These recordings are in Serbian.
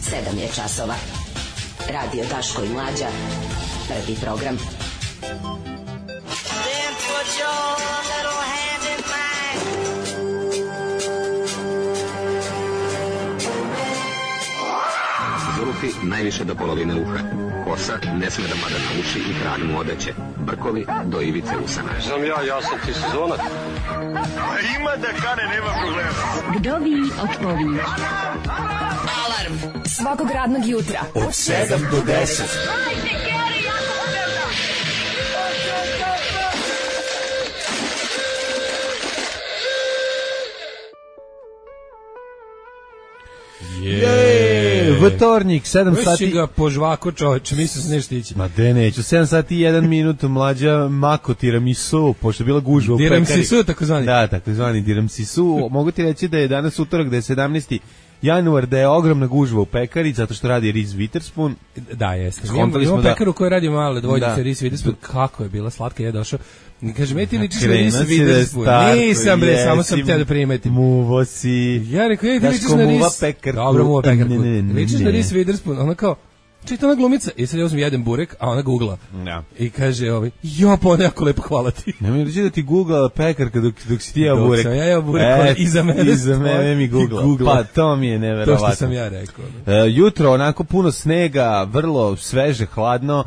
7 je časova. Radio Daško i Mlađa. Prvi program. Then put your little hand in mine. Zulufi najviše do polovine uha. Kosa ne sme da pada na uši i kralj mu odeće. Brkovi do ivice usana. Znam ja sam ti sezonac. Ima da kane, nema problema. Vdovi otpovi. Alarm Svakog radnog jutra Od 7 do 10. Vtornik, 7 Već sati. si ga po žvaku, čoveče, mislim se nešto ići. Ma de neću, 7 sati i 1 minut Mlađa mako tiramisu, pošto je bila gužva u pekari. Tiramisu, takozvani. Da, takozvani tiramisu. Mogu ti reći da je danas utorak, da je 17. januar, da je ogromna gužva u pekari, zato što radi Reese Witherspoon. Da, jeste. Skontali smo Imamo da- pekaru koja radi male dvojnice, Da. Reese Witherspoon, kako je bila slatka, je došao. Kaže, me ti ličiš na Krenuo Reese si da je Witherspoon. star, Nisam bre, samo sam jesi, teo da primetim. Muvo si. Ja rekao, ti Znaš ličiš ko na muva Reese. pekarku? Dobro, muva pekarku. Ne. Ličiš na Reese Witherspoon, ona kao, čita ona glumica, i sad ja uzmem jedan burek, a ona googla. Da. I kaže, pa ona jako lepo, hvala ti. Nemoj reći da ti googlala pekarka dok si ti jeo Dok burek. sam ja jeo burek, ona iza mene Iza mene mi googla. Pa to mi je To neverovatno. što sam ja rekao. Jutro onako puno snega, vrlo sveže, hladno.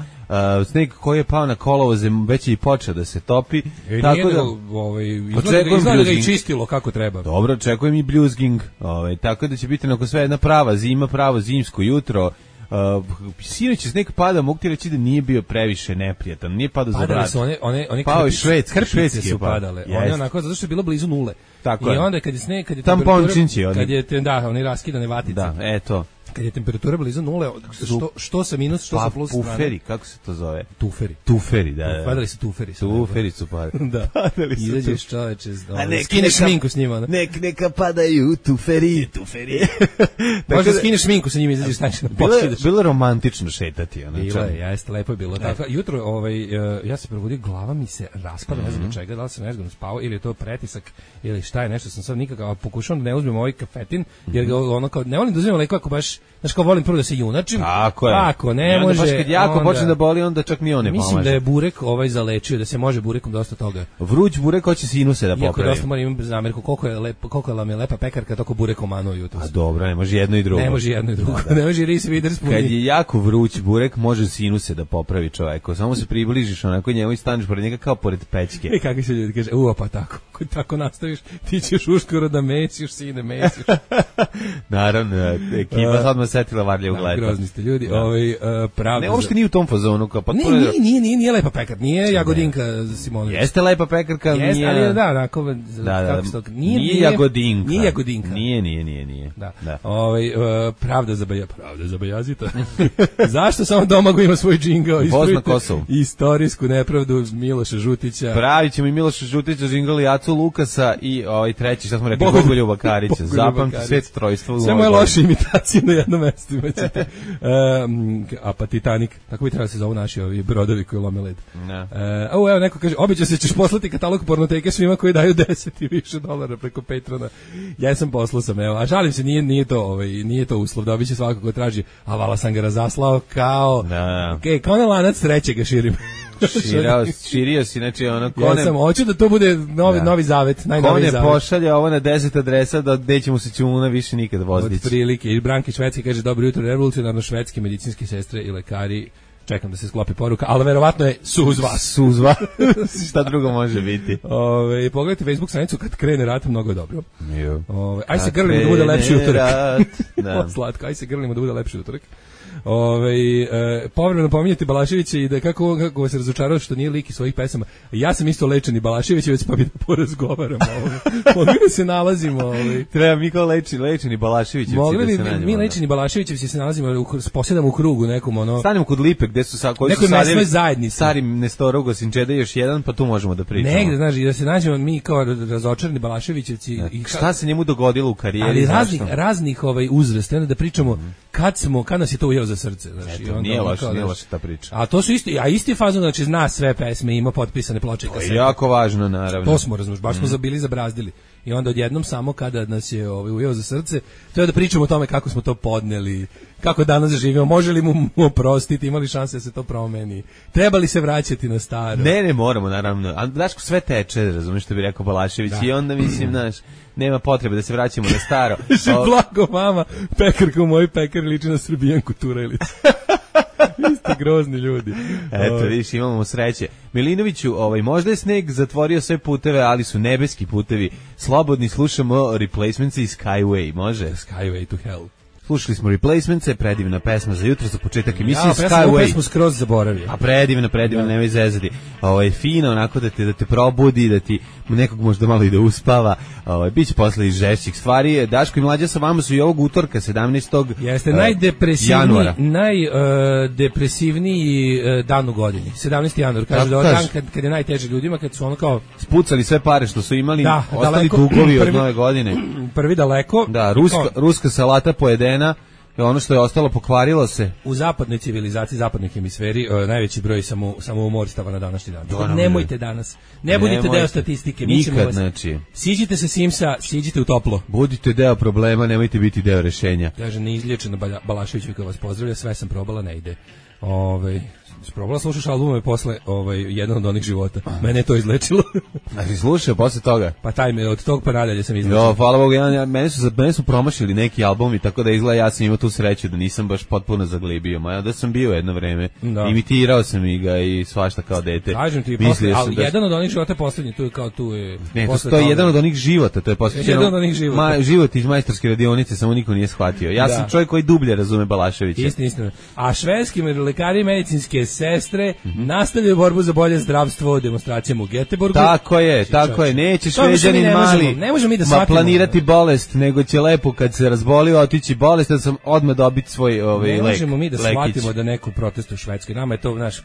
Sneg koji je pao na kolovoze već je i počeo da se topi. Tako da, Očekujem izgleda ga i bljuzging. čistilo kako treba. Dobro, očekujem i bljuzging. Tako da će biti onako sve jedna prava zima, pravo zimsko jutro. Sinoć je sneg pada, mogu ti reći da nije bio previše neprijatan, nije padao za Padale vrat. su one Pao je krpice švedski su je pao. padale. One Jeste. onako zato što je bilo blizu nule. Tako I je. onda kad je sneg, kad je Tampončinci oni. kad je oni raskidane vatice. Da, eto. Kad je temperatura blizu nule, što sa minus, što sa plus strane. Puferi, kako se to zove? Tuferi. Tuferi, da. Padali su tuferi. Tuferi su padali. Da. Padali su Izađeš čoveče, ne, skineš šminku s njima. Neka padaju tuferi. Možda skineš šminku sa njima, izađeš staneš na poskidaš. Bilo je romantično šetati. Bilo je, jeste, lepo je bilo. Tako, jutro, ja se probudio, glava mi se raspada, ne znam od čega, da li sam nezgodno spavao, ili je to pretisak, ili šta je, nešto sam sad nikako, pokušavam da ne uzmem ovaj kafetin, jer ga ono kao, ne volim da uzmem lekove ako baš, znaš kao volim prvo da se junačim. Tako je. Ako ne I onda može. baš kad jako onda- počne da boli, onda čak ni on ne pomaže. Mislim da je burek zalečio, da se može burekom dosta toga. Vruć burek hoće sinuse da Iako popravi. dosta moram imati zamjerku, koliko nam je lepa pekarka, toliko burek omanuo jutros. A dobro, ne može jedno i drugo. Ne može jedno i drugo, ne može Reese Witherspoon. Kad je jako vruć burek, može sinuse da popravi čoveku. Samo se približiš onako njemu i staneš pored njega kao pored pećke. I kakvi se ljudi kaže, pa tako, ako tako nastaviš, ti ćeš uskoro da mesiš, sine, mesiš. Naravno, ekipa sad me setila varlje u gledu. Grozni ste ljudi, pravda. Ne, uopšte nije u tom fazonu. Kao, pa Nije lepa pekar, nije Jagodinka Simonović. Jeste lepa pekarka, Jeste, nije... ali da, onako, Da, kako se to... nije Jagodinka. Nije Jagodinka. Nije. Da. Da. Pravda za Bajazita. Zašto samo Domago ima svoj džingao? Voz na Kosovu. Istorijsku nepravdu Miloša Žutića. Pravit ćemo i Miloša Žutića, Žingali Jacu Lukasa i treći, šta smo rekli, Bogoljuba Karića. Zapamti svet trojstva. Sve moje loše imitacije na jednom mestu imaćete. Pa Titanic, tako bi trebalo se zovu naši ovi brodovi koji lome led. Evo neko kaže, obično se ćeš poslati katalog pornoteke svima koji daju 10 i više $10 preko Patrona. Ja sam poslao sam, evo, a žalim se, nije to uslov, dobit će svako ko traži, a vala sam ga razaslao kao, kao na lanac trećega širim. Širio si, znači ono, Ja sam, hoću da to bude novi zavet, najnoviji zavet. Ko ne pošalje ovo na 10 adresa, da neće mu se čuna više nikad voziti. Od prilike, i Branki Švedski kaže, dobro jutro, revolucionarno švedske medicinske sestre i lekari, čekam da se sklopi poruka, ali verovatno je suzva. Šta drugo može biti? Pogledajte Facebook stranicu kad krene rat, mnogo je dobro. Aj se grlimo da bude lepši utorak. Slatko, aj se grlimo da bude lepši utorak. Povremeno pominjati Balaševića i da kako se razočarao što nije lik iz svojih pesama. Ja sam isto lečeni Balaševićevac, pa bi da porazgovaramo. Mogli da se nalazimo. Treba mi kao lečeni Balaševićevci mogli da se nađemo. Mogli mi lečeni Balaševićevci se nalazimo, posjedamo u krugu nekom Stanemo kod Lipe gde su koji su sadili stari Nestorov Gosinčeda još jedan, pa tu možemo da pričamo. Negde, znaš, i da se nađemo mi kao razočarani Balaševićevci. Šta se njemu dogodilo u karijeri? Ali raznih uzrasta, da pričamo kad nas je to ujeo za srce, znači nije loša ta priča. A to su isti fazon, znači zna sve pesme, ima potpisane ploče i kasete. To je jako važno, naravno. To smo, razumeš, baš smo bili zabrazdili. i onda odjednom samo kada nas je ujeo za srce, to je da pričamo o tome kako smo to podneli, kako danas živimo, može li mu oprostiti, imali šanse da se to promeni, treba li se vraćati na staro. Ne moramo, naravno, a Daško sve teče, razumiješ što bi rekao Balašević, i onda mislim, znaš, nema potrebe da se vraćamo na staro. Blago mama, pekarka u mojoj pekari liči na Srbijanku Turelić. Vi ste grozni ljudi. Eto, vidiš, imamo sreće. Milinoviću, možda je sneg zatvorio sve puteve, ali su nebeski putevi. Slobodni, slušamo Replacements i Skyway, može? Skyway to hell. Slušali smo Replacements, predivna pesma za jutro, za početak emisije Skyway. Ja, pesmu skroz zaboravio. A predivna, nemoj zezati. Fino, onako da te probudi, da ti nekog možda malo i da uspava. Biće posle i žešćih stvari. Daško i Mlađa sa vama su i ovog utorka, 17. Jeste najdepresivniji dan u godini. 17. januar, kaže da je dan kad je najteže ljudima, kad su ono kao spucali sve pare što su imali, ostali dugovi od nove godine. Prvi daleko. Da, ruska salata pojedena. Ono što je ostalo pokvarilo se. U zapadnoj civilizaciji, zapadnoj hemisferi, najveći broj samoumorstava na današnji dan. Nemojte danas. Ne budite deo statistike. Nikad, znači. Siđite sa Simsa, siđite u toplo. Budite deo problema, nemojte biti deo rešenja. Kaže, neizlječeno Balašević koji vas pozdravlja, sve sam probala, ne ide. Probala slušaš albume posle jedan od onih života. Mene je to izlečilo. A si slušao posle toga? Pa od tog pa nadalje sam izlečio. Jo, hvala Bogu, mene su promašili neki albumi, tako da izgleda ja sam imao tu sreću da nisam baš potpuno zaglibio. Ma da sam bio jedno vreme. Da. Imitirao sam i ga i svašta kao dete. Kažem ti, ali jedan od onih života poslednji, tu je... Ne, to je jedan od onih života, to je posvećeno... Jedan od onih života. Život iz majstorske radionice, samo niko nije shvatio. Ja sam čovjek koji dublje razume Balaševića. Istina. A švedski lekari i medicinske sestre nastavljaju borbu za bolje zdravstvo demonstracijama u Göteborgu. Tako je, neće Šveđanin mali planirati bolest, nego će lepo kad se razboli otići bolest, da sam odmah dobiti svoj lek. Ne možemo mi da shvatimo da neko protestuje u Švedskoj. Nama je to naš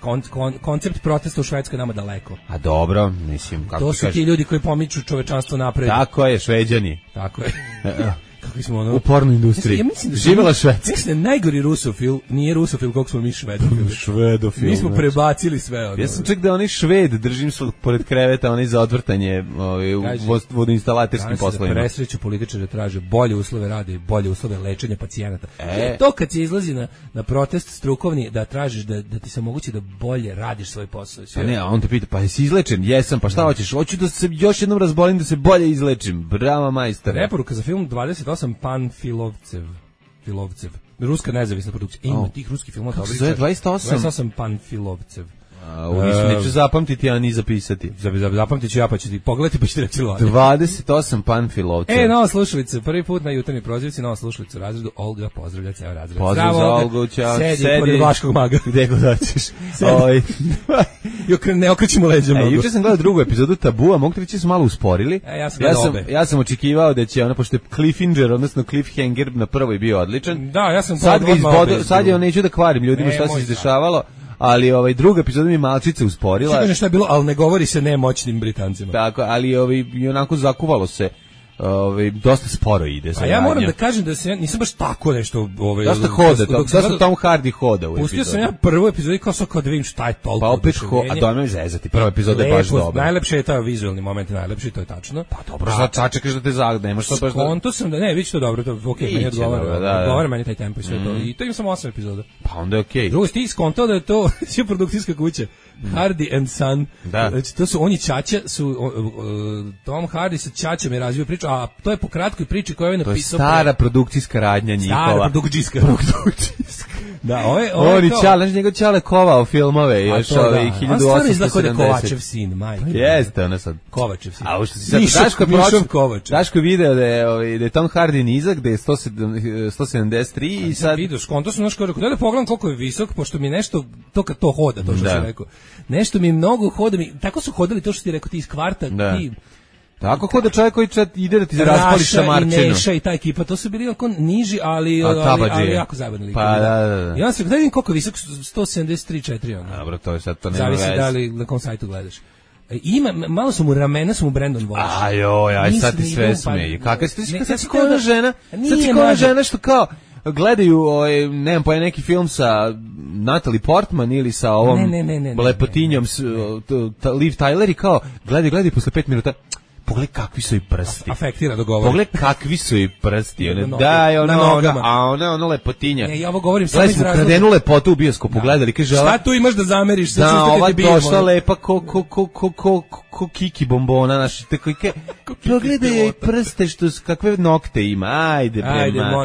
koncept protesta u Švedskoj nama daleko. A dobro, mislim, kako to su ti ljudi koji pomiču čovečanstvo napred. Tako je, Šveđani. Tako je. U pornoj industriji. Živela Švedska. Mislim da najgori rusofil nije rusofil koliko smo mi švedofili. Mi smo prebacili sve. Ja sam čak da onaj Šved držim pored kreveta, onaj za odvrtanje u vodoinstalaterskim poslovima. Da presreću političare traže bolje uslove rada i bolje uslove lečenja pacijenata. To kad se izlazi na protest strukovni da tražiš da ti se omogući da bolje radiš svoj posao. Pa ne, a on te pita, pa jesi izlečen? Jesam, pa šta hoćeš? Hoću da se još jednom razbolim da se bolje izlečim. Bravo majstore. Preporuka za film 28 Panfilovcev. Ruska nezavisna produkcija. Ima tih ruskih filmova. Kako se zove 28 Panfilovcev. Neću zapamtiti, a ni zapisati. Zapamtit ću ja, pa ću ti pogledati, pa ću ti reći 28 Panfilovcev. Nova slušalica, prvi put na jutarnji prozivci, nova slušalica u razredu. Olga pozdravlja ceo razred. Pozdrav za Olgu, ćao. Sedi pored Vlaškog maga. Gde god hoćeš. Ne okrećemo leđa mnogo. Juče sam gledao drugu epizodu Tabua, mogu ti reći su malo usporili. Ja sam očekivao da će pošto je Cliffhanger, odnosno Cliffhanger na prvoj bio odličan. Da, ja sam sad je neću da kvarim ljudima šta se izdešavalo. Ali druga epizoda mi malčice usporila. Kaže šta je bilo, ali ne govori se nemoćnim Britancima. Tako, ali i onako zakuvalo se. Dosta sporo ide. A ja moram da kažem da se nisam baš tako nešto dosta hoda, dosta Tom Hardy hoda u epizodi. Pustio sam ja prvu epizodu kao da vidim šta je toliko. Pa opet a dojmem zezati. Prva epizoda je baš dobra. Najlepše je taj vizuelni moment, najlepši, to je tačno. Pa dobro, sad čekaš da te nemaš to baš. Konto sam da vidiš to dobro, to okej, meni odgovara meni taj tempo i sve to. I to ima samo 8 epizoda. Pa onda je okej. Drugo ti skontao da je to produkcijska kuća. Hardy and Son. Znači to su oni ćaća, Tom Hardy sa ćaćom je razvio priču, a to je po kratkoj priči koju je napisao. To je stara produkcijska radnja njihova. Stara produkcijska. Da, oni čale, njegov čale kovao filmove još ove 1870. On stvarno izgleda da je Kovačev sin, majke. Jeste, ona sad. Kovačev sin. A što si sad Daško video da je Tom Hardy nizak, da je 173 i sad vidiš, konto su naško rekao, da pogledam koliko je visok, pošto mi nešto to kad to hoda, to što sam rekao. Nešto mi mnogo hoda, tako su hodali to što ti rekao ti iz kvarta, ti tako hoda čovjek koji ide da ti raspali šamarčinu. Raša i Neša i ta ekipa, to su bili oko niži, ali jako zabavni. Pa da. Ja sam vidim koliko je visok, 173-4 ono. Dobro, to je sad, to nema veze. Zavisi da li na kom sajtu gledaš. Malo su mu ramena, su mu Brandon Walsh. Aj sad ti sve smeji. Kakva si koja žena? Sad si koja žena što kao gledaju, nemam pojma, neki film sa Natalie Portman ili sa ovom lepotinjom Liv Tyler i kao gledaj posle 5 minuta pogledaj kakvi su i prsti. Afektira dogovor. Pogledaj kakvi su i prsti. Na Daj, nogama. ono lepotinja. Ja ovo govorim samo iz razloga. Kradenu lepotu u bioskopu, gledali, kaže, šta tu imaš da zameriš? Da, ova došla lepa ko kiki bombona, znaš, tako pogledaj joj prste, kakve nokte ima, ajde,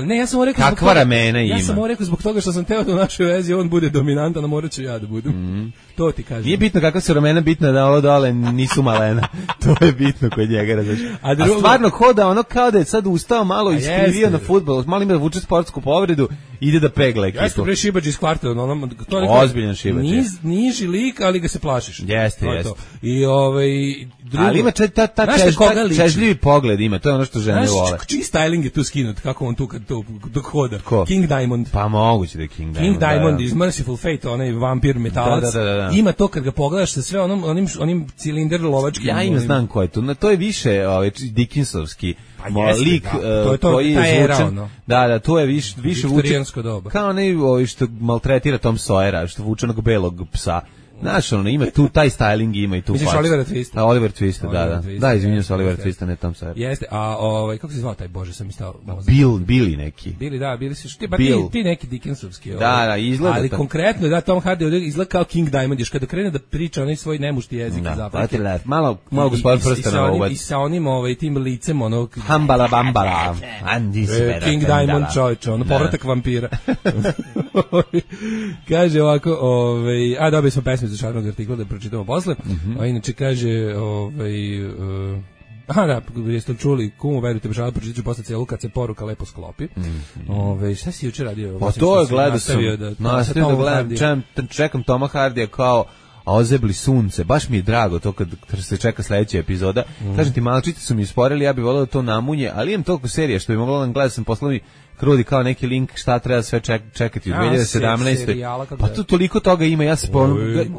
ne, ja sam mu rekao, kakva ramena ima. Ja sam mu rekao zbog toga što sam teo da u našoj vezi on bude dominantan, a morat ću ja da budem. To ti kažem. Nije bitno kakva su ramena, bitno da ovo dole nisu malena. To je bitno kod njega, razumiješ. A stvarno hoda ono kao da je sad ustao malo iskrivio na fudbal, malo ima da vuče sportsku povredu, ide da pegla ekipu. Jeste bre šibađ iz kvarta, to je ozbiljan šibađ. Niži lik, ali ga se plašiš. Jeste. I drugo. Ali ima čežljivi pogled ima, to je ono što žene vole. Znaš, čiji styling je tu skinut, kako on tu kad to dok hoda? Ko? King Diamond. Pa moguće da je King Diamond. King Diamond iz Merciful Fate, onaj vampir metalac. Da. Ima to kad ga pogledaš sa sve onim cilinder lovačkim. Ja im znam ko je to. To je više Dickinsovski lik koji je zvučen. Da, to je više vučen. Kao onaj što maltretira Tom Sawyera, što vuče onog belog psa. Znaš, ono, ima tu, taj styling ima i tu. Misliš Olivera Twista? Oliver Twista, da. Da, izvinjam se, Oliver Twista, ne Tom Sawyer. Jeste, a kako se zvao taj, Bože, sam istao. Billy neki. Billy su, ti neki Dickinsovski. Da, izgleda. Ali konkretno, da, Tom Hardy izgleda kao King Diamond, još kada krene da priča onaj svoj nemušti jezik iz Afrike. Malo gospod prsta na uvod. I sa onim tim licem, ono... Hambala bambala. King Diamond čovječe, ono, povratak vampira. Kaže ovako, dobili smo pesmu za šarnog artikla da pročitamo posle. A inače kaže, jeste čuli, kumu, verujte, bešala, pročitat ću posle celu kad se poruka lepo sklopi. Šta si juče radio? Pa to je gledao sam, nastavio da gledam, čekam Toma Hardija kao a ozebli sunce, baš mi je drago to kad se čeka sledeća epizoda. Kažem ti, malčice su mi isporili, ja bih voleo da to namunje, ali imam toliko serija što bi moglo da gledam, sam poslao mi Krudi kao neki link šta treba sve čekati u 2017. Pa tu toliko toga ima, ja se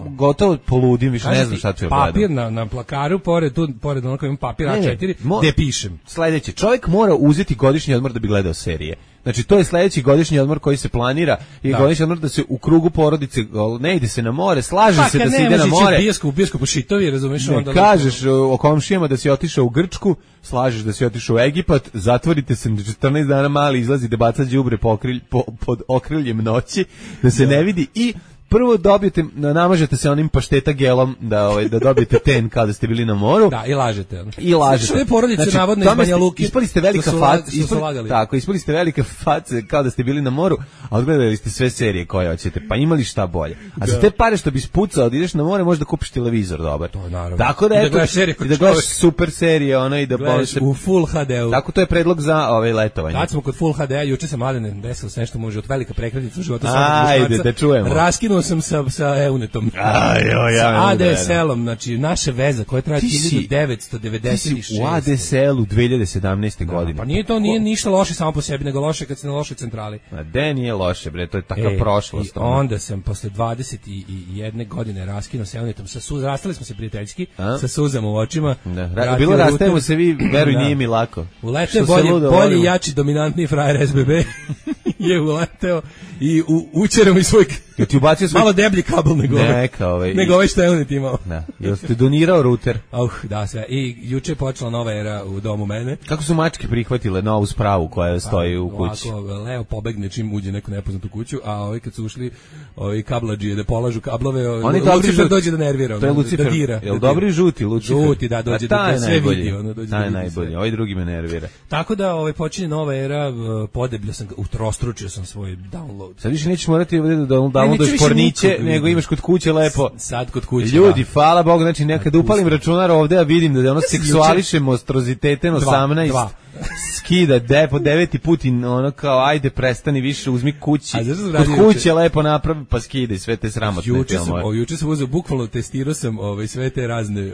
gotovo poludim, više ne znam šta ću gledati. Papir na plakaru, pored onako imam papir A4, gde pišem. Sledeće, čovjek mora uzeti godišnji odmor da bi gledao serije. Znači, to je sledeći godišnji odmor koji se planira i godišnji odmor da se u krugu porodice, ne ide se na more, slaže se da se ide na more. Bijesku po šitovi, razumiješ? Ne kažeš o komšijama da si otišao u Grčku, slažeš da si otišao u Egipat, zatvorite se 14 dana, mali izlazi da baca đubre pod okriljem noći, da se ne vidi i prvo dobijete, namažete se onim pašteta gelom da dobijete ten kao da ste bili na moru. Da, i lažete. Sve porodice navodno iz Banja Luke. Ispali ste velika faca. Tako, ispali ste velika faca kao da ste bili na moru, a odgledali ste sve serije koje hoćete. Pa imali šta bolje. A za te pare što bi spucao da ideš na more, možda kupiš televizor dobar. To naravno. Tako da gledaš super serije, i da u Full HD-u. Tako to je predlog za letovanje. Kad smo kod Full HD-a, juče se Mladene desilo se nešto može od velika prekretnica u životu. Ajde, da čujemo. Sam sa Eunetom. Sa ADSL-om, znači naša veza koja traje 1996. U ADSL-u 2017. godine. Pa nije ništa loše samo po sebi, nego loše kad si na lošoj centrali. De nije loše, bre, to je takva prošlost. I onda sam posle 21 godine raskinuo sa Eunetom, rastali smo se prijateljski, sa suzama u očima. Bilo rastajemo se, vi, veruj, nije mi lako. Uleteo bolji, jači, dominantni frajer SBB je uleteo i učerao mi svoj malo deblji kabel nego ovaj što je Eunet imao. Jel ste donirao ruter? Da, sve. I juče je počela nova era u domu mene. Kako su mačke prihvatile novu spravu koja stoji u kući? Leo pobegne čim uđe neko nepoznat u kuću, a kad su ušli kabladžije da polažu kablove, Lucifer dođe da nervira. To je Lucifer. Jel dobri žuti Lucifer? Žuti, da, dođe da sve vidi. Taj je najbolji, ovaj drugi me nervira. Tako da počinje nova era, podebljao sam ga, utrostručio sam svoj download. Sad više nećeš morati da downloaduješ porniće, nego imaš kod kuće lepo. Sad kod kuće. Ljudi, hvala Bogu, znači nekad upalim računar ovde, a vidim da ono seksuališe monstroziteten 18. Skida po 9. put i ono kao ajde prestani više, uzmi kući. Kod kuće lepo napravi pa skida i sve te sramotne filmove. Juče sam uzeo, bukvalno testirao sam sve te razne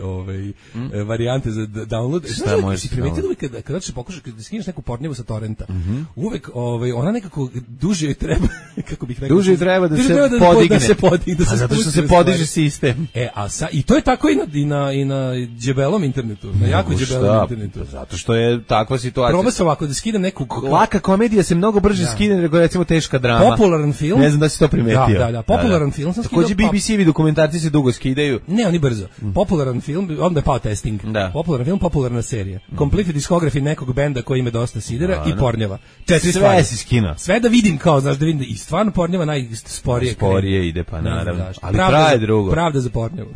varijante za download. Šta možeš? Si primetio da kada ćeš pokušaš da skineš neku pornjevu sa torrenta, uvek ona nekako duže joj treba, kako bih rekao. Duže treba da se podigne. A zato što se podiže sistem. I to je tako i na džebelom internetu, na jako džebelom internetu. Zato što je takva situaciju. Probao sam ovako da skidam neku... Laka komedija se mnogo brže skida nego recimo teška drama. Popularan film. Ne znam da si to primetio. Da, popularan film sam skidao. Takođe BBC-evi dokumentarci se dugo skidaju. Ne, oni brzo. Popularan film, onda je pao testing. Da. Popularan film, popularna serija. Complete diskografi nekog benda koji ima dosta sidera i pornjava. 4 Sve stvari. si skina. Sve da vidim kao, znaš, da vidim i stvarno pornjava najsporije. Sporije ide, pa naravno. Ali pravda traje drugo. Pravda za pornjavu.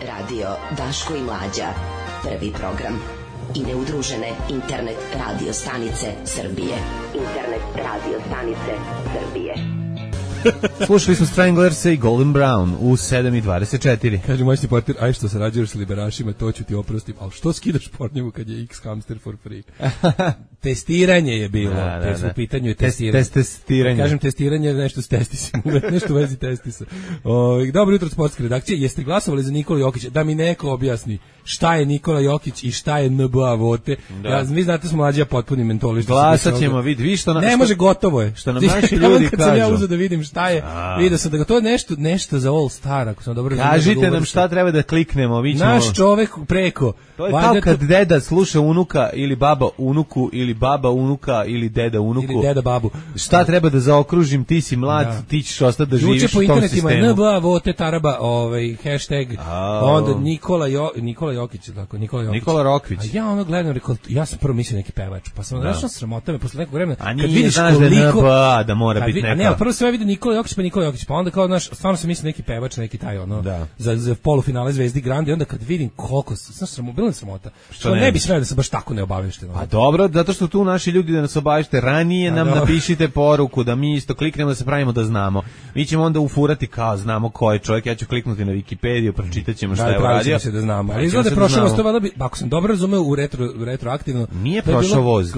Radio Daško i Mlađa. Prvi program. I neudružene internet radio stanice Srbije. Internet radio stanice Srbije. Slušali smo Stranglers i Golden Brown u 7:24. Kaže moćni portir, aj što sarađuješ s liberašima, to ću ti oprostim. Ali što skidaš pornjevu kad je X hamster for free? Testiranje je bilo. U pitanju je testiranje. Testiranje. Kažem testiranje, nešto s testisima, nešto u vezi testisa. Dobro jutro, sportske redakcije. Jeste glasovali za Nikola Jokića? Da mi neko objasni šta je Nikola Jokić i šta je NBA vote. Vi znate smo Mlađa potpuni mentolisti. Glasat ćemo, vidi što ne može, gotovo je. Što nam naši ljudi kad kažu. sam ja uzeo da vidim šta je, vidio sam da ga to je nešto za All Star, ako sam dobro razumio. Kažite nam šta treba da kliknemo, vi ćemo. Naš čovek preko. To je kao kad deda sluša unuka ili baba unuku ili baba unuka ili deda unuku. Ili deda babu. Šta treba da zaokružim, ti si mlad, ti ćeš ostati da živiš u tom sistemu. Juče po internetima NBA vote taraba, hashtag, onda Nikola Jokić, tako, Nikola Rokvić. A ja ono gledam, rekao, ja sam prvo mislio neki pevač, pa sam došao sramota me posle nekog vremena. A nije, znaš da je NBA, da mora biti neka. Ne, ali prvo sam ja vidio Nikola Jokić, pa onda kao, znaš, stvarno sam mislio neki pevač, neki taj, za polufinale Zvezdi Grandi, onda kad vidim koliko, znaš, bilo je sramota. Što ne bi smeo da se baš tako ne obavešten. A dobro, zato što tu naši ljudi da nas obavešte ranije, nam napišite poruku, da mi isto kliknemo da se pravimo da znamo. Mi ćemo onda ufurati kao znamo ko je čovjek, ja ću kliknuti na Wikipediju, pročitat ćemo šta je uradio. Se da znamo. Ali izgleda je prošao voz, to valjda bi, ako sam dobro razumeo u retroaktivno. Nije prošao voz,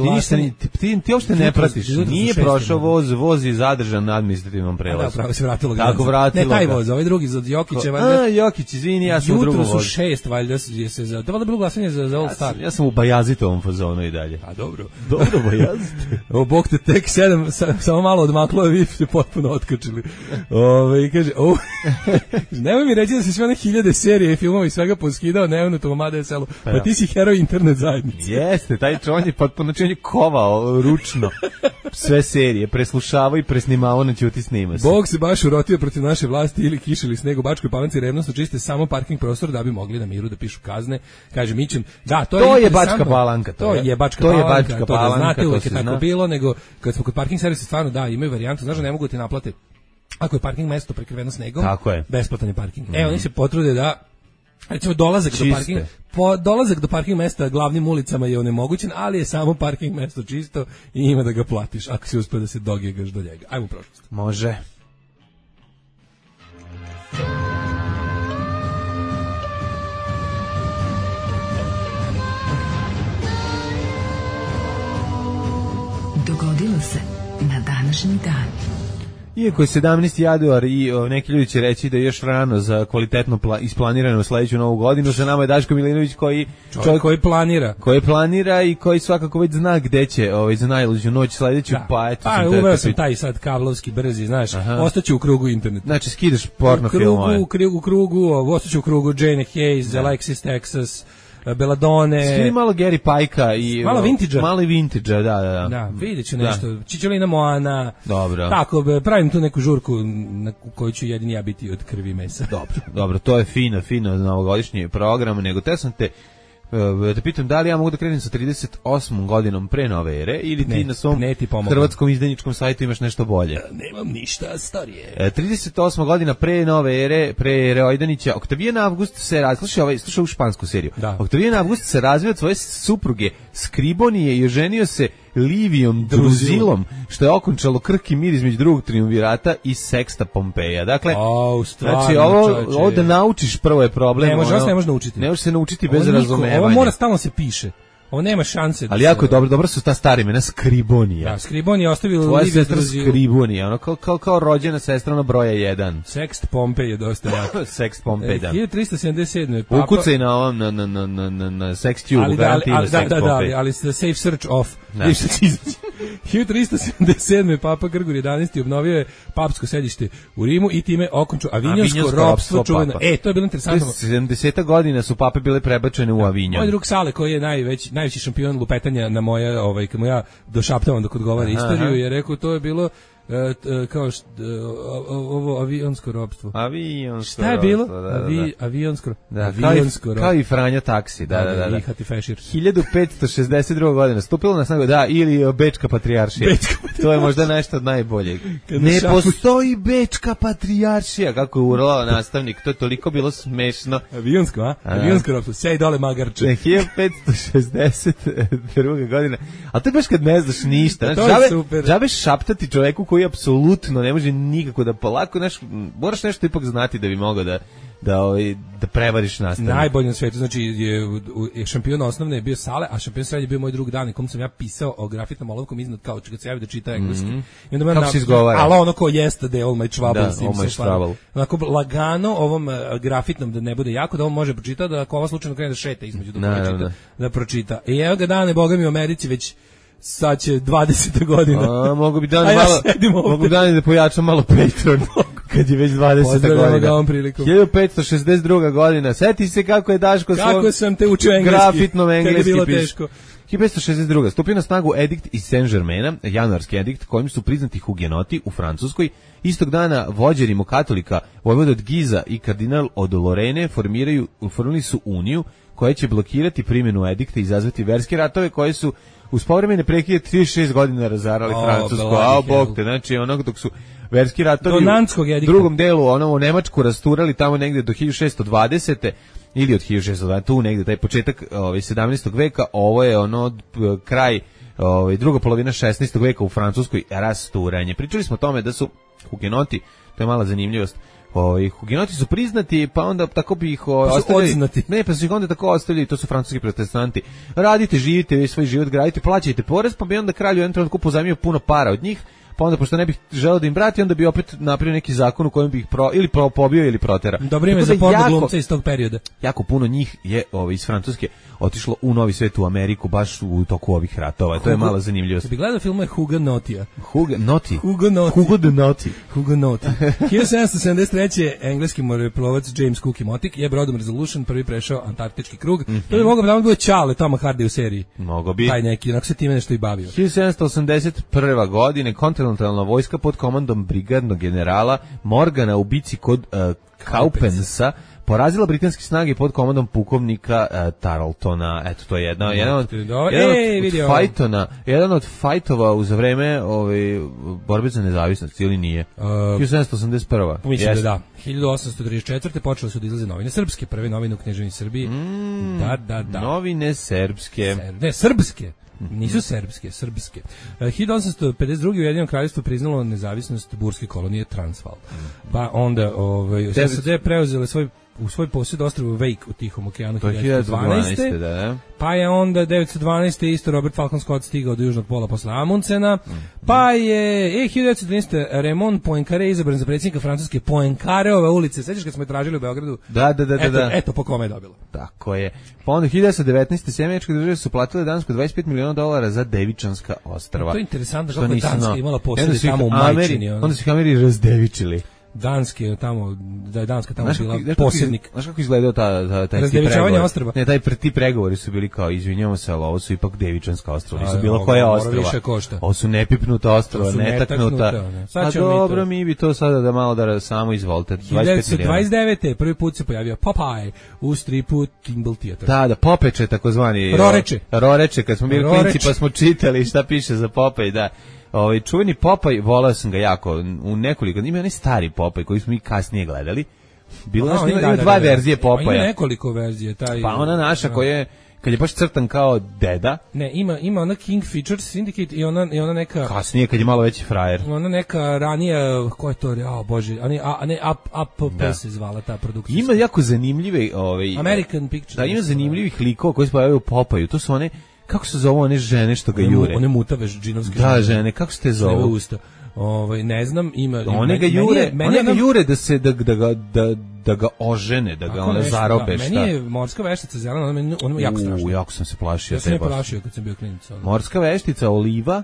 ti uopšte ne pratiš. Nije prošao voz, voz je zadržan na administrativnom prelazu. Da, pravo se vratilo. Tako vratilo. Ne taj voz, ovaj drugi od Jokića, valjda. Jokić, izvini, ja sam u drugom vozu. Jutro su 6, valjda je se za. To valjda bilo glasanje za All Star. Ja sam u Bajazitovom fazonu i dalje. A dobro. Dobro, Bajazit. O, bog te tek 7, samo malo odmaklo, a vi ste potpuno otkačili. I kaže, nemoj mi reći da si sve one 1000 serije i filmova i svega poskidao, nevno to Mada je selo. Pa ti si heroj internet zajednice. Jeste, taj čovjek je potpuno kovao ručno sve serije, preslušavao i presnimao na ćuti snima se. Bog se baš urotio protiv naše vlasti ili kiše ili sneg u Bačkoj Palanci, revnosno čiste samo parking prostor da bi mogli na miru da pišu kazne. Kaže Mićem, da, to je Bačka Palanka. To je Bačka Palanka, to znate, uvijek je tako bilo, nego kad smo kod parking servisa stvarno da, imaju varijantu, znaš da ne mogu ti naplate. Ako je parking mesto prekriveno snegom, besplatan je parking. Oni se potrude da recimo dolazak do parking mesta glavnim ulicama je onemogućen, ali je samo parking mesto čisto i ima da ga platiš ako si uspio da se dogjegaš do njega. Ajmo u prošlost. Može. Dogodilo se na današnji dan. Iako je 17. januar i neki ljudi će reći da je još rano za kvalitetno isplanirano sledeću novu godinu, sa nama je Daško Milinović koji planira i koji svakako već zna gde će za najluđu noć sledeću, pa eto. Uveo sam taj sad kablovski brzi, znaš, ostaću u krugu interneta. Znači skidaš porno filmove. U krugu, ostaću u krugu Jane Hayes, Alexis Texas, Belladone. Skini malo Gary Pajka i malo vintage-a. Malo vintage-a, da. Da, vidjet ću nešto. Čičolina Moana. Dobro. Tako, pravim tu neku žurku na kojoj ću jedini ja biti od krvi mesa. Dobro, to je fino novogodišnji program, nego te sam te da pitam da li ja mogu da krenem sa 38. godinom pre nove ere ili ti na svom hrvatskom izdajničkom sajtu imaš nešto bolje? Nemam ništa starije. 38. godina pre nove ere, pre ere Ojdanića, Oktavijan Avgust se slušaj ovu špansku seriju. Oktavijan Avgust se razvio od svoje supruge Skribonije i oženio se Livijom Druzilom, što je okončalo krhki mir između drugog triumvirata i Seksta Pompeja. Dakle, znači ovo da naučiš prvo je problem. Ne može naučiti. Ne može se naučiti bez razumevanja. Ovo mora stalno se piše. Ovo nema šanse. Ali jako je dobro su ta stara imena Skribonija. Da, Skribonija ostavila Liviju Druzil. Skribonija, ono kao rođena sestra na broja 1. Sext Pompej je dosta jako. Sext Pompej, da. 1377. Papa. Ukucaj na ovom, na Sextube, garantiva Sext Pompej. Ali Safe Search Off. 1377. Papa Grgur 11. obnovio je papsko sedište u Rimu i time okončio avinjonsko ropstvo čuveno. To je bilo interesantno. 70 godina su pape bile prebačene u Avinjon. Moj drug Sale, koji je najveći šampion lupetanja na moja, kad mu ja došaptavam dok odgovara istoriju, je rekao to je bilo kao ovo avionsko ropstvo. Šta je bilo? Avionsko ropstvo. Kao i Franja taksi, da. I Hati Fešir. 1562. godina stupilo na snagu, ili Bečka patrijaršija. To je možda nešto od najboljeg. Ne postoji Bečka patrijaršija, kako je urlao nastavnik, to je toliko bilo smešno. Avionsko ropstvo, sej dole magarče. 1562. godine. A to je baš kad ne znaš ništa. Džabe šaptati čoveku koji apsolutno ne može nikako da polako, moraš nešto ipak znati da bi mogao da prevariš nastavnik. Najbolji na svetu, znači je šampion osnovne je bio Sale, a šampion srednje je bio moj drug Dan, kom sam ja pisao o grafitnom olovkom iznad kao kad se javi da čita engleski. I onda kako se izgovara? Ali ono ko yesterday, all my trouble. Da, all my trouble. Onako lagano ovom grafitnom da ne bude jako, da on može pročitati, da ako ova slučajno krene da šeta između da pročita. I evo ga Dane, boga mi u Americi već sad će 20. godina. Mogu bi Dani da pojačam malo Patreon. Kad je već 20. godina. 1562. godina. Sjeti se kako je Daško kako sam te učio engleski. Grafitnom engleski bilo piše. Teško. 1562. Stupio na snagu edikt iz Saint-Germaina, januarski edikt kojim su priznati hugenoti u Francuskoj. Istog dana vođe rimokatolika vojvoda od Giza i kardinal od Lorene formirali su uniju koja će blokirati primjenu edikta i izazvati verske ratove koje su uz povremene prekide 36 godina razarali Francusku. Bog te, znači onog dok su verski ratovi u drugom delu u Nemačku rasturali tamo negde do 1620. ili od 1620, tu negde taj početak 17. veka, ovo je kraj druga polovina 16. veka u Francuskoj rasturanje. Pričali smo o tome da su hugenoti, to je mala zanimljivost, hugenoti su priznati, pa onda tako bi ih ostavili. Ne, pa su ih onda tako ostavili, to su francuski protestanti. Radite, živite, vi svoj život gradite, plaćajte porez, pa bi onda kralj u jednom trenutku pozajmio puno para od njih, pa onda pošto ne bih želeo da im vrati, onda bi opet napravio neki zakon u kojem bi ih ili pobio ili protera. Dobro ime za porno glumca iz tog perioda. Jako puno njih je iz Francuske otišlo u Novi svet, u Ameriku, baš u toku ovih ratova. To je mala zanimljivost. Bi gledao filmove Hugenotija. Hugenoti. 1773. engleski moreplovac James Cook Motic je brodom Resolution prvi prešao Antarktički krug. To bi mogao da bude Čale Toma Hardy u seriji. Mogo bi. Taj neki, onako se time nešto i bavio. 1781. godine kontinentalna vojska pod komandom brigadnog generala Morgana u bici kod Kaupensa porazila britanske snage pod komandom pukovnika Tarletona. Eto, to je jedan od fajtova za vreme borbe za nezavisnost, ili nije? 1781. Mislim da. 1834. počele su da izlaze novine srpske, prve novine u knježevini Srbiji. Da. Novine srpske. Srpske. Nisu srpske. 1852. Ujedinjeno kraljevstvo priznalo nezavisnost burske kolonije Transvaal. Pa onda SAD preuzele u svoj posjed ostrvo Wake u Tihom okeanu 1912. Da. Pa je onda 1912. isto Robert Falcon Scott stigao do južnog pola posle Amundsena. Pa je 1913. Raymond Poincaré izabran za predsjednika Francuske. Poincaréove ulice, sećaš kad smo je tražili u Beogradu? Da. Eto po kome je dobilo. Tako je. Pa onda 1919. Sjemeničke države su platile Dansku $25 miliona za Devičanska ostrva. To je interesantno što je Danska imala posjede tamo u Majčini. Onda su ih Ameri razdevičili. Danske tamo, da je Danska tamo bila posjednik. Znaš kako izgledao taj razdevičavanje ostrva? Ne, ti pregovori su bili kao, izvinjamo se, ali ovo su ipak Devičanska ostrva, nisu bilo koja ostrva. Ovo su nepipnuta ostrva, netaknuta. A dobro, mi bi to sada da malo da samo izvolite. 1929. prvi put se pojavio Popeye u stripu Kimball Theatre. Da, Popeče takozvani. Roreče, kad smo bili klinci pa smo čitali šta piše za Popeye, da. Čuveni Popaj, volao sam ga jako u nekoliko, ima onaj stari Popaj koji smo mi kasnije gledali. Ima dva verzije Popaja. Ima nekoliko verzije. Pa ona naša koja je, kad je baš crtan kao deda. Ne, ima ona King Features Syndicate i ona neka... Kasnije, kad je malo veći frajer. Ona neka ranija, ko je to, bože, Up se zvala ta produkcija. Ima jako zanimljive... American Pictures. Da, ima zanimljivih likova koji se pojavaju u Popaju. To su one... Kako se zove one žene što ga jure? One mutave džinovske žene. Da, žene, kako se te zovu? Ne znam, ima... One ga jure da ga ožene, da ga one zarobe, šta? Meni je morska veštica zelena, ona je jako strašna. Jako sam se plašio. Ja sam je plašio kad sam bio klinac. Morska veštica, Oliva,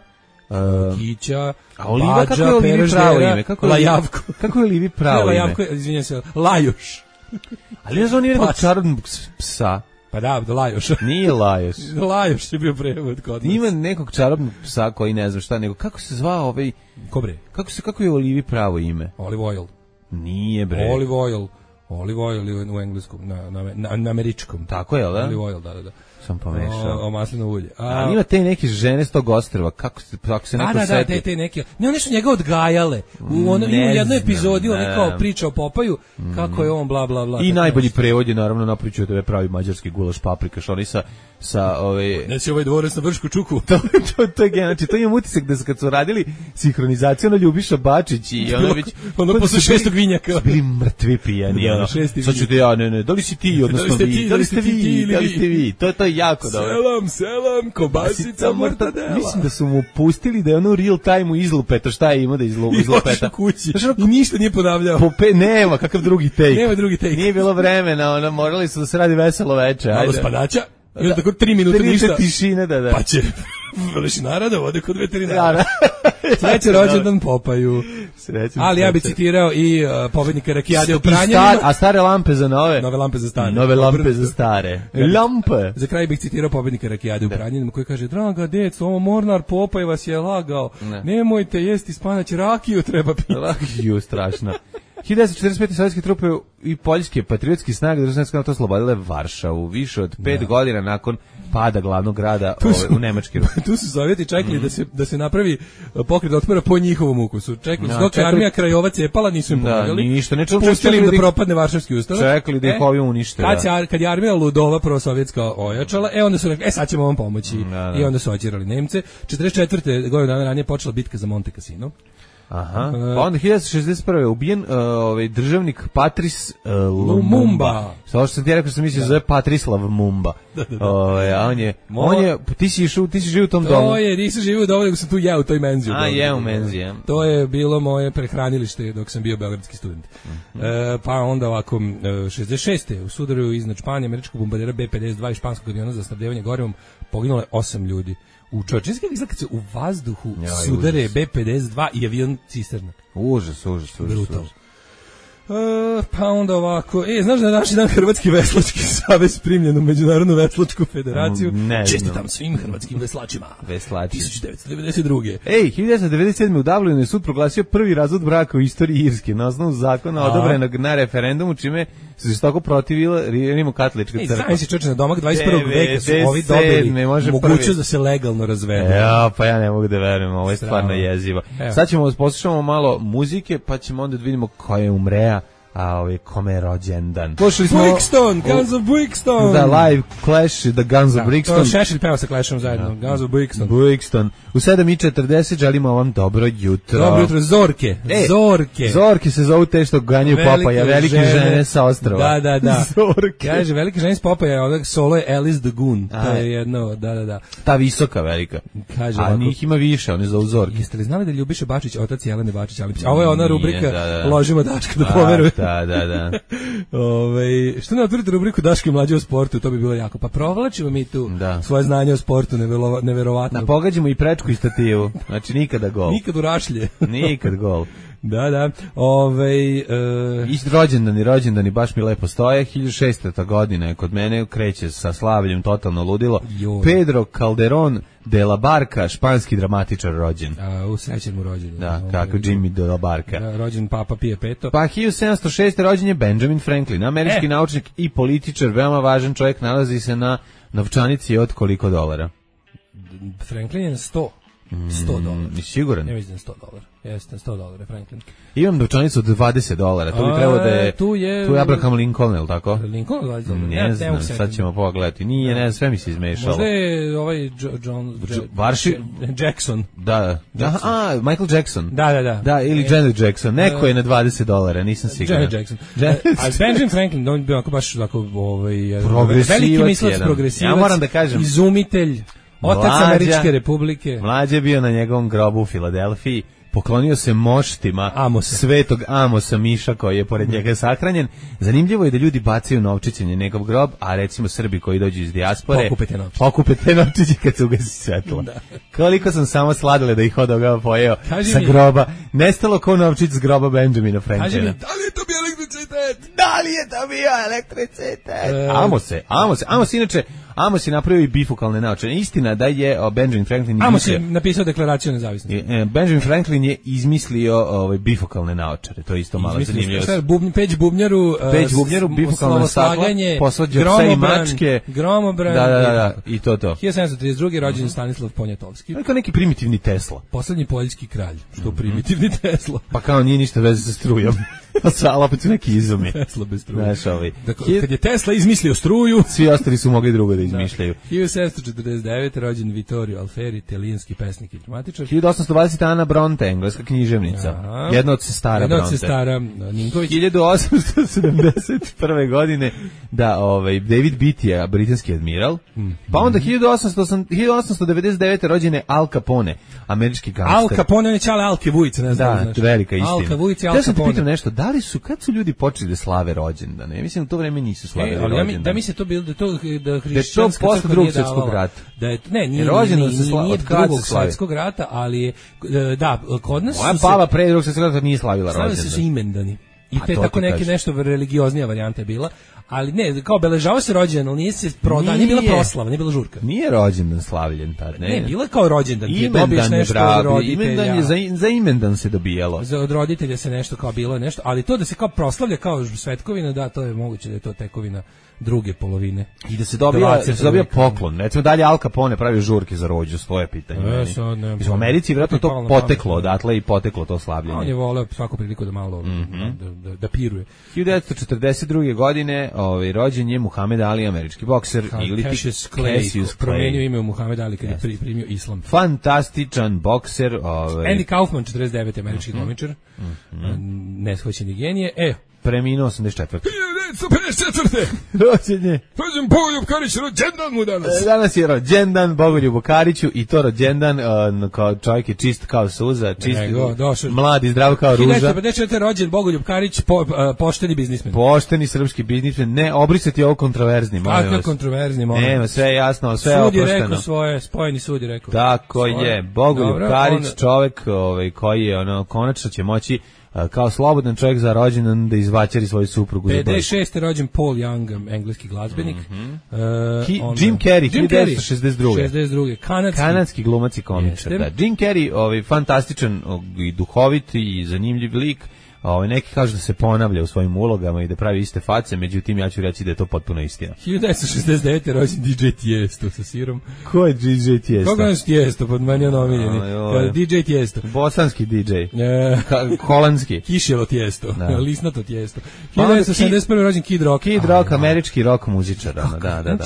Kića, a Oliva kako je Olivi pravo ime? Lajavko. Kako je Olivi pravo ime? Lajavko, izvinjam se, Lajoš. Ali ne znam, on je nekog čarobnog psa. Pa da, Lajoša. Nije Lajoš. Lajoš je bio prevod kod nas. Ima nekog čarobnog psa koji ne znam šta, nego kako se zvao ovaj... Kobre? Kako je Olivi pravo ime? Olive oil. Nije bre. Olive oil u engleskom, na američkom. Tako je, da? Olive oil, da. Sam pomešao. O maslino ulje. A ima te neke žene s tog ostrva, kako se neko seti? Da, te neke. Ne, one su njega odgajale. U jednoj epizodi on kao priča o Popaju, kako je on bla bla bla. I najbolji prevod je naravno napričao tebe pravi mađarski gulaš paprikaš, oni sa ove... Neći ovaj dvorac na Vršku čuku. to je znači, to imam utisak da kad su radili sinhronizaciju na Ljubiša Bačić i ono već... Ono posle 6. vinjaka. Bili mrtvi pijani, ono. Sad ću te ne, da li si ti, odnosno vi, da li ste vi, to je jako dobro. Selam, kobasica, mortadela. Mislim da su mu pustili da je ono real time izlupeto, šta je ima da izlupeta. I ništa nije ponavljao. Nema, kakav drugi take. Nema drugi take. Nije bilo vremena, ono, morali su da se radi veselo veče. Malo spadača. I onda tako 3 minute ništa. Tišine, da. Pa će Lešinara da vode kod veterinara. Sreće rođendan Popaju. Ali ja bih citirao i pobednika rakijade u Pranjanima. A stare lampe za nove? Nove lampe za stare. Nove lampe za stare. Lampe. Za kraj bih citirao pobednika rakijade u Pranjanima koji kaže: draga deco, ovo Mornar Popaj vas je lagao. Nemojte jesti spanać, rakiju treba piti. Rakiju, strašno. 1945. sovjetske trupe i poljske patriotske snage državne NATO oslobodile Varšavu više od 5 godina nakon pada glavnog grada u Nemački Rus. Tu su Sovjeti čekali da se napravi pokret otpora po njihovom ukusu. Čekali su dok je armija Krajova cepala, nisu im pomagali. Ništa, pustili im da propadne Varšavski ustanak. Čekali da ih ovi unište. Kad je armija ludova prosovjetska ojačala, onda su rekli, sad ćemo vam pomoći. I onda su ođerali Nemce. 44. godinu dana ranije počela bitka za Monte Cassino. Aha. Pa onda 1961. ubijen državnik Patrice Lumumba. Samo što sam ti rekao što sam mislio zove Patrislav Mumba. A on je ti si živio u tom domu. To je, nisam živio u domu, nego sam tu jeo u toj menzi. U menzi, ja. To je bilo moje prehranilište dok sam bio beogradski student. Pa onda ovako, 66. u sudaru iznad Španije, američkog bombardera B-52 i španskog aviona za snabdevanje gorivom poginulo je 8 ljudi. U čovječinskih izgleda kad se u vazduhu sudare B-52 i avion cisterna. Užas. Brutal. Pa onda ovako, znaš da je naši dan Hrvatski veslački savez primljen u Međunarodnu veslačku federaciju? Ne. Čestitam svim hrvatskim veslačima. 1992. 1997. u Dublinu je sud proglasio prvi razvod braka u istoriji Irske na osnovu zakona odobrenog na referendumu, čime se žestoko protivila Rimokatolička crkva. Znajem si čoče, na domak 21. veka su ovi dobili mogućnost da se legalno razvedu. Pa ja ne mogu da verujem, ovo je stvarno jezivo. Sad ćemo poslušamo malo muzike, pa ćemo onda da vidimo ko je umrea, a kome je rođendan. Slušali smo Brixton, Guns of Brixton. Da, live Clash, The Guns of Brixton. To Šešelj peva sa Clashom zajedno, Guns of Brixton. U 7:40 želimo vam dobro jutro. Dobro jutro, Zorke. Zorke se zovu te što ganjaju Popaja, velike žene sa ostrva. Da. Zorke. Kaže, velike žene s Popaja, odak solo je Alice the Goon. To je jedno, da. Ta visoka velika. Kaže, a njih ima više, one zovu Zorke. Jeste li znali da Ljubiša Bačić, otac Jelene Bačić, a ovo je ona rubrika Ložimo Daška da poveruje. Da. Što ne otvorite rubriku Daško i mlađe o sportu, to bi bilo jako. Pa provlačimo mi tu svoje znanje o sportu, neverovatno. Pogađamo i prečku i stativu, znači nikada gol. Nikad u rašlje. Nikad gol. Da. Rođendani baš mi lepo stoje. 1600. godina je kod mene, kreće sa slavljem totalno ludilo. Pedro Calderón de la Barca, španski dramatičar rođen. U srećan mu rođenju. Da, kako Jimmy de la Barca. Da, rođen Papa Pije Peto. Pa 1706. rođen je Benjamin Franklin, američki naučnik i političar, veoma važan čovjek, nalazi se na novčanici od koliko dolara? Franklin je na $100. $100. Siguran? Ja mislim $100. Jeste, $100 Franklin. Imam novčanicu od $20. To bi trebalo da je... Tu je Abraham Lincoln, je li tako? Lincoln $20. Ne znam, sad ćemo pogledati. Nije, ne znam, sve mi se izmešalo. Možda je ovaj Jackson. Da. Michael Jackson. Da. Da, ili Janet Jackson. Neko je na $20, nisam siguran. Janet Jackson. Ali Benjamin Franklin, on bi baš tako... Progresivac mislilac, progresivac. Ja moram da kažem... Izumitelj. Otac Američke republike. Mlađe je bio na njegovom grobu u Filadelfiji. poklonio se moštima svetog Amosa Miša koji je pored njega sahranjen. Zanimljivo je da ljudi bacaju novčiće na njegov grob, a recimo Srbi koji dođu iz dijaspore pokupe te novčiće kad se ugasi svetlo. Koliko sam samo sladile da ih od ovoga pojeo sa groba. Nestalo ko novčić s groba Benjamina Franklina. Kaži mi, da li je to bio elektricitet? Da li je to bio elektricitet? Amos inače, Amos je napravio i bifokalne naočare. Istina da je Benjamin Franklin Amos je napisao deklaraciju o nezavisnosti. Benjamin Franklin je izmislio bifokalne naočare. To je isto malo zanimljivo. Peć bubnjaru, bifokalno staklo, posvađa psa i mačke. Gromobran. Da, i to. 1732. rođen Stanislav Poniatovski. Kao neki primitivni Tesla. Poslednji poljski kralj. Što primitivni Tesla. Pa kao nije ništa veze sa strujom. Ali opet su neki izumi. Tesla bez struje. Dakle, kad je Tesla izmislio struju, svi ostali su mogli drugo da izmišljaju. 1749. rođen Vittorio Alfieri, italijanski pesnik i dramatičar. 1820. Ana Bronte, engleska književnica. Jedna od sestara Bronte. Jedna od sestara Ninković. 1871. godine David Beatty, britanski admiral. Pa onda 1899. rođen je Al Capone, američki gangster. Al Capone, on je čale Alke Vujice, ne znam. Da, velika istina. Alka Vujice, Al Capone. Ja sam te pitam nešto, kad su ljudi počeli da slave rođendane? Ja mislim u to vreme nisu slavili rođendane. Da mi se to bilo da hrišćanska crkva nije davala. Drugog svjetskog rata. Nije drugog svjetskog rata, ali je kod nas moja baba pre drugog svjetskog rata nije slavila rođendan. Slavili su imendani. I te tako neke nešto religioznija varijanta je bila, ali ne, kao obeležava se rođendan, ali nije se prodao, nije bila proslava, nije bila žurka. Nije rođendan slavljen tad, ne. Ne, bilo je kao rođendan, ti dobiješ nešto od roditelja. Imendan je za imendan se dobijalo. Od roditelja se nešto kao bilo nešto, ali to da se kao proslavlja kao svetkovina, da, to je moguće da je to tekovina druge polovine. I da se dobija poklon. Recimo dalje Al Capone pravi žurke za rođu, svoje pitanje. U Americi vjerojatno to poteklo odatle i poteklo to slavljenje. On je voleo svaku priliku da malo da piruje. 1942. godine rođen je Muhammed Ali, američki bokser. Cassius Clay, promenio ime u Muhammed Ali kad je primio islam. Fantastičan bokser. Andy Kaufman, 49. američki komičar. Neshvaćeni genije. Preminuo 84. 1954. Rođenje. Rođen Bogoljub Karić, rođendan mu danas. Danas je rođendan Bogoljubu Kariću i to rođendan kao čovjek je čist kao suza, čist, mlad i zdrav kao ruža. 1954. rođen Bogoljub Karić, pošteni biznismen. Pošteni srpski biznismen, ne obrisati ovo kontroverzni, molim vas. Kako kontroverzni, molim vas. Nema, sve je jasno, sve je oprošteno. Sud je rekao svoje, spojeni sud je rekao. Tako je, Bogoljub Karić, čovjek koji je konačno će moći kao slobodan čovjek za rođendan da izvaćari svoju suprugu. 56. rođen Paul Young, engleski glazbenik. Jim Carrey, 1962. Kanadski glumac i komičar. Jim Carrey, fantastičan i duhovit i zanimljiv lik. Neki kažu da se ponavlja u svojim ulogama i da pravi iste face, međutim ja ću reći da je to potpuno istina. 1969. rođen DJ Tiesto sa sirom. Ko je DJ Tiesto? Koga je Tiesto, pod meni on omiljeni? DJ Tiesto. Bosanski DJ. Holandski. Kišelo Tiesto. Lisnato Tiesto. 1971. rođen Kid Rock. Kid Rock, američki rock muzičar. Da.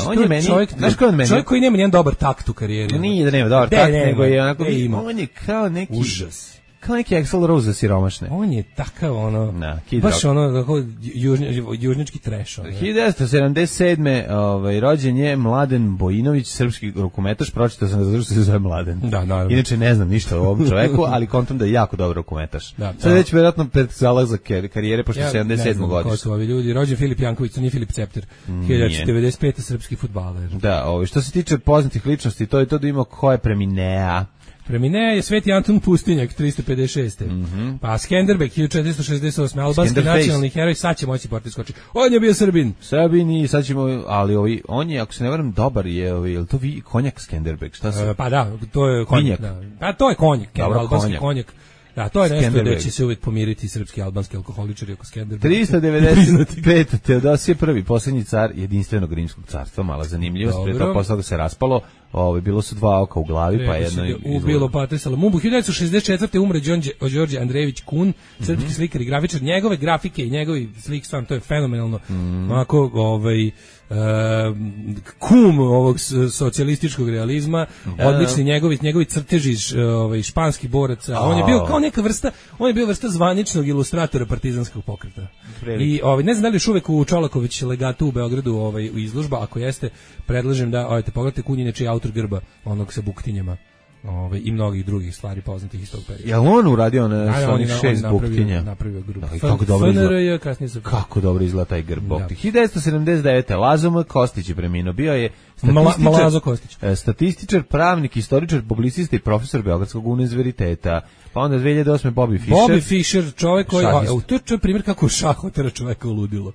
On je meni, znaš ko je on meni? Čovjek koji nema nijedan dobar takt u karijeri. Nije da nema dobar takt, nego je onako, on je kao neki užas. Kao neki Axl Rose za siromašne. On je takav baš južnički trash. 1977. Rođen je Mladen Bojinović, srpski rukometaš, pročitao sam da se zove Mladen. Da, naravno. Inače ne znam ništa o ovom čoveku, ali kontam da je jako dobar rukometaš. Sad već vjerojatno pred zalazak karijere, pošto je 77. godište. Ko su ovi ljudi? Rođen Filip Janković, to nije Filip Cepter. 1995. srpski fudbaler. Da, što se tiče poznatih ličnosti, to je to da ima ko je preminea. Preminuo je Sveti Anton Pustinjak, 356. Pa Skenderbeg, 1468. Albanski nacionalni heroj, sad će moći porti skoči. On je bio Srbin. I sad ćemo, ali on je, ako se ne varam, dobar je to konjak Skenderbeg? Šta se? Pa da, to je konjak. Pa to je konjak, albanski konjak. Da, to je nešto da će se uvijek pomiriti srpski i albanski alkoholičari oko Skenderbega. 395. Teodosije I, posljednji car jedinstvenog rimskog carstva, mala zanimljivost, prije to posle se raspalo, bilo su dva oka u glavi, pa jedno ubilo Patrisala Mumbu. 1964. umre Đorđe Andrejević Kun, srpski slikar i grafičar. Njegove grafike i njegovi slik, stvarno, to je fenomenalno. Onako, kum ovog socijalističkog realizma, odlični njegovi crteži španskih boraca. On je bio kao neka vrsta, on je bio vrsta zvaničnog ilustratora partizanskog pokreta. I ne znam da li još uvek u Čolaković legatu u Beogradu u izložba, ako jeste, predlažem da pogledajte Kun, inače je autor grba onog sa buktinjama. I mnogih drugih stvari poznatih iz tog perioda. Jel on uradio na onih 6 buktinja? Napravio grupu. Kako dobro izgleda taj grb bukti. 1979. Lazom Kostić je preminuo. Bio je Malazo Kostić. Statističar, pravnik, istoričar, publicista i profesor Beogradskog univerziteta. Pa onda 2008. Bobby Fischer, čovjek koji... To je primjer kako šah otera čovjeka u ludilo.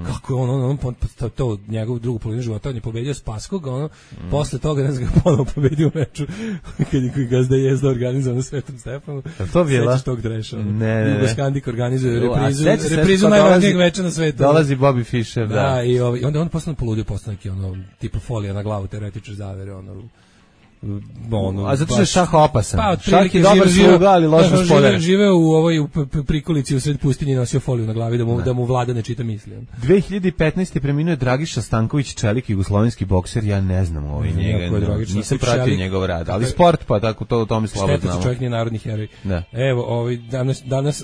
Kako je on to njegov drugu polovinu života, on je pobedio Spaskog, posle toga ne znam ga ponovo pobedio u meču kad je Gazda Jezda organizovao na Svetom Stefanu. To bila? Sećaš tog dreša? Ne. Jugoskandik organizuje reprizu najvažnijeg veča na svetu. Dolazi Bobby Fischer, da. I onda on postane poludio, postane neki tipa folija na glavu, teoretičar zavere, a zato što je šah opasan. Pa, šah je dobar sluga, ali loš gospodar. Živeo u prikolici u sred pustinje, nosio foliju na glavi da mu vlada ne čita misli. 2015. preminuo Dragiša Stanković, čelik jugoslovenski bokser, ja ne znam njega. Nisam pratio njegov rad, ali sport pa tako to o tome slabo znamo. Šteta čovjek nije narodni heroj. Evo,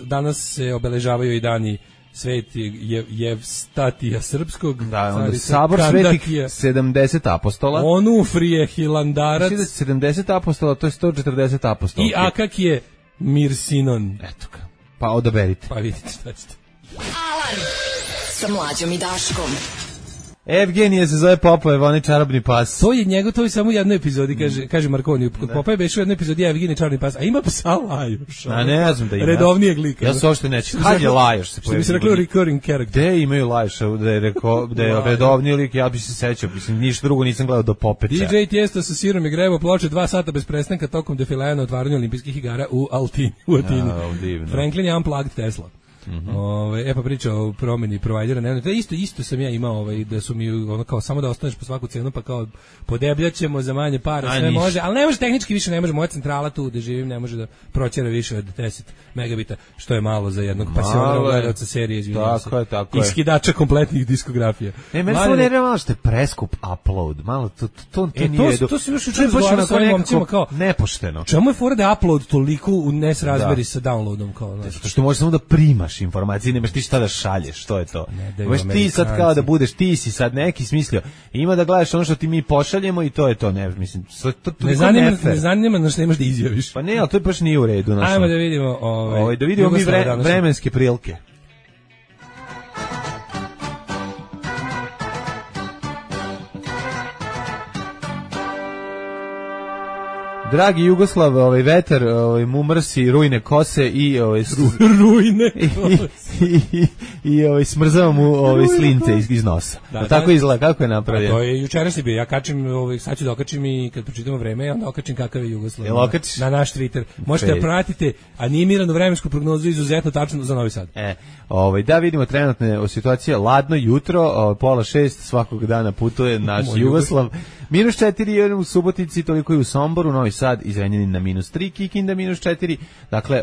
danas se obeležavaju i dani Sveti Jevstatija Srpskog, da, onda sabor svetih 70 apostola, Onufrije Hilandarac, 70 apostola, to je 140 apostola. I Akak je Mirsinon. Eto ga. Pa odaberite. Pa vidite šta ćete. Alarm sa Mlađom i Daškom. Evgenije se zove Popojev, onaj čarobni pas. To je njegov, to je samo u jednoj epizodi, kaže Markoni. Kod Popoje beše u jednoj epizodi Evgenije čarobni pas, a ima psa Lajoš. A ne znam da ima. Redovnijeg lika. Ja se uopšte neću. Kad je Lajoš se pojavio? Što bi se rekao recurring character. Gde imaju Lajoša, da je redovni lik, ja bi se sećao, mislim, ništa drugo nisam gledao do Popeća. DJ Tiesto sa sirom i grebo ploče 2 sata bez prestanka tokom defilea na otvaranju olimpijskih igara u Atini. Franklin je unplugged Tesla. Pa priča o promeni provajdera, ne, isto sam ja imao da su mi kao samo da ostaneš po svaku cenu, pa kao podebljaćemo za manje para, sve može, ali ne može tehnički više, ne može, moja centrala tu gde živim ne može da proćera više od 10 megabita, što je malo za jednog pasionog gledalca serije, izvinjavam se. Tako je. Iskidača kompletnih diskografija. Meni samo nervira malo što je preskup upload, malo to nije to se još učinilo sa ovim momcima kao nepošteno. Čemu je fora da upload toliko u nesrazmeri sa downloadom, kao zato što možeš samo da primaš informacije, nemaš ti šta da šalješ, što je to. Možeš ti sad kao da budeš, ti si sad neki smislio, ima da gledaš ono što ti mi pošaljemo i to je to, ne, mislim, to ne zanima na što nemaš da izjaviš. Pa ne, ali to baš nije u redu. Ajmo da vidimo da vidimo mi vremenske prilike. Dragi Jugoslav, vetar, mumrsi, rujne kose i rujne i smrzava mu slince iz nosa. Tako izgleda, kako je napravio? To je jučerašnji bio. Ja kačim, sad ću da okačim i kad pročitamo vreme, onda okačim kakav je Jugoslav na naš Twitter. Možete da pratite animiranu vremensku prognozu izuzetno tačno za Novi Sad. Da vidimo trenutne situacije. Ladno jutro, 5:30 svakog dana putuje naš Jugoslav. -4 u Subotici, toliko i u Somboru, Novi Sad i Zrenjanin na -3, Kikinda -4, dakle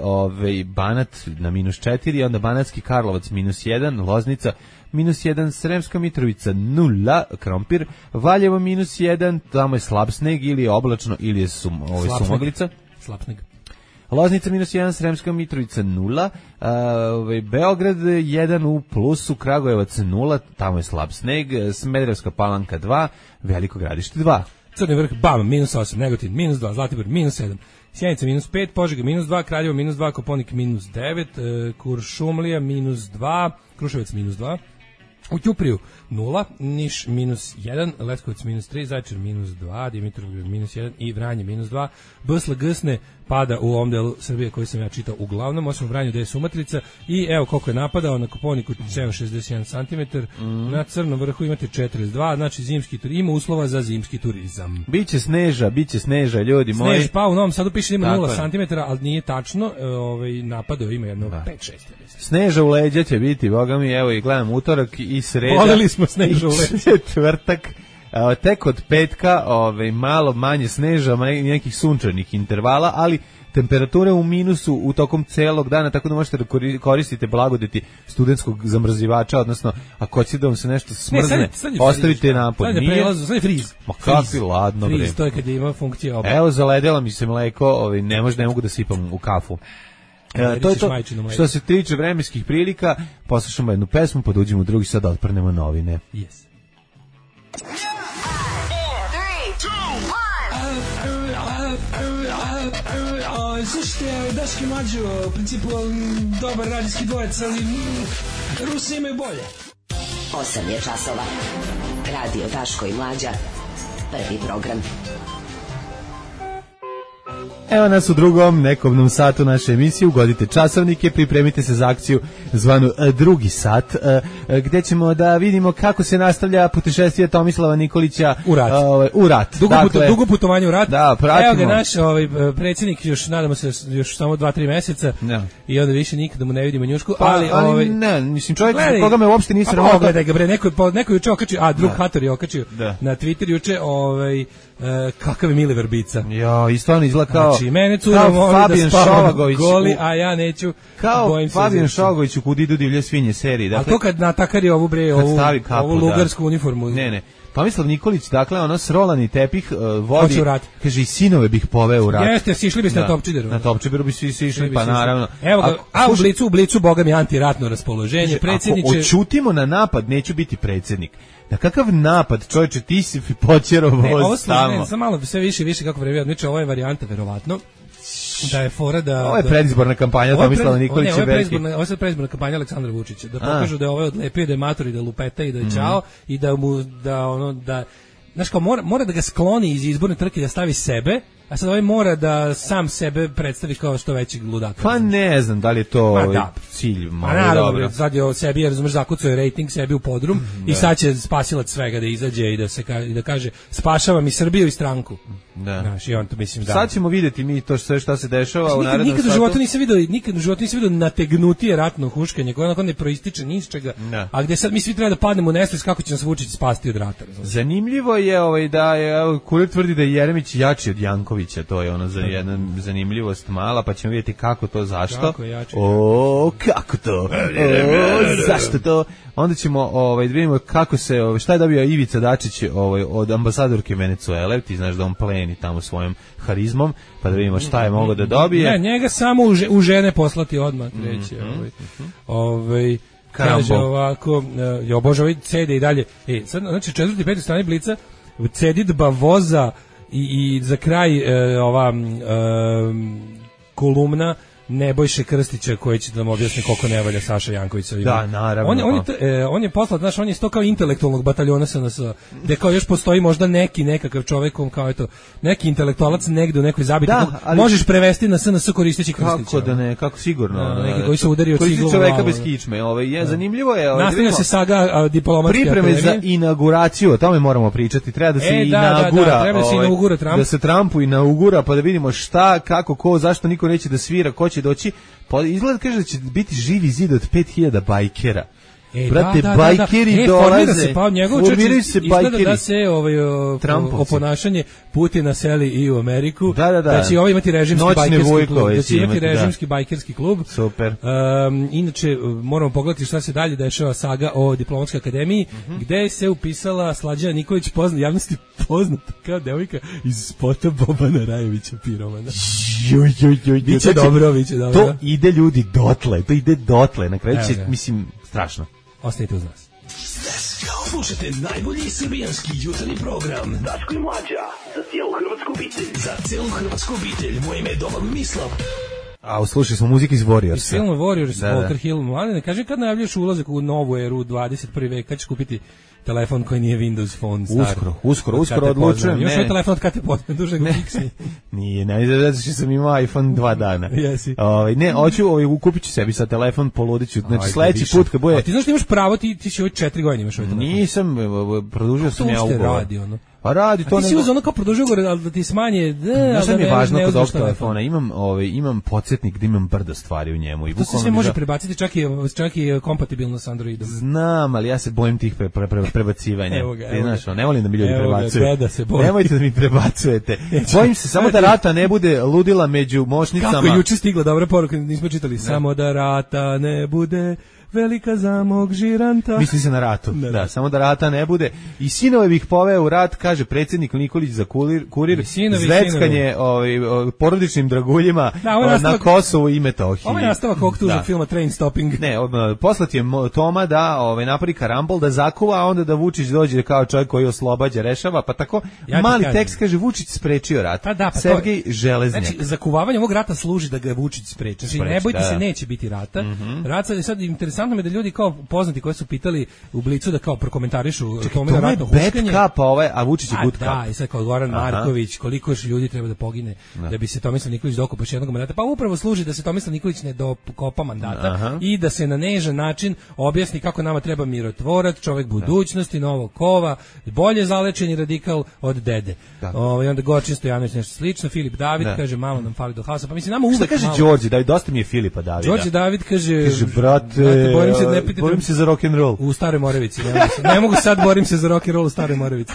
Banat na -4, onda Banatski Karlovac -1, Loznica -1, Sremska Mitrovica 0, Krompir, Valjevo -1, tamo je slab sneg ili je oblačno ili je sumaglica. Slab sneg. Loznica -1, Sremska Mitrovica 0, Beograd 1 u plusu, Kragujevac 0, tamo je slab sneg, Smederevska Palanka 2, Veliko Gradište 2. Crni vrh, bam, -8, Negotin, -2, Zlatibor, -7, Sjenica, -5, Požega, -2, Kraljevo, -2, Koponik, -9, Kuršumlija, -2, Kruševac, -2, u Ćupriju 0, Niš -1, Leskovac -3, Zaječar -2, Dimitrovgrad -1 i Vranje -2. Bsl Gsne pada u ovom delu Srbije koji sam ja čitao uglavnom, osim u Vranju gde je sumatrica i evo koliko je napadao, na Koponiku 61 cm, na Crnom vrhu imate 42, znači zimski ima uslova za zimski turizam. Biće sneža, ljudi moji. Snež, pa u Novom Sadu piše ima 0 cm, ali nije tačno, napadao ima jedno 5-6. Sneža u leđa će biti, boga mi, evo i gledam utorak i sreda. Voleli smo sneža u leđa. Četvrtak, tek od petka, malo manje sneža, nekih sunčanih intervala, ali temperature u minusu u tokom celog dana, tako da možete da koristite blagodeti studentskog zamrzivača, odnosno ako hoćete da vam se nešto smrzne, ostavite napod. Sad je friz. Ma kakvi ladno vreme. Friz, to je kad ima funkcija oba. Evo, zaledela mi se mleko, ne mogu da sipam u kafu. To je to što se tiče vremenskih prilika. Poslušamo jednu pesmu, pa uđemo u drugi sad da otprnemo novine. Yes. slušajte, Daški Mlađo, u principu dobar radijski dvojec, ali Rusi imaju bolje. 8 je časova. Radio Daško i Mlađa. Prvi program. Evo nas u drugom nekobnom satu naše emisije. Ugodite časovnike, pripremite se za akciju zvanu drugi sat, gde ćemo da vidimo kako se nastavlja putešestvije Tomislava Nikolića u rat. Dugo putovanje u rat. Da, pratimo. Evo ga naš predsjednik, još nadamo se još samo 2-3 meseca i onda više nikada mu ne vidimo njušku. Ali ne, mislim čovjek koga me uopšte nije sramota. Gledaj ga bre, neko juče okačio, drug Hator je okačio na Twitter juče, kakav je Miliver Bica. Ja, i stvarno izgleda kao, znači, mene cura moli da spavam goli, a ja neću. Kao Fabijan Šovagović u Kud idu divlje svinje seriji. Dakle, a to kad natakari ovu lugarsku uniformu. Ne. Tomislav Nikolić, dakle, ono srolani tepih vodi, kaže, i sinove bih poveo u rat. Jeste, sišli biste na Topčideru. Na Topčideru bi svi išli, pa naravno. Evo ga, u blicu, boga mi, antiratno raspoloženje. Predsjedniče... Ako očutimo na napad, neću biti predsjednik. Na kakav napad, čovječe, ti si počero voz tamo. Samo malo, sve više kako vreme odmiče, ovo je varijanta, verovatno. Da je fora da... Ovo je predizborna kampanja Tomislava Nikolića. Ovo je sad predizborna kampanja Aleksandra Vučića. Da pokažu da je ovaj odlepio, da je mator i da lupeta i da je čao i da mu, znaš kao, mora da ga skloni iz izborne trke, da stavi sebe, a sad ovaj mora da sam sebe predstavi kao što većeg ludaka. Pa ne znam da li je to cilj. Naravno, sad je sebi, jer razumeš, zakucao je rating sebi u podrum i sad će spasilac svega da izađe i da kaže spašavam i Srbiju i stranku. Da. Znaš, i on to mislim da. Sad ćemo vidjeti mi to sve šta se dešava u narednom satu. Nikad u životu nisam vidio nategnutije ratno huškanje, koje onako ne proističe ni iz čega, a gde sad mi svi treba da padnemo u nesvest kako će nas Vučić spasti od rata. Zanimljivo je da je Kurir tvrdi da je Jeremić jači od Jankovića, to je ono za jedna zanimljivost mala, pa ćemo vidjeti kako to, zašto. Kako to? Zašto to? Onda ćemo da vidimo kako se, šta je dobio Ivica Dačić od ambasadorke Venecuele, ti znaš da on pleni tamo svojom harizmom, pa da vidimo šta je mogao da dobije. Ne, njega samo u žene poslati odmah, treće. Kaže ovako, bože, ovaj cede i dalje. Sad, znači, 4. i 5. strani Blica, cedidba voza i za kraj ova kolumna Nebojše Krstića koji će da nam objasni koliko ne valja Saša Janković. Da, naravno. On je poslat, znaš, on je isto kao intelektualnog bataljona SNS, gde kao još postoji možda nekakav čovek, kao eto, neki intelektualac negde u nekoj zabiti, možeš prevesti na SNS koristeći Krstića. Kako da ne, kako sigurno. Neki koji se udario ciglu. Čoveka bez kičme. Zanimljivo je. Nastavlja se saga diplomatske pripreme za inauguraciju, o tome moramo pričati. Treba da se inaugura Trump. Da se Trumpu inaugura, pa da vidimo šta, kako, ko, zašto niko neće da svira, ko će doći, izgleda kaže da će biti živi zid od 5000 bajkera. Brate, bajkeri dolaze, formiraju se bajkeri. Da se oponašanje Putina seli i u Ameriku, da će ovaj imati režimski bajkerski klub. Super. Inače, moramo pogledati šta se dalje dešava, saga o Diplomatskoj akademiji, gde se upisala Slađana Nikolić, javnosti poznata kao devojka iz spota Bobana Rajevića Piromana. Biće dobro. To ide ljudi dotle, na kraju će, mislim, strašno. Ostanite uz nas. Slušajte najbolji srbijanski jutarnji program Daško i Mlađa, za cijelu hrvatsku obitelj. Moje ime je Domagoj Mislav. Slušali smo muziku iz Warriors. Iz filma Warriors, Walter Hill. Mladine, kaži kad najavljaš ulazak u novu eru 21. vek, kad ćeš kupiti telefon koji nije Windows Phone star? Uskoro odlučujem. Još je telefon od kad te poznam, duže ga fiksni. Nije, zato što sam imao iPhone 2 dana. Jesi. Ne, kupit ću sebi sad telefon, poludiću. Znači sledeći put kad bude... A ti znaš da imaš pravo, ti si ovo 4 godine imaš ovaj telefon. Nisam, produžio sam ja ugovor. Radi ono. Pa radi to. A ti si uzeo ono kao produžio ugovor, ali da ti smanje... Znaš šta mi je važno kod ovog telefona? Imam podsjetnik da imam brdo stvari u njemu. To se sve može prebaciti, čak i kompatibilno s Androidom. Znam, ali ja se bojim tih prebacivanja. Znaš, ne volim da mi ljudi prebacuju. Nemojte da mi prebacujete. Bojim se samo da rata ne bude ludila među mošnicama. Kako juče stigla dobra poruka, nismo čitali. Samo da rata ne bude velika za mog žiranta. Misli se na ratu. Da, samo da rata ne bude. I sinove bih poveo u rat, kaže predsjednik Nikolić za kurir, zveckanje porodičnim draguljima na Kosovu i Metohiji. Ovo je nastavak ovog tužnog filma Train Stopping. Ne, poslat je Toma da napravi karambol, da zakuva, a onda da Vučić dođe kao čovjek koji oslobađa, rešava, pa tako mali tekst kaže Vučić sprečio rat. Sergej Železnjak. Znači, zakuvavanje ovog rata služi da ga Vučić spreči. Znači, ne bojte se, neće biti rata. Rat sad, interesantno mi da ljudi kao poznati koji su pitali u Blicu da kao prokomentarišu Tomino ratno huškanje. Bad cup, a Vučić je good cup. Da, i sad kao Goran Marković, koliko još ljudi treba da pogine da bi se Tomislav Nikolić dokopao još jednog mandata. Pa upravo služi da se Tomislav Nikolić ne dokopa mandata i da se na nežan način objasni kako nama treba mirotvorac, čovjek budućnosti, novog kova, bolje zalečeni radikal od dede. I onda Gorčin Stojanović nešto slično, Filip David kaže malo nam fali do haosa. Pa mislim nama uvek. Šta kaže Đorđe? Da dosta mi je Filipa Davida. Đorđe David kaže brate, borim se za rock and roll u Staroj Moravici. Ne mogu sad, borim se za rock and roll u Staroj Moravici.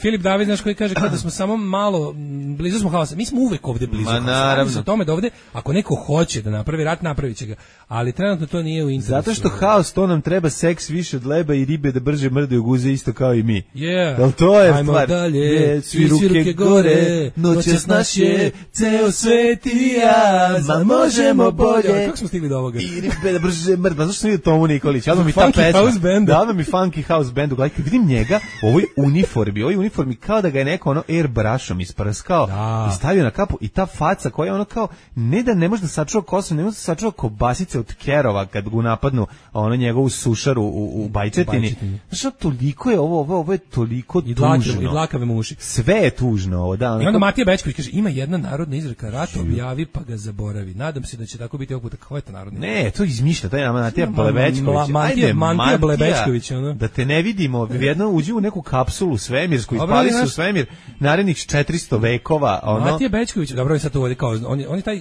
Filip David znaš koji kaže kada smo samo malo blizu smo haosa. Mi smo uvek ovde blizu. Naravno. O tome da ovde ako neko hoće da napravi rat, napraviće ga. Ali trenutno to nije u interesu. Zato što haos, to nam treba seks više od leba i ribe da brže mrdaju guze isto kao i mi. Jel to je ajmo stvar? Dalje, svi ruke gore, noćas naš je ceo svet i ja, ma možemo bolje. Kako smo stigli do ovoga? I ribe da brže mrdaju. Zašto sam vidio Tomu Nikolić? Odmah mi ta pesma. Odmah mi funky house bandu. Gledajte, vidim njega u ovoj uniformi kao da ga je neko airbrushom isprskao i stavio na kapu i ta faca koja je kao, ne da ne može da sačuva kosu, ne može da sačuva kobasice od kerova kad ga napadnu njegovu sušaru u Bajčetini. Znaš, toliko je ovo je toliko tužno. I dlakave muši. Sve je tužno ovo, da. I onda Matija Bećković kaže, ima jedna narodna izreka, rat objavi pa ga zaboravi. Nadam se da će tako biti ovog puta. Koja je ta narodna izreka? Ne, to izmišlja, to je Matija Blebečković. Matija Blebečković. Da te ne vidimo, jedno uđi u neku kapsulu svemirsku, ispali se u svemir narednih 400 vekova. Matija Bećković, dobro je sad to ovdje kao, on je taj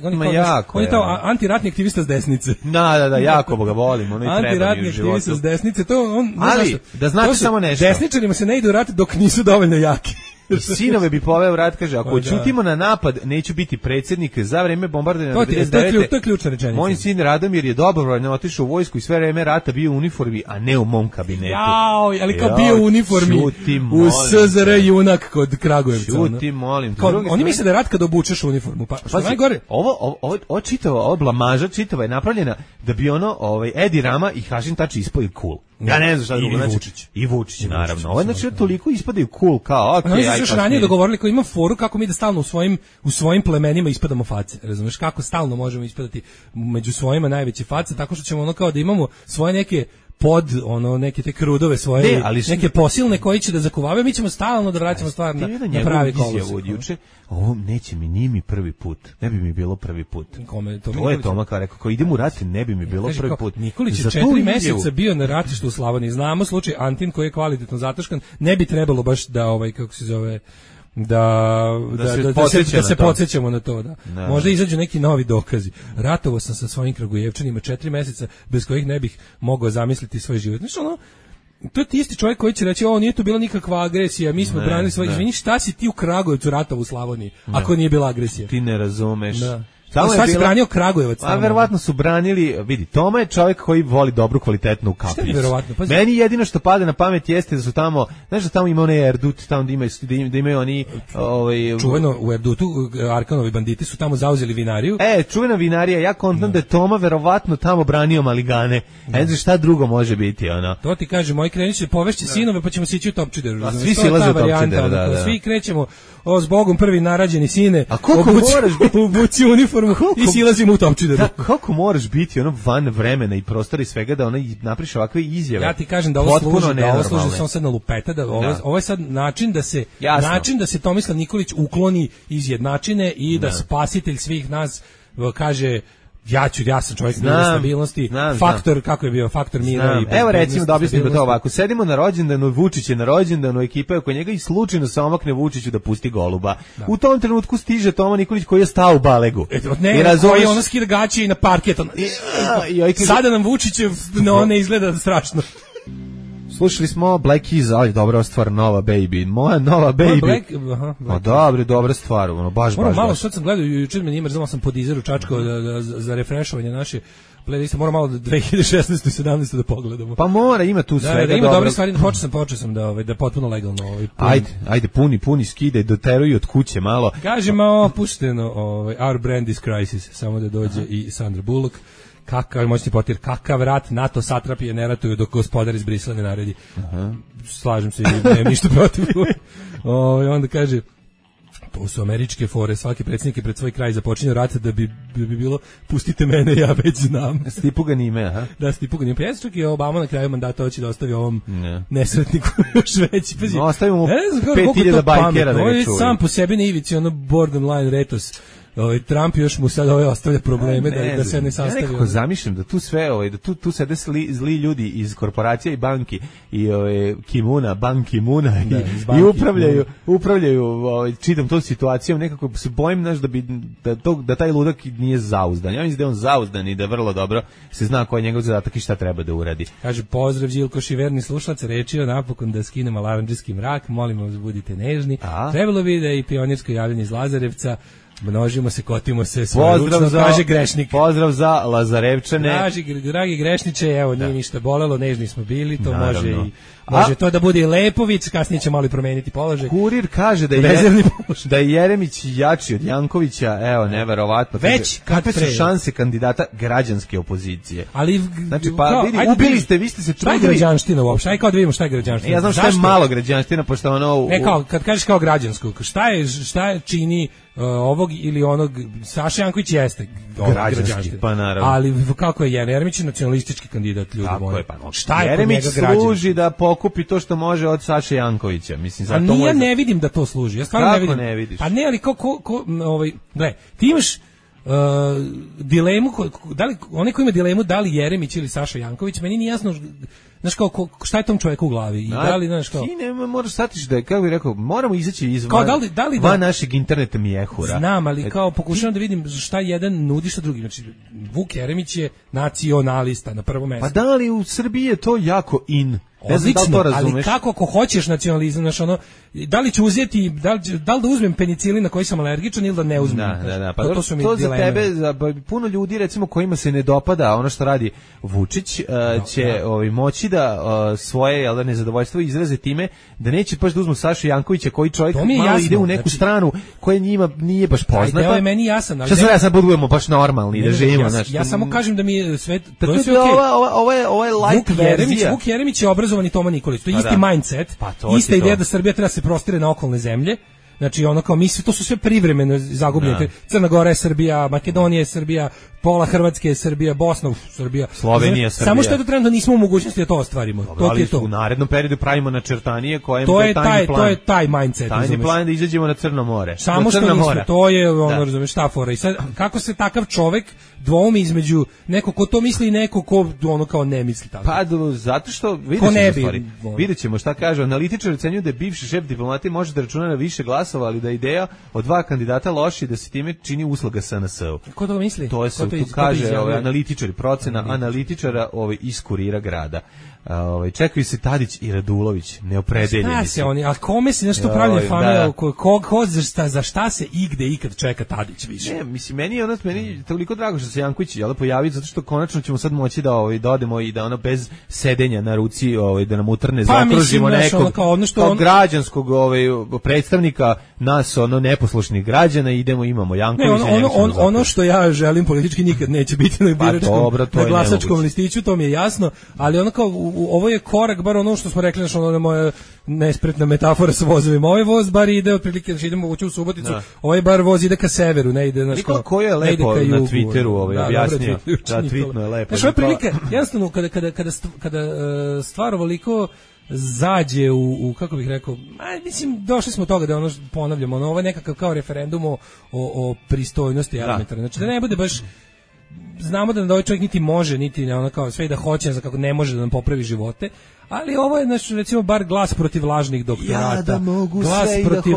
antiratni aktivista s desnice. Da, jako ga volim, ono i treba mi u životu. Antiratni aktivista s desnice, to on... Ali, da znate samo nešto. Desničarima se ne ide u rat dok nisu dovoljno jaki. Sinove bi poveo rat, kaže, ako ćutimo na napad, neću biti predsjednik za vreme bombardovanja 99. To je ključna rečenica. Moj sin Radomir je dobrovoljno otišao u vojsku i sve vreme rata bio u uniformi, a ne u mom kabinetu. Ali kao bio u uniformi u SZR junak kod Kragujevca. Čuti, molim. Oni misle da je rat kad obučeš uniformu. Pa što najgore? Ovo čitava, ovo blamaža čitava je napravljena da bi Edi Rama i Hašim Tači ispali cool. Ja ne znam šta drugo. I Vučić, naravno. Ovo znači toliko ispadaju cool kao, okej, oni su još ranije dogovorili kao imam foru kako mi da stalno u svojim plemenima ispadamo face. Razumeš kako stalno možemo ispadati među svojima najveće face, tako što ćemo kao da imamo svoje neke neke te krudove svoje, neke posilne koji će da zakuvavaju, mi ćemo stalno da vraćamo stvar na pravi kolosek. Ovo neće mi, nije mi prvi put. Ne bi mi bilo prvi put. To je Toma kao rekao, idem u rat, ne bi mi bilo prvi put. Nikolić je 4 meseca bio na ratištu u Slavoniji. Znamo slučaj Antin koji je kvalitetno zataškan. Ne bi trebalo baš da kako se zove da se podsjećamo na to, da. Možda izađu neki novi dokazi. Ratovao sam sa svojim Kragujevčanima 4 meseca bez kojih ne bih mogao zamisliti svoj život. Znači to je ti isti čovjek koji će reći, nije to bila nikakva agresija, mi smo branili svoj, izvini, šta si ti u Kragujevcu ratovao u Slavoniji, ako nije bila agresija? Ti ne razumeš. Šta si branio Kragujevac? A verovatno su branili, vidi, Toma je čovjek koji voli dobru kvalitetnu kapljicu. Meni jedino što pada na pamet jeste da su tamo, znaš da tamo ima onaj Erdut, tamo da imaju oni... Čuveno u Erdutu, Arkanovi banditi su tamo zauzeli vinariju. Čuvena vinarija, ja kontam da je Toma verovatno tamo branio maligane. Ne znam šta drugo može biti, To ti kaže, moji krenut će povešći sinove, pa ćemo sići u Topčideru. A svi silaze u Topčideru, da. Svi krećemo, s Bogom prvi narađeni sine, a koliko moraš biti obuci uniformu i silazimo u Topčideru. Da, kako moraš biti van vremena i prostora i svega da napriš ovakve izjave. Ja ti kažem da ovo služi samo sad na lupeta, da ovo je sad način da se Tomislav Nikolić ukloni iz jednačine i da spasitelj svih nas kaže ja sam čovjek mira stabilnosti, faktor, kako je bio, faktor mira. Evo recimo da objasnimo to ovako, sedimo na rođendanu, Vučić je na rođendanu, ekipa je oko njega i slučajno se omakne Vučiću da pusti goluba. U tom trenutku stiže Toma Nikolić koji je stao u balegu. Koji je skida gaće i na parket. Sada nam Vučić ne izgleda strašno. Slušali smo Black Keys, ali dobra stvar, Nova Baby. Moja Nova Baby. Dobra stvar, baš. Malo što sam gledao, jučer me nije mrzalo, sam po Deezeru čačkao za refrešovanje naše playlista, mora malo 2016. i 17. da pogledamo. Pa mora, ima tu svega da, ima dobro. dobre stvari, počeo sam da potpuno legalno Ajde, puni skide, doteruju od kuće malo. Kažemo, opušteno, Our Brand is Crisis, samo da dođe i Sandra Bullock. Kakav moćni potir, kakav rat, NATO satrapije ne ratuju dok gospodar iz Brisela ne naredi. Slažem se, nemam ništa protiv. Onda kaže, to su američke fore, svaki predsjednik je pred svoj kraj započinjao rat da bi bilo pustite mene, ja već znam. Stipu ga nime, aha. Da, Stipu ga nime. Pa čak i Obama na kraju mandata hoće da ostavi ovom nesretniku još veći. No, ostavimo mu 5000 bajkera da ga čuju. Sam po sebi na ivici, ono borderline retos. Trump još mu sad ostavlja probleme da se ne sastavi. Ja nekako zamišljam da tu sve, da tu sede zli ljudi iz korporacija i banki i Kimuna, Ban Kimuna i upravljaju čitam tom situacijom, nekako se bojim da taj ludak nije zauzdan. Ja mislim da je on zauzdan i da vrlo dobro se zna koji je njegov zadatak i šta treba da uradi. Kaže, pozdrav Žilkoš i verni slušalac, rečio napokon da skinemo laranđski mrak, molimo vas budite nežni. Trebalo bi da i pionirsko javljanje iz Lazarevca, množimo se, kotimo se, svojeručno, kaže grešnik. Pozdrav za Lazarevčane. Dragi grešniče, evo, nije ništa bolelo, nežni smo bili, to može to da bude i Lepović, kasnije će malo i promeniti položaj. Kurir kaže da je Jeremić jači od Jankovića, evo, neverovatno. Već, kakve su šanse kandidata građanske opozicije? Ali, znači, pa vidi, ubili ste, vi ste se trudili. Šta je građanština uopšte? Aj kao da vidimo šta je građanština. Ja znam šta je malo građanština, pošto ono... Ne, kao, kad kažeš kao građansko, šta je čini ovog ili onog, Saša Janković jeste građanski, pa naravno. Ali kako je Jeremić nacionalistički kandidat, ljudi moji. Tako je, pa šta je Jeremić služi da pokupi to što može od Saše Jankovića, mislim, za to. Ja ne vidim da to služi. Ja stvarno ne vidim. Ne vidiš? Pa ne, ali gle, ti imaš dilemu, da li oni koji ima dilemu da li Jeremić ili Saša Janković, meni nije jasno. Znaš kao, šta je tom čovjeku u glavi? I da li, znaš kao... Ti ne moraš shvatiš da je, kako bih rekao, moramo izaći iz van našeg interneta mijehura. Znam, ali kao pokušavam da vidim šta jedan nudi što drugi. Znači, Vuk Jeremić je nacionalista na prvom mjestu. Pa da li u Srbiji je to jako in? Odlično, ali kako ako hoćeš nacionalizam, znaš ono, da li ću uzeti, da li da uzmem penicilin na koji sam alergičan ili da ne uzmem? Da, pa to za tebe, za puno ljudi recimo kojima se ne dopada ono što radi Vučić, će moći da svoje nezadovoljstvo izraze time da neće baš da uzmu Sašu Jankovića koji čovjek malo ide u neku stranu koja njima nije baš poznata. To je meni jasan, ali šta sad budemo baš normalni da živimo, znači. Ja samo kažem da mi je sve to je sve okej. Ovo je light verzija. Vuk Jeremić je obrazovani Toma Nikolić, to je isti mindset, ista ideja da Srbija treba se prostire na okolne zemlje. Znači ono kao misli, to su sve privremeno zagubljene. Crna Gora je Srbija, Makedonija je Srbija, pola Hrvatske je Srbija, Bosna Srbija, Slovenija je Srbija. Samo što je to trenutno nismo u mogućnosti da to ostvarimo. To je to. U narednom periodu pravimo načrtanije koje to je taj mindset. Tajni plan da izađemo na Crno more. Samo što nismo, to je ono, razumeš, šta fora. I sad kako se takav čovjek dvoumi između neko ko to misli i neko ko ono kao ne misli tako. Pa zato što vidjet ćemo šta kaže. Analitičari ocenjuju da je bivši šef diplomatije može da računa na više glasova, ali da ideja od dva kandidata loši da se time čini usluga SNS-u. Ko to misli? To je tu kaže analitičari, procena analitičara iz Kurira grada. Čekaju se Tadić i Radulović, neopredeljeni. Šta se oni, a kome se nešto pravlja fame, ko za šta se igde ikad čeka Tadić više? Ne, mislim, meni je toliko drago što se Janković pojavio, zato što konačno ćemo sad moći da odemo i da ono bez sedenja na ruci da nam utrne, zakružimo nekog kao građanskog predstavnika nas, neposlušnih građana, idemo Jankovića. Ono što ja želim politički nikad neće biti na glasačkom listiću, to mi je jasno, ali ono kao ovo je korak, bar ono što smo rekli, znači ono moja nespretna metafora sa vozovima. Ovaj voz bar ide otprilike, znači idemo ući u Suboticu, ovaj bar voz ide ka severu, ne ide, znači ko je lepo na Twitteru objasnio. Da, tweetno je lepo. Znači ovo je prilike, jednostavno kada stvar ovoliko zađe u kako bih rekao, mislim došli smo do toga da ono ponavljamo, ovo je nekakav kao referendum o pristojnosti elementarne. Znači da ne bude baš, znamo da ovaj čovjek niti može, niti ono kao sve da hoće, za kako ne može da nam popravi živote, ali ovo je znači recimo bar glas protiv lažnih doktorata, glas protiv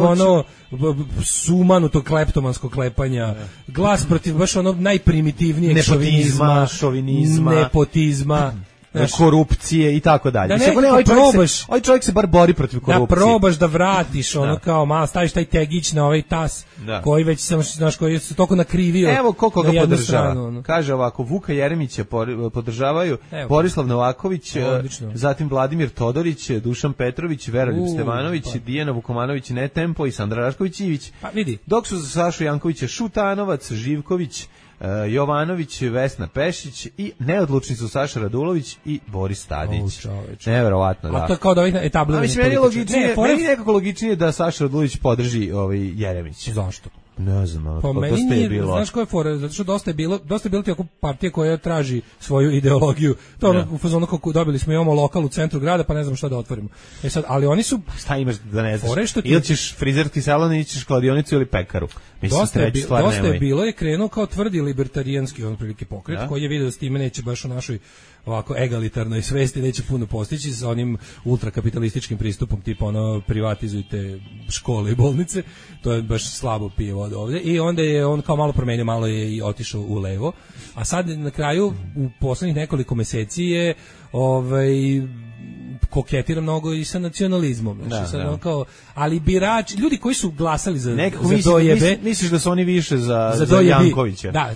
sumanutog kleptomanskog klepanja, glas protiv baš najprimitivnijeg šovinizma, nepotizma. korupcije i tako dalje. Da nekako probaš. Ovaj čovjek se bar bori protiv korupcije. Da probaš da vratiš, ono kao malo staviš taj tegić na ovaj tas, koji već znaš, koji se toliko nakrivio. Evo koliko ga podržava. Stranu, kaže ovako, Vuka Jeremića podržavaju, Borislav Novaković, zatim Vladimir Todorić, Dušan Petrović, Veroljub Stevanović, Dijana Vukomanović Netempo i Sandra Rašković-Ivić. Pa vidi. Dok su za Sašu Jankovića Šutanovac, Živković, Jovanović, Vesna Pešić i neodlučni su Saša Radulović i Boris Tadić. Neverovatno, da. A to je kao da ovih etabliranih političara. Meni je nekako logičnije da Saša Radulović podrži Jeremić. Zašto? Ne znam, po meni nije, znaš koje fore, zato što dosta je bilo tako partije koja traži svoju ideologiju, to ono u fazonu kako dobili smo, imamo lokal u centru grada, pa ne znam šta da otvorimo. Sad, ali oni su... Šta imaš da ne znaš? Ili ćeš frizerski salon, ili ćeš kladionicu ili pekaru. Dosta je bilo, je krenuo kao tvrdi libertarijanski prilike pokret, koji je vidio da s time neće baš u našoj ovako egalitarnoj svesti neće puno postići sa onim ultrakapitalističkim pristupom tipa ono privatizujte škole i bolnice, to je baš slabo pije voda ovdje i onda je on kao malo promenio, malo je i otišao u levo, a sad na kraju u poslednjih nekoliko meseci je koketira mnogo i sa nacionalizmom. Znači, sad kao, ali birači, ljudi koji su glasali za dojebe... Misliš da su oni više za Jankovića? Da,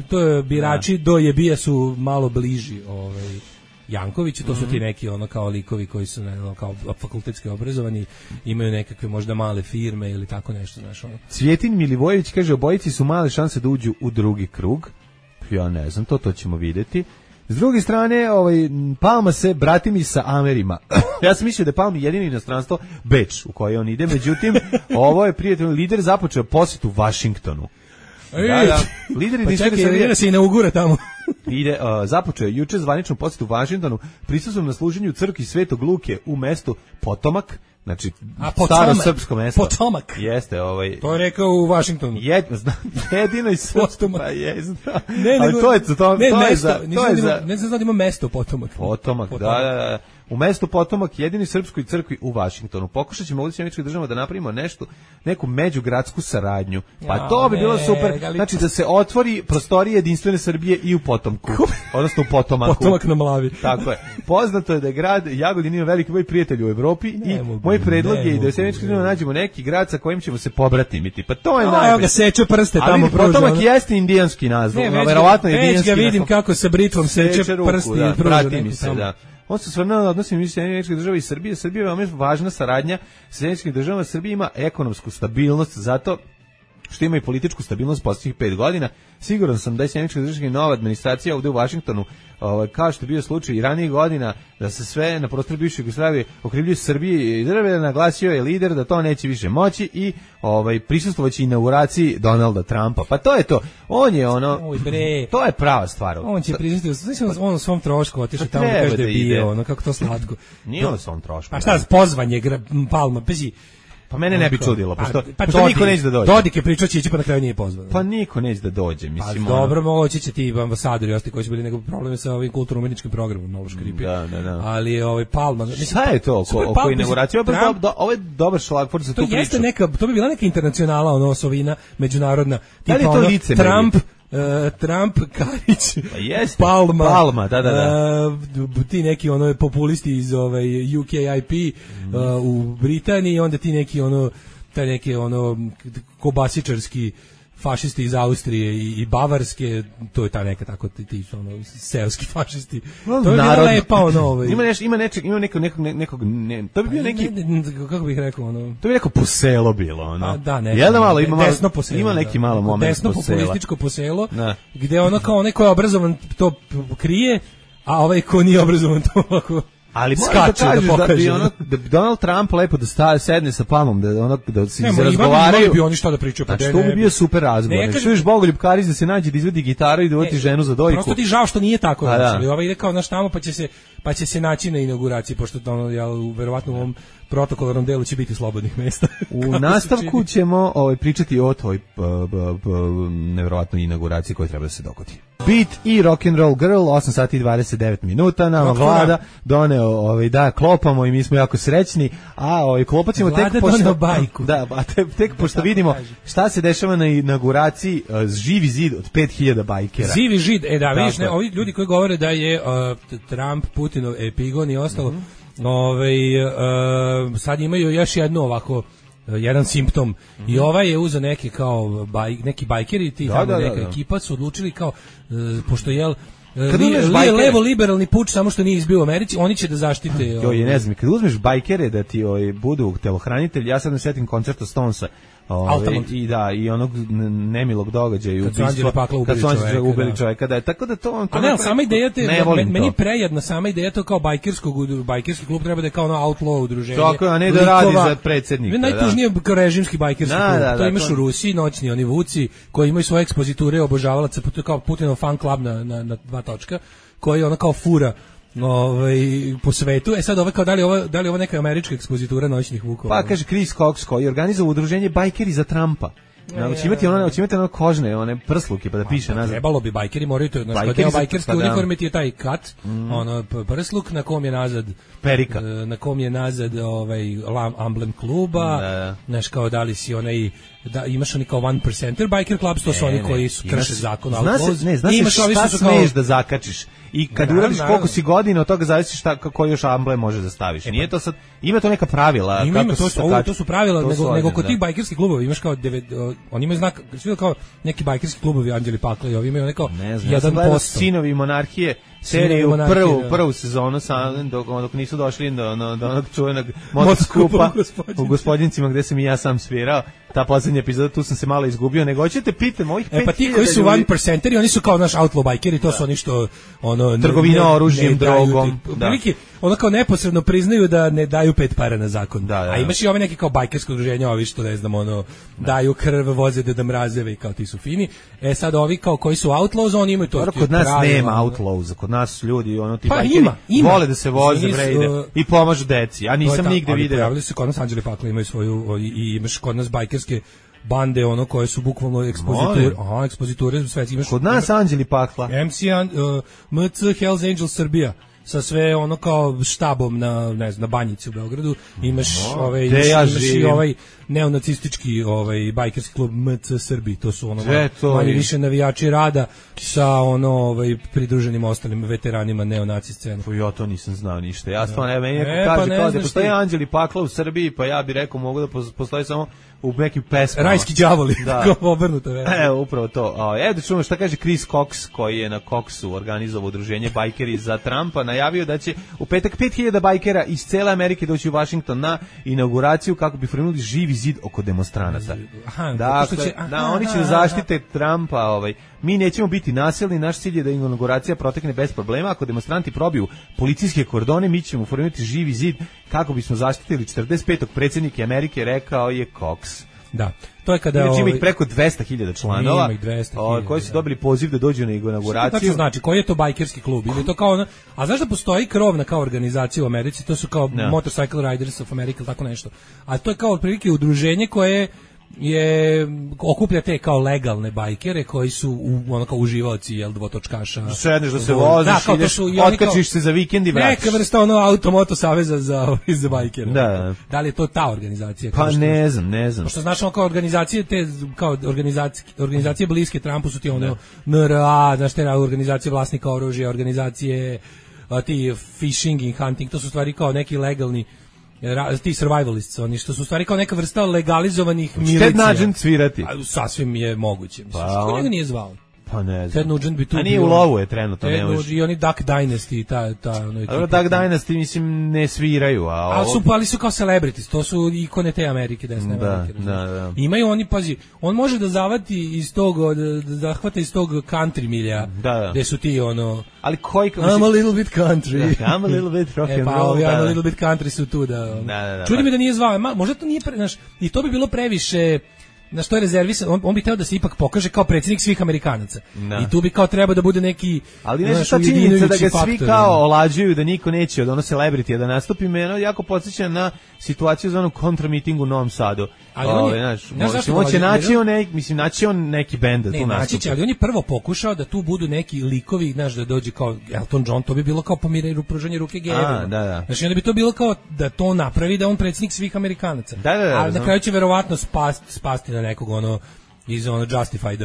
to je birači dojebija su malo bliži Jankoviću, to su ti neki kao likovi koji su kao fakultetski obrazovani, imaju nekakve možda male firme ili tako nešto, znaš ono. Cvjetin Milivojević kaže, obojici su male šanse da uđu u drugi krug. Ja ne znam, to ćemo vidjeti. S druge strane, Palma se bratimi sa Amerima. Ja sam mislio da je Palma jedini inostranstvo Beč u koje on ide, međutim, ovo je prijatelj lider započeo posjetu Vašingtonu. Da. Lider jedinstvene Srbije se inaugura tamo. Započeo juče zvaničnu posjetu Vašingtonu, prisustvom na služenju crkvi Svetog Luke u mestu Potomak. Znači, staro srpsko mesto. Potomak. Jeste, To je rekao u Vašingtonu. Jedino i Potomak. Ne znam da ima mesto Potomak. Potomak, da. U mestu Potomak, jedini srpskoj crkvi u Vašingtonu. Pokušat ćemo u Američkih država da napravimo neku međugradsku saradnju. Pa to bi bilo super. Znači da se otvori prostorije jedinstvene Srbije i u Potomku. Odnosno u Potomaku. Potomak na Mlavi. Tako je. Poznato je da je grad Jagodin ima veliki broj prijatelja u Evropi i moj predlog je i da u Američkih država nađemo neki grad sa kojim ćemo se pobratimiti. Pa to je najbolje. Evo ga seče prste tamo pruža. Potomak jeste indijanski naziv. Verovatno indijanski. Već ga vidim kako sa britvom seče prsti i pruža. On se osvrnuo na odnose između Američkih država i Srbije. Srbija je veoma važna saradnja sa Američkim državama. Srbija ima ekonomsku stabilnost, zato što ima i političku stabilnost posljednjih 5 godina. Siguran sam da je Američka država i nova administracija ovdje u Vašingtonu, kao što je bio slučaj i ranijih godina, da se sve na prostoru bivše Jugoslavije okrivljuju Srbije i države, naglasio je lider da to neće više moći i prisustvovaće inauguraciji Donalda Trumpa. Pa to je to. On je to je prava stvar. On će prisustvovati, on u svom trošku otišao tamo da kaže da je bio, kako to slatko. Nije on u svom trošku. Pa šta, pozvanje Palma, pezi. Pa mene ne bi čudilo, pošto niko neće da dođe. Dodik je pričao će ići, pa na kraju nije pozvan. Pa niko neće da dođe, mislim. Pa dobro, moći će ti ambasadori, ostali koji su bili nekog probleme sa ovim kulturno-umjetničkim programom, malo škripi. Da. Ali Palma... Šta je to oko inauguracije? Ovo je dobar šlagvord za tu priču. To bi bila neka internacionala, osovina, međunarodna. Da li je to licemerje? Trump, Karić, Palma, da. Ti neki populisti iz UKIP u Britaniji, onda ti neki kobasičarski fašisti iz Austrije i Bavarske, to je ta neka tako ti seoski fašisti. To je bilo lepa Ima nekog to bi bio neki, kako bih rekao, to bi neko poselo bilo, Da, desno poselo. Ima neki malo moment desno populističko poselo, gde kao neko je obrazovan to krije, a ovaj ko nije obrazovan to ovako ali skače da bi Donald Trump lepo da sedne sa Palmom, da se razgovaraju. Ne bi oni šta da pričaju. Znači, to bi bio super razgovor. Čuješ Bogoljub Karić da se nađe da izvedi gitaru i da uvati ženu za dojku. Prosto ti žao što nije tako. Ovaj ide kao naš tamo pa će se naći na inauguraciji, pošto verovatno u ovom protokolarnom delu će biti slobodnih mesta. U nastavku ćemo pričati o toj nevjerovatnoj inauguraciji koja treba da se dogodi. Beat i Rock and Roll Girl, 8 sati i 29 minuta, nama Vlada doneo, da, klopamo i mi smo jako srećni, a klopat ćemo tek pošto... bajku. Da, a tek pošto vidimo šta se dešava na inauguraciji Živi zid od 5000 bajkera. Živi zid, da, vidiš, ne, ovi ljudi koji govore da je Trump, Putinov epigon i ostalo, sad imaju još jedno ovako, jedan simptom. I ovaj je uzeo neke kao neki bajkeri, ti tamo neka ekipa su odlučili kao, pošto je levo liberalni puč, samo što nije izbio u Americi, oni će da zaštite. Ne znam, kad uzmeš bajkere da ti budu telohranitelji, ja sad ne setim koncerta Stonesa, i onog nemilog događaja kad su Anđeli Pakla ubili čovjeka, da, tako da to... A ne, sama ideja meni je prejedna, sama ideja to kao bajkerski klub treba da je kao ono outlaw udruženje. Tako, a ne da radi za predsjednika. Najtužnije kao režimski bajkerski klub. To imaš u Rusiji, noćni oni vuci, koji imaju svoje ekspoziture obožavalaca, kao Putinov fan club na 2 točka, koji ono kao fura po svetu. Sad ovo kao da li je ovo neka američka ekspozitura noćnih vukova? Pa kaže Chris Cox koji organizuje udruženje Bajkeri za Trumpa. Hoće imati ono kožne, one prsluke pa da piše nazad. Trebalo bi bajkeri moraju to, deo bajkerske uniforme ti je taj kat, ono prsluk na kom je nazad perika, na kom je nazad amblem kluba, znaš kao da li si onaj da imaš oni kao 1%er biker clubs, to su oni koji su krše zakon, znaš šta smiješ da zakačiš i kad uradiš koliko si godina od toga zavisi koji još amblem može da staviš. Nije to sad, ima to neka pravila. To su pravila, nego kod tih bajkerskih klubova imaš kao oni imaju znak, svi kao neki bajkerski klubovi Anđeli Pakla i ovi imaju neko 1%. Sinovi monarhije seriju prvu sezonu dok nisu došli do onog čuvenog motoskupa u Gospodincima gde sam i ja sam svirao. Ta poslednja epizoda, tu sam se malo izgubio, nego hoćete pitam ovih 5000 pa ti koji su 1%eri, oni su kao naš outlaw bajkeri, to su oni što trgovina oružjem, drogom, prilike, ono kao neposredno priznaju da ne daju 5 para na zakon. A imaš i ove neke kao bajkersko udruženja, ovi što ne znam, daju krv, voze da mrazeve i kao ti su fini. Sad ovi kao koji su outlaws, oni imaju to. Kod nas nema outlaws, kod nas ljudi, ti bajkeri vole da se voze, i pomažu deci. Ja nisam nigde video. Pojavili se kod nas Anđeli Pakla, imaju svoju, i imaš kod nas bajkerske bande koje su bukvalno ekspoziture sve imaš. Kod nas Anđeli Pakla. MC Hells Angels Srbija sa sve kao štabom na Banjici u Beogradu. Imaš i ovaj neonacistički bajkerski klub MC Srbi, to su manje više navijači rada sa pridruženim ostalim veteranima neonaci scene. Ja to nisam znao ništa. Ja stvarno meni kaže kao da postoji Anđeli Pakla u Srbiji, pa ja bih rekao mogu da postoji samo u nekim pesmama. Rajski đavoli, kao obrnuto. Upravo to. Da čujemo šta kaže Chris Cox, koji je na Coxu organizovao udruženje Bajkeri za Trumpa, najavio da će u petak 5000 bajkera iz cele Amerike doći u Washington na inauguraciju kako bi formirali živi zid oko demonstranata. Oni će zaštite Trumpa. Mi nećemo biti nasilni, naš cilj je da inauguracija protekne bez problema. Ako demonstranti probiju policijske kordone, mi ćemo formirati živi zid kako bismo zaštitili 45. predsjednika Amerike, rekao je Cox. Da, to je kada ima ih preko 200.000 članova koji su dobili poziv da dođu na inauguraciju. Šta to znači? Koji je to bajkerski klub? Ili to kao a znaš da postoji krovna kao organizacija u Americi, to su kao Motorcycle Riders of America, tako nešto. A to je kao otprilike udruženje koje okuplja te kao legalne bajkere koji su kao uživaoci dvotočkaša. Sedneš da se voziš, otkačiš se za vikend i vratiš. Neka vrsta automoto saveza za bajkere. Da li je to ta organizacija? Pa ne znam. Pošto znaš kao organizacije organizacije bliske Trumpu su ti NRA, znaš te organizacije vlasnika oružja, organizacije ti fishing and hunting, to su stvari kao neki legalni ti survivalists, oni što su stvari kao neka vrsta legalizovanih milicija. Ted Nugent svirati. Sasvim je moguće. Što njega nije zvao? Pa ne znam. Ted Nugent bi tu bio. A nije u lovu je trenutno. I oni Duck Dynasty, Duck Dynasty, mislim, ne sviraju. Ali su kao celebrities, to su ikone te Amerike, desne Amerike. Da. Imaju oni, pazi, on može da zavati iz tog, da hvata iz tog country milja, gde su ti ali koji... I'm a little bit country. I'm a little bit rock and roll. I'm a little bit country su tu, Čudi mi da nije zvao, možda to nije, i to bi bilo previše... Na što je rezervisan, on bi hteo da se ipak pokaže kao predsjednik svih Amerikanaca. I tu bi kao treba da bude neki... Ali nešto ta činjenica da ga svi kao olađuju, da niko neće od celebrity da nastupi, me jako podsjeća na situaciju za kontramiting u Novom Sadu. naći on neki bend da tu nastupi. Naći će, ali on je prvo pokušao da tu budu neki likovi, znaš, da dođe kao Elton John, to bi bilo kao pomiranje, pružanje ruke gejevima. Da. Znači, onda bi to bilo kao da to napravi, da on predsjednik svih Amerikanaca. Ali na kraju će verovatno spasti na nekog iz Justified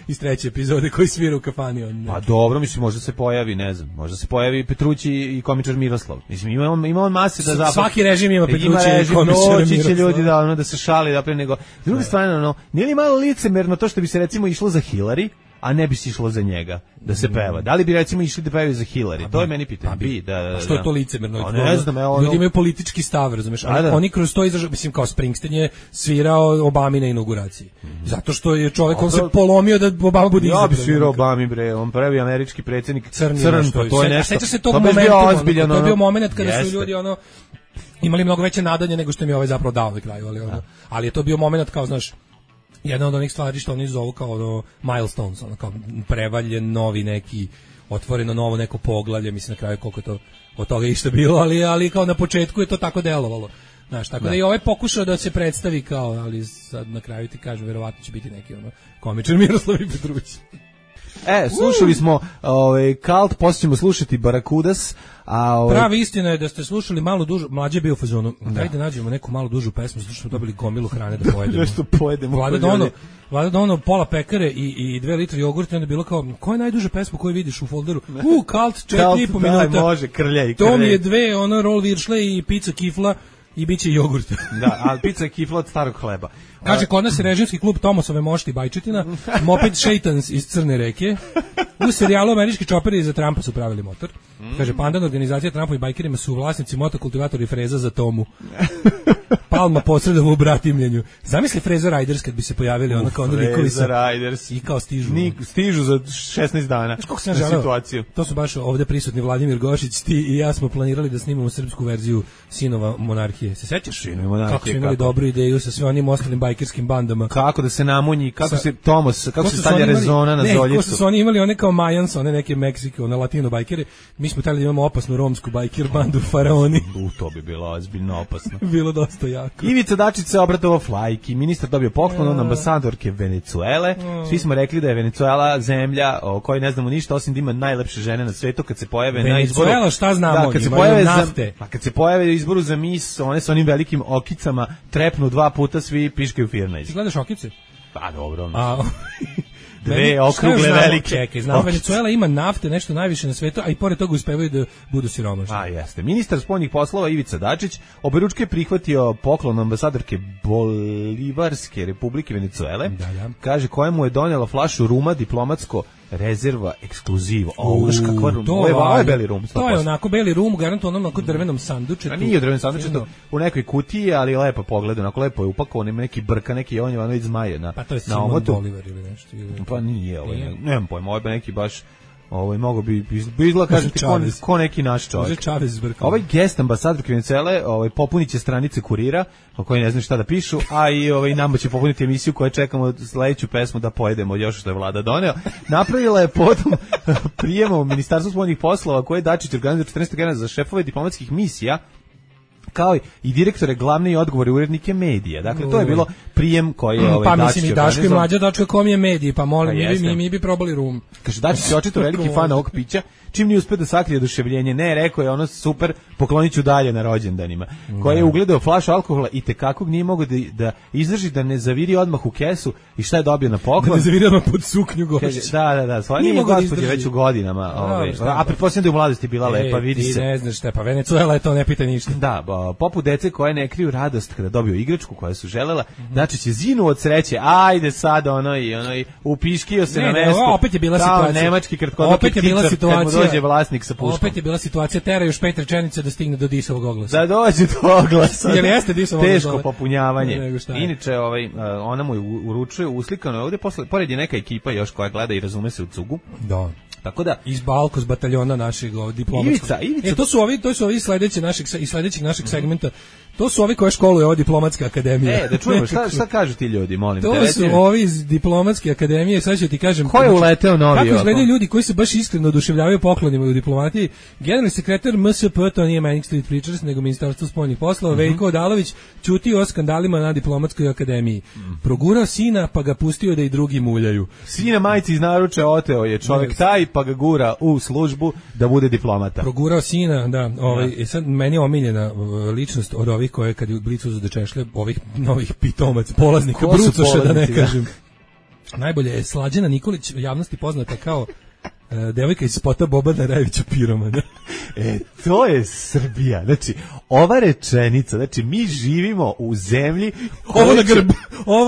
iz 3. epizode koji svira u kafani. Pa dobro, mislim, možda se pojavi, ne znam, možda se pojavi Petrući i komičar Miroslav. Mislim, ima on mase da zapravo... Svaki režim ima Petrući i komičar Miroslav. Će ljudi da se šali, da nego... Druga stvar, nije li malo licemerno to što bi se recimo išlo za Hillary, a ne bi se išlo za njega da se peva. Da li bi recimo išli da pevaju za Hillary? To je meni pitanje. Što je to licemerno? Ne znam, ljudi imaju politički stav, razumeš? Oni kroz to izražavaju, mislim, kao Springsteen je svirao Obami na inauguraciji. Zato što je čovjek, on se polomio da Obama bude izabran. Ja bi svirao Obami, bre, on prvi američki predsjednik crn, to je nešto. Seća se tog momentu, to je bio moment kada su ljudi imali mnogo veće nadanje nego što im je ovaj zapravo dao na kraju, ali je to bio moment kao, znaš, jedna od onih stvari što oni zovu kao milestones, kao prevaljen novi neki, otvoreno novo neko poglavlje, mislim na kraju koliko to od toga išta bilo, ali kao na početku je to tako delovalo. Znaš, tako da i ovaj pokušao da se predstavi kao, ali sad na kraju ti kažem, verovatno će biti neki komičar Miroslav i Petrući. Slušali smo Kalt, poslije ćemo slušati Barakudas. Pravi istina je da ste slušali malo dužu, mlađe bio u fazonu, dajte nađemo neku malo dužu pesmu, zato što smo dobili gomilu hrane da pojedemo. Nešto pojedemo. Vlada da pola pekare i 2 litre jogurta, onda je bilo kao, koja je najduža pesma koju vidiš u folderu? Kalt, 4,5 minuta. Da, može, krljaj. To mi je 2, roll viršle i pizza kifla i bit će jogurt. Da, ali pizza je kifla od starog hleba. Kaže, kod nas je režimski klub Tomosove mošti Bajčetina, Moped Shaitans iz Crne reke. U serijalu Američki čoperi za Trumpa su pravili motor. Kaže, pandan organizacija Trumpovim bajkerima su vlasnici motokultivatori freza za Tomu. Palma posredova u bratimljenju. Zamisli Freza Riders kad bi se pojavili kao likovi sa Riders i kao stižu za 16 dana na situaciju. To su baš ovdje prisutni Vladimir Gošić, ti i ja smo planirali da snimamo srpsku verziju Sinova monarhije. Se sećaš? Kako su imali dobru ideju sa sve onim ostalim bajkerskim bandama. Kako da se namunji, kako se Tomos, kako se stavlja rezona na zoljicu. Kako su oni imali one kao Mayans, one neke Meksike, one latino bajkere. Mi smo htjeli da imamo opasnu romsku bajker bandu Faraoni. To bi bilo ozbiljno opasno. Bilo dosta jako. Ivica Dačić se obratovao flajki, ministar dobio poklon od ambasadorke Venecuele. Svi smo rekli da je Venecuela zemlja o kojoj ne znamo ništa, osim da ima najlepše žene na svetu kad se pojave na izboru. Venecuela, šta znamo? Kad se pojave u izboru za mis, one sa onim velikim okicama trepnu 2 puta, svi piškaju firnajz. Ti gledaš okice? Pa dobro. Dve okrugle velike. Čekaj, znam, Venecuela ima nafte, nešto najviše na svetu, a i pored toga uspevaju da budu siromašni. Jeste. Ministar spoljnih poslova Ivica Dačić oberučke je prihvatio poklon ambasadorke Bolivarske republike Venecuele. Da. Kaže, kojemu je donijela flašu ruma diplomatsko rezerva ekskluzivo. Kakva rum. Ovo je beli rum. 100%. To je onako beli rum, garantovano onako drvenom sandučetu. A nije u drvenom sandučetu, u nekoj kutiji, ali lepo pogleda, onako lepo je upakovan, ima neki brka, neki Jovanović zmaje na. Pa to je Simon Bolivar ili nešto. Pa nije, nemam pojma, ovo je neki baš, mogo bi izgleda, kažem ti, ko neki naš čovjek. Ovaj gest ambasadorke Venecuele popunit će stranice Kurira, o kojoj ne znam šta da pišu, a i nama će popuniti emisiju koju čekamo sledeću pesmu da pojedemo još što je vlada doneo. Napravila je potom prijemom u Ministarstvu spoljnih poslova koje Dačić organizuje 14. januara za šefove diplomatskih misija, kao i direktore glavne i odgovore urednike medija. Dakle, to je bilo prijem koji je pa mislim i Daško i Mlađa Dačko.com je mediji, pa molim, mi bi probali rum. Kaže, Dačić je očito veliki fan ovog pića, čim nije uspio da sakrije oduševljenje. Ne, rekao je ono super, poklonit ću dalje na rođendanima. Koji je ugledao flašu alkohola i tekakog nije mogao da izdrži da ne zaviri odmah u kesu i šta je dobio na poklon. Da ne zaviri odmah pod suknju Gošića. Da, svoje nije gospođe već u godinama. A pretpostavljam da je u mladosti bila lepa, vidi se. Ti ne znaš šta, pa Venecuela je to, ne pita ništa. Da, poput dece koje ne kriju radost kada dobiju igračku koju su želela, znači će zinu od sreće, ajde sad i upiškio se na mestu. Opet je bila situacija. Nemački kratkodoki ptičar kad mu dođe vlasnik sa puškom. Opet je bila situacija, tera još 5 rečenica da stigne do disovog oglasa. Da dođe do oglasa. Jer jeste disovog oglasa. Teško popunjavanje. Inače, ona mu uručuje uslikano ovdje, pored je neka ekipa još koja gleda i razume se u cugu. Da. Tako da iz Balkos bataljona našeg diplomatskog. Ivica. To su ovi sledećeg našeg segmenta. To su ovi koje školuje ova diplomatska akademija. Da čujemo, šta kažu ti ljudi, molim te. To su ovi iz diplomatske akademije, sad ću ti kažem. Ko je uleteo novi? Kako izgledaju ljudi koji se baš iskreno oduševljavaju poklonima u diplomatiji? Generalni sekretar MSP, to nije Manning Street Preachers, nego Ministarstvo spoljnih poslova, Veljko Odalović, ćutio o skandalima na diplomatskoj akademiji. Progurao sina, pa ga pustio da i drugi muljaju. Sina majci iz naruče oteo je čovjek taj, pa ga gura u službu da bude diplomata. Progurao sina, da. Sad meni je omiljena ličnost od ovih koje kad je u Blicu za češlje, ovih novih pitomac, polaznika, brucoša da ne kažem. Najbolje je Slađana Nikolić, javnosti poznata kao devojka iz spota Bobana Rajevića piromana. To je Srbija. Znači, ova rečenica, znači mi živimo u zemlji ovo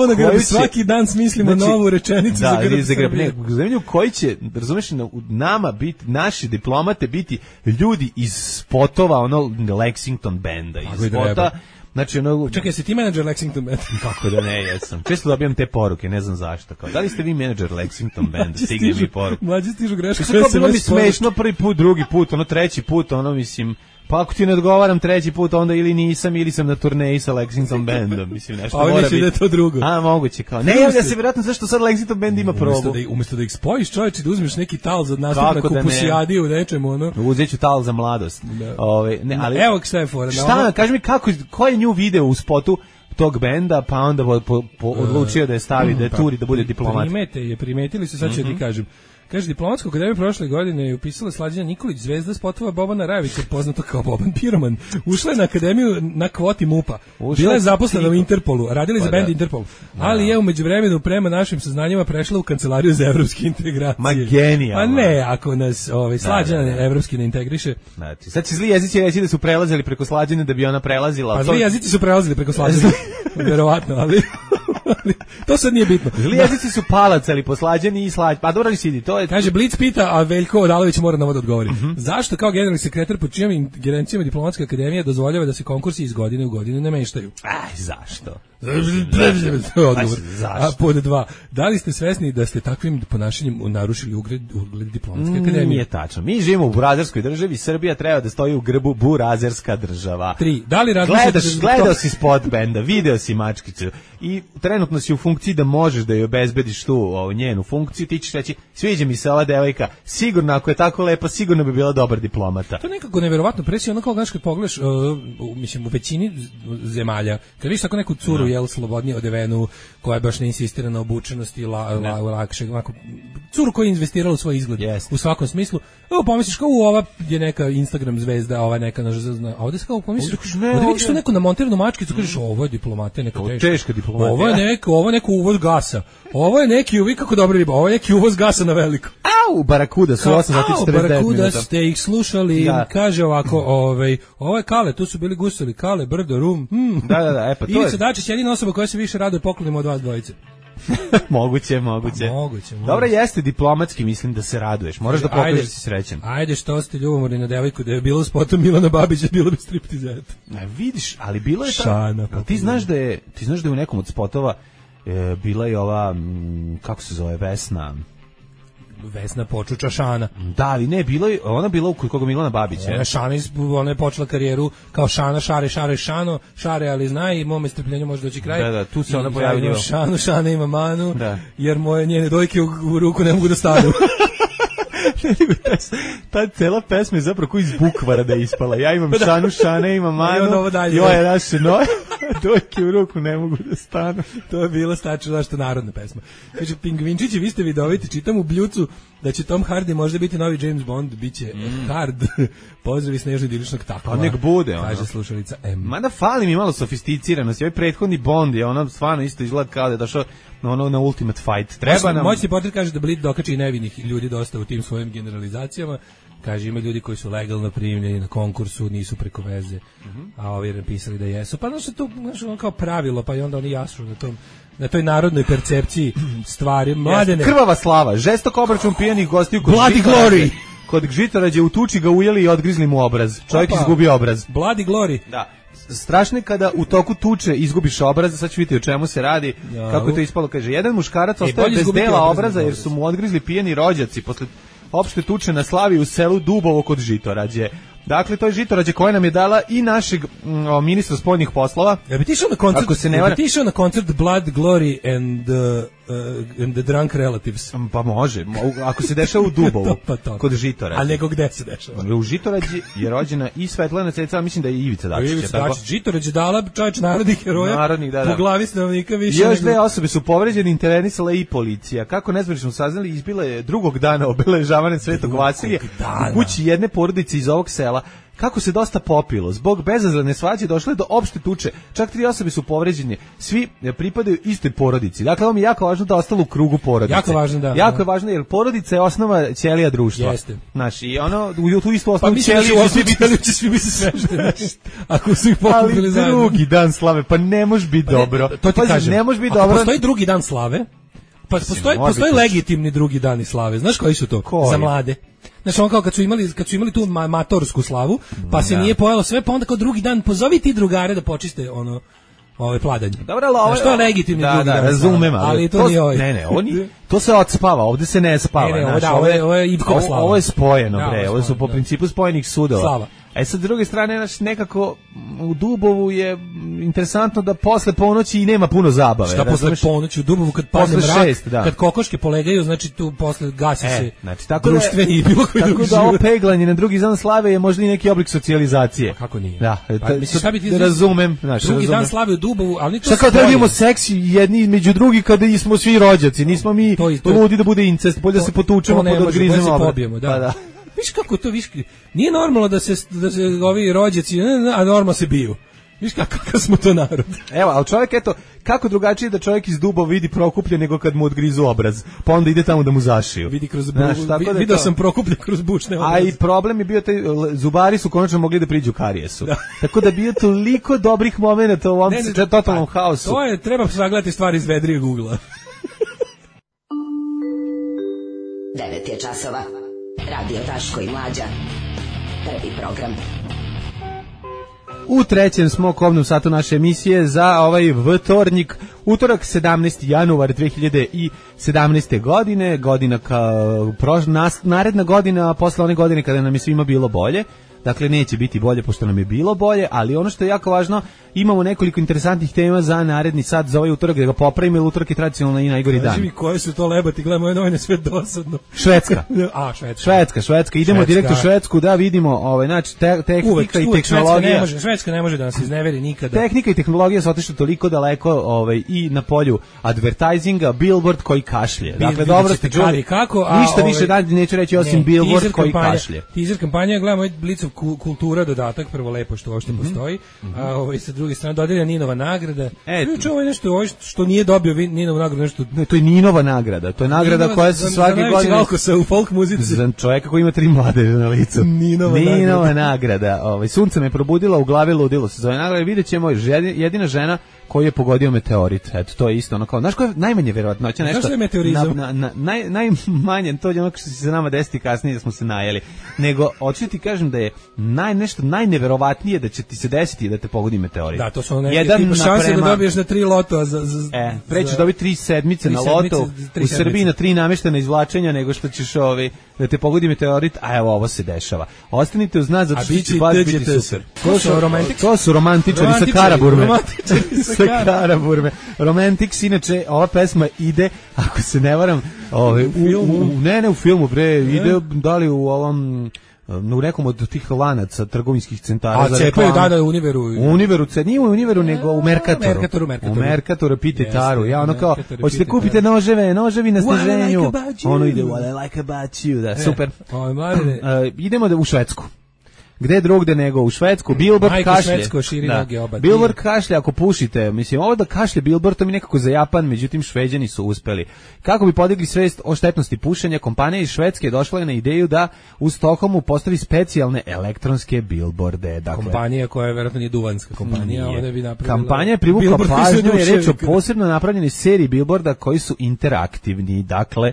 na grbu, svaki dan smislimo novu rečenicu za grb. U zemlji u kojoj će, razumeš, nama biti, naši diplomate biti ljudi iz spotova, ono Lexington benda, iz spota. Znači, čekaj, si ti menadžer Lexington Band? Kako da ne, jesam. Često dobijam te poruke, ne znam zašto. Kao, da li ste vi menadžer Lexington Banda? Stigne mi poruku. Mlađi stižu greška. Bilo mi smešno prvi put, drugi put, treći put, mislim... Pa ako ti ne odgovaram treći put, onda ili nisam, ili sam na turneji sa Lexington Bandom. Mislim, nešto mora biti. Da je to drugo. Moguće kao. Ne, ja se vjerojatno zašto sad Lexington Band ima probu. Umjesto da ih spojiš, čovječe, da uzmeš neki tal za nastup na kupusijadi u nečemu, Uzet ću tal za mladost. Ali, evo šta je fora. Šta, kaži mi ko je nju video u spotu tog benda, pa onda odlučio da je stavi, da je turi, da bude diplomat. Primetili se, sad ću ti kažem. Kaže, diplomatsku akademiju prošle godine je upisala Slađana Nikolić, zvezda spotova Bobana Rajevića, poznato kao Boban Piroman. Ušla je na akademiju na kvoti MUP-a. Bila je zaposlena u Interpolu, radili za bend Interpol. Ali je u međuvremenu prema našim saznanjima prešla u kancelariju za evropske integracije. Ma genijalno. Pa ne, ako nas Slađana evropski ne integriše. Znači, sad će zli jezici reći da su prelazili preko Slađane da bi ona prelazila. Pa zli jezici su prelazili preko Slađane. Verovatno, ali to sad nije bitno. Zli jezici su palacali po Slađani i Slađani. Pa dobro li sidi, to je... Kaže, Blic pita, a Veljko Odalović mora na ovo da odgovori. Zašto kao generalni sekretar pod čijom ingerencijama diplomatska akademija dozvoljava da se konkursi iz godine u godinu ne meštaju? Zašto? A pod 2, da li ste svesni da ste takvim ponašanjem narušili ugled diplomatske akademije? Nije tačno. Mi živimo u burazerskoj državi, Srbija treba da stoji u grbu burazerska država. 3, da li gledao si spot benda, video si mačkicu i trenutno si u funkciji da možeš da joj obezbediš tu njenu funkciju, ti ćeš reći, sviđa mi se ova devojka, sigurno ako je tako lepa, sigurno bi bila dobar diplomata. To je nekako neverovatno presije, ono kao znaš kad pogledaš, mislim u većini zemalja, kad vidiš tako neku curu slobodnije odevenu, koja baš ne insistira na obučenosti, lakše, curu koja je investirala u svoj izgled, u svakom smislu, pomisliš kao ova je neka Instagram zvezda, ova je neka, a ovdje se kao pomisliš, ovdje vidiš to neku namontiranu mačkicu, kažeš, ovo je diplomata, neka teška diplomata. Ovo je neko uvoz gasa, ovo je neki, vi kako dobro riba, ovo je neki uvoz gasa na veliko. Barakuda su 8 sati 49 minuta. Barakuda ste ih slušali, kaže ovako, ovo je Kale, tu su bili gustovi, Kale, Brdo, Rum. Da, pa to je. Ivica Dačić je jedina osoba koja se više raduje poklonima od vas dvojice. Moguće. Dobro, jeste diplomatski, mislim da se raduješ. Moraš da pokažeš da si srećan. Ajde, što ste ljubomorni na devojku, da je bilo u spotu Milana Babića, bilo bi striptizeta. Vidiš, ali bilo je tako. Ti znaš da je u nekom od spotova bila je ova, kako se zove, Vesna Počuča Šana. Da, ali ne, ona bila kod koga Milana Babića. Ona je počela karijeru kao Šana, Šano, ali zna i mome strpljenju može doći kraj. Da, tu se ona pojavila. Šana ima manu, jer moje njene dojke u ruku ne mogu da stanu. Ta cela pesma je zapravo koji iz bukvara da je ispala. Ja imam Šanu, Šane imam manu, joj naše noje, dojke u ruku ne mogu da stanu. To je bila stačno zašto narodna pesma. Kaže, Pingvinčići, vi ste vidoviti, čitam u Bljucu da će Tom Hardy možda biti novi James Bond, bit će hard. Pozdravi Snežno idiličnog takova. Pa nek bude, kaže slušalica M. Mada fali mi malo sofisticiranosti. Ovaj prethodni Bond je ono stvarno isto izgleda kao da je došao na Ultimate Fight. Treba nam... Moćni portret kaže da Blit dokači i nevinih ljudi dosta u tim svojim generalizacijama. Kaže, ima ljudi koji su legalno primljeni na konkursu, nisu preko veze, a ovi napisali da jesu. Pa znaš, to kao pravilo, pa i onda oni jasu na toj narodnoj percepciji stvari. Mladene. Krvava slava, žestok obračun pijenih gostiju kod Bloody Glory. Kod Žitorađe u tuči ga ujeli i odgrizli mu obraz. Čovjek izgubio obraz. Bloody Glory. Da. Strašno je kada u toku tuče izgubiš obraz, sad ću vidjeti o čemu se radi, kako je to ispalo. Kaže, jedan muškarac ostaje bez dela obraza jer su mu odgrizli pijeni rođaci posle opšte tuče na slavi u selu Dubovo kod Žitorađe. Dakle, to je žitorađe koje nam je dala i našeg ministra spoljnih poslova. Ja bi ti išao na koncert Blood, Glory and the Drunk Relatives. Pa može, ako se dešava u Dubovu, kod Žitorađe. A nego gde se dešava? U Žitorađi je rođena i Svetlana Ceca, mislim da je i Ivica Dačić. Ivica Dačić, Žitorađe dala čovječ narodnih heroja, po glavi stanovnika više. Još dve osobe su povređene, intervenisala i policija. Kako nezvanično saznali, izbila je drugog dana obeležavanja Svetog Vasilija u kući jedne porodice iz ovog sela. Kako se dosta popilo, zbog bezazlene svađe došlo je do opšte tuče, čak 3 osobe su povređene, svi pripadaju istoj porodici. Dakle, ovo mi je jako važno da ostalo u krugu porodice. Jako važno, da. Jako je važno, jer porodica je osnova ćelija društva. Jeste. Znaš, i ono, u tu istu osnovu ćeliju će svi biti svešteni, ako su ih pokupili zajedno. Ali drugi dan slave, pa ne može biti dobro. To ti kažem, ne može biti dobro. Ako postoji drugi dan slave, pa postoji legitimni drugi dani slave. Znaš koji su to? Za mlade. Znači on kao kad su imali tu matorsku slavu, pa se nije pojelo sve, pa onda kao drugi dan pozovi ti drugare da počiste ove pladanje. Dobro, ali što je legitimni drugi dan. Razumem, ali to nije ovaj. Ne, to se odspava, ovde se ne spava. Ovo je Ivkova slava. Ovo je spojeno, bre, ovo su po principu spojenih sudova. Slava. Sa druge strane, nekako u Dubovu je interesantno da posle ponoći i nema puno zabave. Šta posle ponoći u Dubovu kad padne mrak, kad kokoške polegaju, znači tu posle gasi se društveni i bilo koji drugi život. Tako da ovo peglanje na drugi dan slave je možda i neki oblik socijalizacije. Kako nije? Da, šta bi ti razumem. Drugi dan slave u Dubovu, ali ni to. Šta kao da vidimo seks jedni među drugi kada smo svi rođaci, nismo mi ludi da bude incest, bolje da se potučemo pa da odgrizemo obrat. Da. Viš kako to, nije normalno da se ovi rođaci, a normalno se biju. Viš kakav smo to narod. Evo, ali čovjek, eto, kako drugačije da čovjek iz Dubova vidi Prokuplje nego kad mu odgrizu obraz, pa onda ide tamo da mu zašiju. Vidio sam Prokuplje kroz bučne obraze. A i problem je bio, zubari su konačno mogli da priđu karijesu. Da. Tako da bio toliko dobrih momenata u ovom totalnom haosu. To je, treba sagledati stvari iz vedrije Google-a. 9 je časova. Radio Daško i Mlađa. Prvi program. U trećem smo kobnom satu naše emisije za ovaj vtornik, utorak 17. januar 2017. godine, godina naredna godina posle one godine kada nam je svima bilo bolje. Dakle, neće biti bolje pošto nam je bilo bolje, ali ono što je jako važno, imamo nekoliko interesantnih tema za naredni sat, za ovaj utorak, da ga popravimo, jer utorak je tradicionalno i najgori dan. Kaži mi koje su to lebati, gledamo ove novine, sve dosadno. Švedska. Švedska. Idemo direkt u Švedsku da vidimo, znači, tehnika i tehnologija. Švedska ne može da nas izneveri nikada. Tehnika i tehnologija su otišli toliko daleko i na polju advertisinga, Billboard koji kašlje. Dakle, dobro ste čuli. Ništa više dalje neću reći osim Billboard koji kašlje. Teaser kampanja, gledamo Blicov kultura dodatak, prvo lepo što uopšte postoji, a sa druge strane dodeljena Ninova nagrada. Ovo je nešto što nije dobio Ninovu nagradu, nešto. Ne, to je Ninova nagrada, to je nagrada koja se svake godine alkosa u folk muzici. Za čovjeka koji ima 3 mladeže na licu. Ninova nagrada. Sunce me probudilo, u glavi ludilo se zove nagrada. Videćemo jedina žena koju je pogodio meteorit. Eto, to je isto ono kao, znaš koja je najmanje verovatnoća nešto. Znaš što je meteorizam? Najmanje, to je ono što će se nama desiti kasnije da smo se najeli. Nego, hoću ti kažem da je nešto najneverovatnije da će ti se desiti da te pogodi meteorit. Da, to su neke šanse da dobiješ na 3 loto. Prećeš dobiti 3 sedmice na loto u Srbiji na 3 nameštena izvlačenja nego što ćeš da te pogodi meteorit, a evo ovo se dešava. Ostanite uz nas, zato što će baš biti super. To su romantičari sa Karaburme. Karaburme. Romantics, inače ova pesma ide, ako se ne varam, u filmu, bre, ide da li u ovom u nekom od tih lanaca trgovinskih centara. A cepaju u Univeru. U Univeru, nije u Univeru, nego u Merkatoru. U Merkatoru, pite Taru. Ja ono kao, hoćete kupite noževi na sniženju. Ono ide, what I like about you. Da, super. Idemo u Švedsku. Gde drugde nego u Švedsku, Billboard kašlje. Billboard kašlje ako pušite. Mislim, ovo da kašlje Billboard, to mi nekako za Japan, međutim Šveđani su uspeli. Kako bi podigli svest o štetnosti pušenja, kompanija iz Švedske došla je na ideju da u Stokholmu postavi specijalne elektronske billboarde. Dakle, kompanija koja je verovatno nije duvanska kompanija. Kampanja je privukla pažnju, je reč o posebno napravljenoj seriji billboarda koji su interaktivni. Dakle,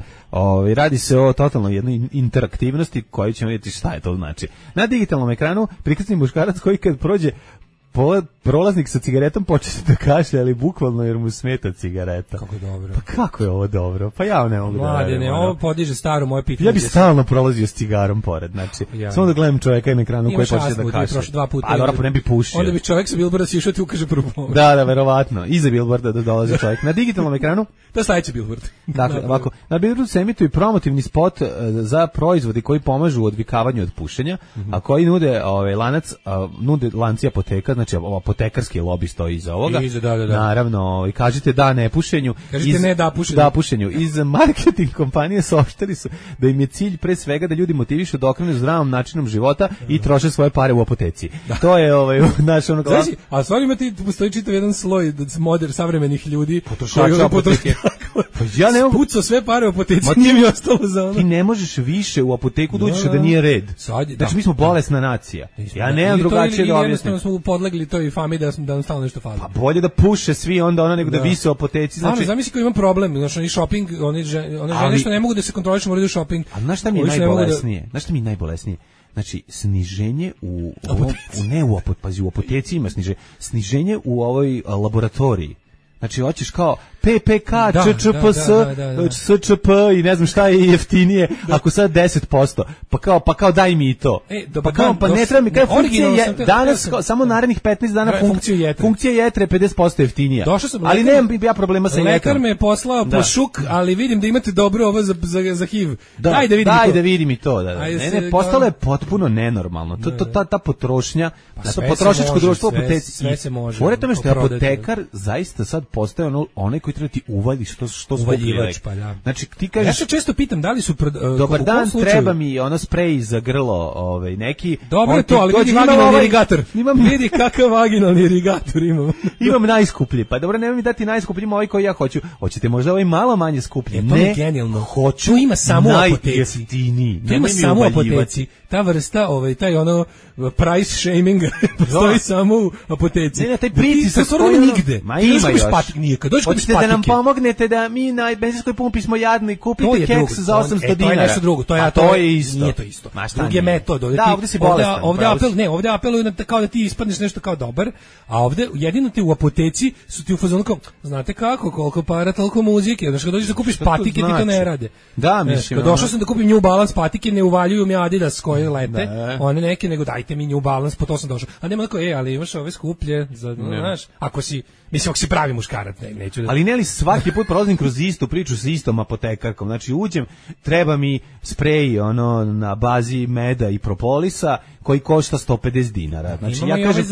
radi se o totalno jednoj interaktivnosti koju ćemo vidjeti šta je to znači. Na digitalnom ekranu prikazani muškarac koji kad prođe prolaznik sa cigaretom početi da kašlje, ali bukvalno jer mu smeta cigareta. Kako dobro. Pa kako je ovo dobro? Pa ja ne mogu da radim. Mladene, ovo podiže staro moje pitanje. Ja bi stalno prolazio s cigarom pored, znači, samo da gledam čoveka na ekranu koji počne da kašlje. A dobro, ne bi pušio. Onda bi čovek sa Bilborda sišao ti ukaže prvu pomoć. Da, verovatno. Iza Bilborda da dolazi čovjek. Na digitalnom ekranu? To je sledeći Bilbord. Dakle, ovako, na Bilbordu se emituje promotivni spot za proizvodi koji pomažu u odvikavanju od pušenja, a koji nude nude lanci apoteka, znači apotekarski lobi stoji iza ovoga. Da. Naravno, kažete da ne pušenju. Kažete ne da pušenju. Da pušenju. Iz marketing kompanije saopštili su da im je cilj pre svega da ljudi motivišu da okrenu zdravom načinom života i troše svoje pare u apoteci. Da. To je naš ono glas. Znači, a stvarno ima ti postoji čitav jedan sloj savremenih ljudi potrošača apoteke. Pa ja ne mogu pucao sve pare u apoteci, nije mi ostalo za ono. Ti ne možeš više u apoteku da uđeš da nije red. Znači mi smo bolesna nacija. Ja nemam drugačije da objasnim. Jednostavno smo podlegli toj fami da nam stalno nešto fali. Pa bolje da puše svi onda nego da vise u apoteci. Znači zamisli ko ima problem, znači oni shopping, one žene što ne mogu da se kontrolišu, moraju da shopping. A znaš šta mi je najbolesnije? Znaš šta mi je najbolesnije? Znači, sniženje u apoteci ima sniženje u ovoj laboratoriji. Znači, hoćeš kao PPK, ČČPS, SČP i ne znam šta je jeftinije, ako sad 10%, pa kao daj mi i to. Pa ne treba mi, kaj funkcija je, danas, samo narednih 15 dana funkcija jetre 50% jeftinija. Ali nemam ja problema sa jetrom. Lekar me je poslao po šuk, ali vidim da imate dobro ovo za HIV. Daj da vidim i to. Ne, postalo je potpuno nenormalno. Ta potrošnja, to potrošačko društvo u apoteci. Sve se može. Pored tome što je apotekar zaista sad postaje onaj koji treba ti uvali što uvaljivač, pa da. Znači ti kažeš, ja se često pitam da li su dobar dan, treba mi sprej za grlo, neki. Dobro je to, ali vidi vaginalni irigator. Vidi kakav vaginalni irigator imam. Imam najskuplji. Pa dobro, nemoj mi dati najskuplji, ovaj koji ja hoću. Hoćete možda ovaj malo manje skuplji? Ne, to je genijalno. Hoću. To ima samo u apoteci. To ima samo u apoteci. Ta vrsta, taj price shaming postoji samo u apoteci. Ne, taj pritisak koji nigde. Ma ima još. Kad dođeš kod patike. Hoćete da nam pomognete da mi na benzinskoj pumpi smo jadni i kupite keks za 800 dinara. To je nešto drugo. To je isto. Nije to isto. Drugi je metod. Da, ovdje si bolestan. Ovdje apeluju kao da ti ispadneš nešto kao dobar, a ovdje jedino ti u apoteci su ti u fazonu kao, znate kako, koliko para, toliko muzike. Znači, kad dođeš da kupiš patike, ti to ne rade. Da, mislim. Kad došao sam da kupim New Balance patike, ne uvaljuju mi Adidas koje lete, one neke, nego dajte mi New Balance, po to sam došao. A nema tako, ali imaš ove skuplje, znaš, ako si pravi muškarac, neću da... Ali ne li svaki put prolazim kroz istu priču sa istom apotekarkom, znači uđem, treba mi sprej na bazi meda i propolisa koji košta 150 dinara. Znači ja kažem,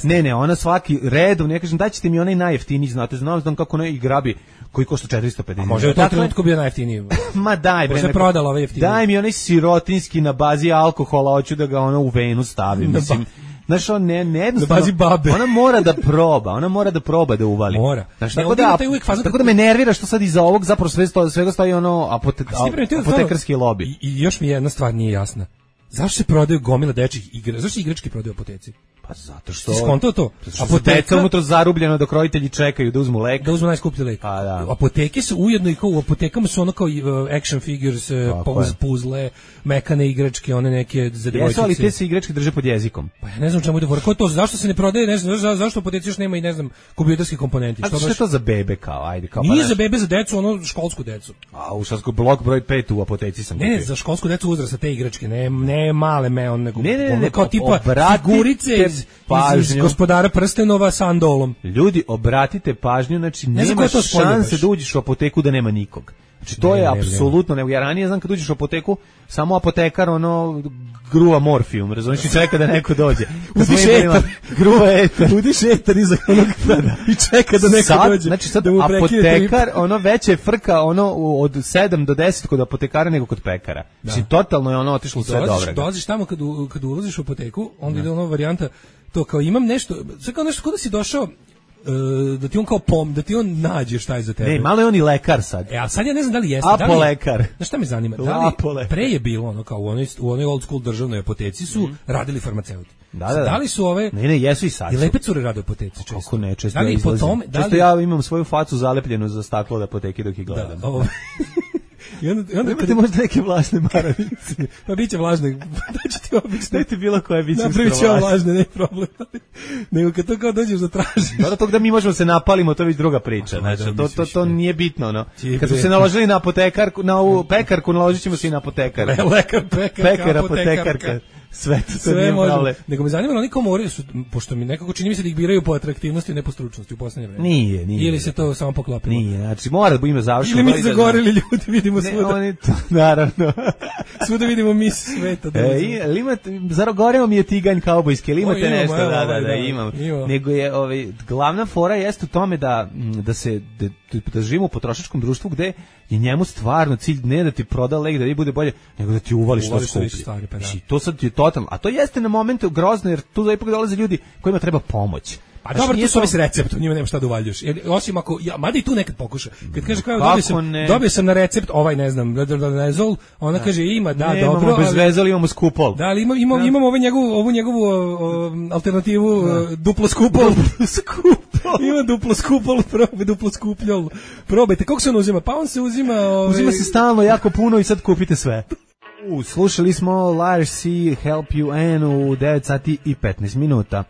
ne, ona svaki redom, ja kažem, daćete mi onaj najjeftiniji, znam kako onaj grabi koji košta 450 dinara. Može u tom trenutku bio najjeftiniji. Ma daj bre. Može prodala ovaj jeftiniji. Daj mi onaj sirotinski na bazi alkohola, hoću da ga u venu stavim, mislim. Znaš, ona mora da proba da uvali. Mora. Znaš, tako da me nervira što sad iza ovog zapravo svega stoji apotekarski lobby. I još mi jedna stvar nije jasna. Zašto se prodaju gomila dečjih igrački? Zašto se igrački prodaju u apoteci? Pa zato što... Ti skontao to? Apoteka unutra zarubljeno dok roditelji čekaju da uzmu lek. Da uzmu najskuplji lek. Pa da. Apoteke su ujedno i kao u apotekama su ono kao action figures, puzle, mekane igračke, one neke za devojčice. Jesu, ali te se igračke drže pod jezikom. Pa ja ne znam čemu ide fora. Ko je to? Zašto se ne prodaje? Ne znam, zašto u apoteci još nema i ne znam kompjuterski komponenti? A što je to za bebe kao? Ajde, kao. Nije za bebe, za decu, školsku decu. A u školsku blok broj 5 u apoteci sam. Ne, za školsku decu uzrasta te igračke, ne male nego kao tipa figurice iz Gospodara prstenova sa andolom. Ljudi, obratite pažnju, znači nema šanse da uđeš u apoteku da nema nikog. Znači to je apsolutno, ja ranije znam kad uđeš u apoteku, samo apotekar gruva morfijum, razumiješ, i čeka da neko dođe. Udiš etar. Gruva etar. Udiš etar iza onog i čeka da neko dođe. Znači sad apotekar, veće je frka od 7 do 10 kod apotekara nego kod pekara. Znači totalno je otišlo sve dobro. Dolaziš tamo kad ulaziš u apoteku, onda ide varijanta, to kao imam nešto, sve kao nešto kod da si došao, da ti on kao da ti on nađe šta je za tebe. Ne, malo je on i lekar sad. A sad ja ne znam da li jeste. Apolekar. Znaš šta me zanima? Pre je bilo kao u onoj old school državnoj apoteci su radili farmaceuti. Da li su ove... Ne, jesu i sad. I lepe cure rade u apoteci često. Kako ne, često ja izlazim. Često ja imam svoju facu zalepljenu za staklo od apoteke dok ih gledam. I onda imate možda neke vlažne maramice. Pa biće vlažne. Daću ti obično. Dajte bilo koje biće napravit će vlažne, ne problem. Nego kad to kao dođeš da tražiš. Dobro, tog da mi možemo se napalimo, to je već druga priča. Znači, to nije bitno, no. Kad smo se naložili na apotekarku, na ovu pekarku, naložit ćemo se i na apotekarku. Lekar, pekar, apotekarka. Sve može. Nego me zanima, oni komori su, pošto mi nekako čini mi se da ih biraju po atraktivnosti, ne po stručnosti u poslednje vreme. Nije. Ili se to samo poklopilo? Nije, znači mora da ima završeno. Ili mi zagoreli ljudi, vidimo svuda. Oni to, naravno. Svuda vidimo mis sveta. Ili imate, zarogoreo mi je tiganj kaubojski, ili imate nešto? Da, imam. Nego je, glavna fora jeste u tome da živimo u potrošačkom društvu gde je njemu stvarno cilj ne da ti proda lek, da ti bude bolje, nego da ti uvališ što skupi. To sad je totalno. A to jeste na momentu grozno, jer tu ipak dolaze ljudi kojima treba pomoć. A dobro, tu su ovi s receptom, njima nema šta da uvaljuješ. Osim ako, mada i tu nekad pokuša. Kad kaže kao dobio sam na recept ne znam, Vezol, ona kaže ima, da, dobro. Nemamo bez Vezol, imamo skupol. Da, ali imamo ovu njegovu alternativu duplo skupol. Ima duplo skupol, duplo skupljol. Probajte, kako se on uzima? Pa on se uzima... Uzima se stalno jako puno i sad kupite sve. Slušali smo Lars C. Help You N u 9 sati i 15 minuta.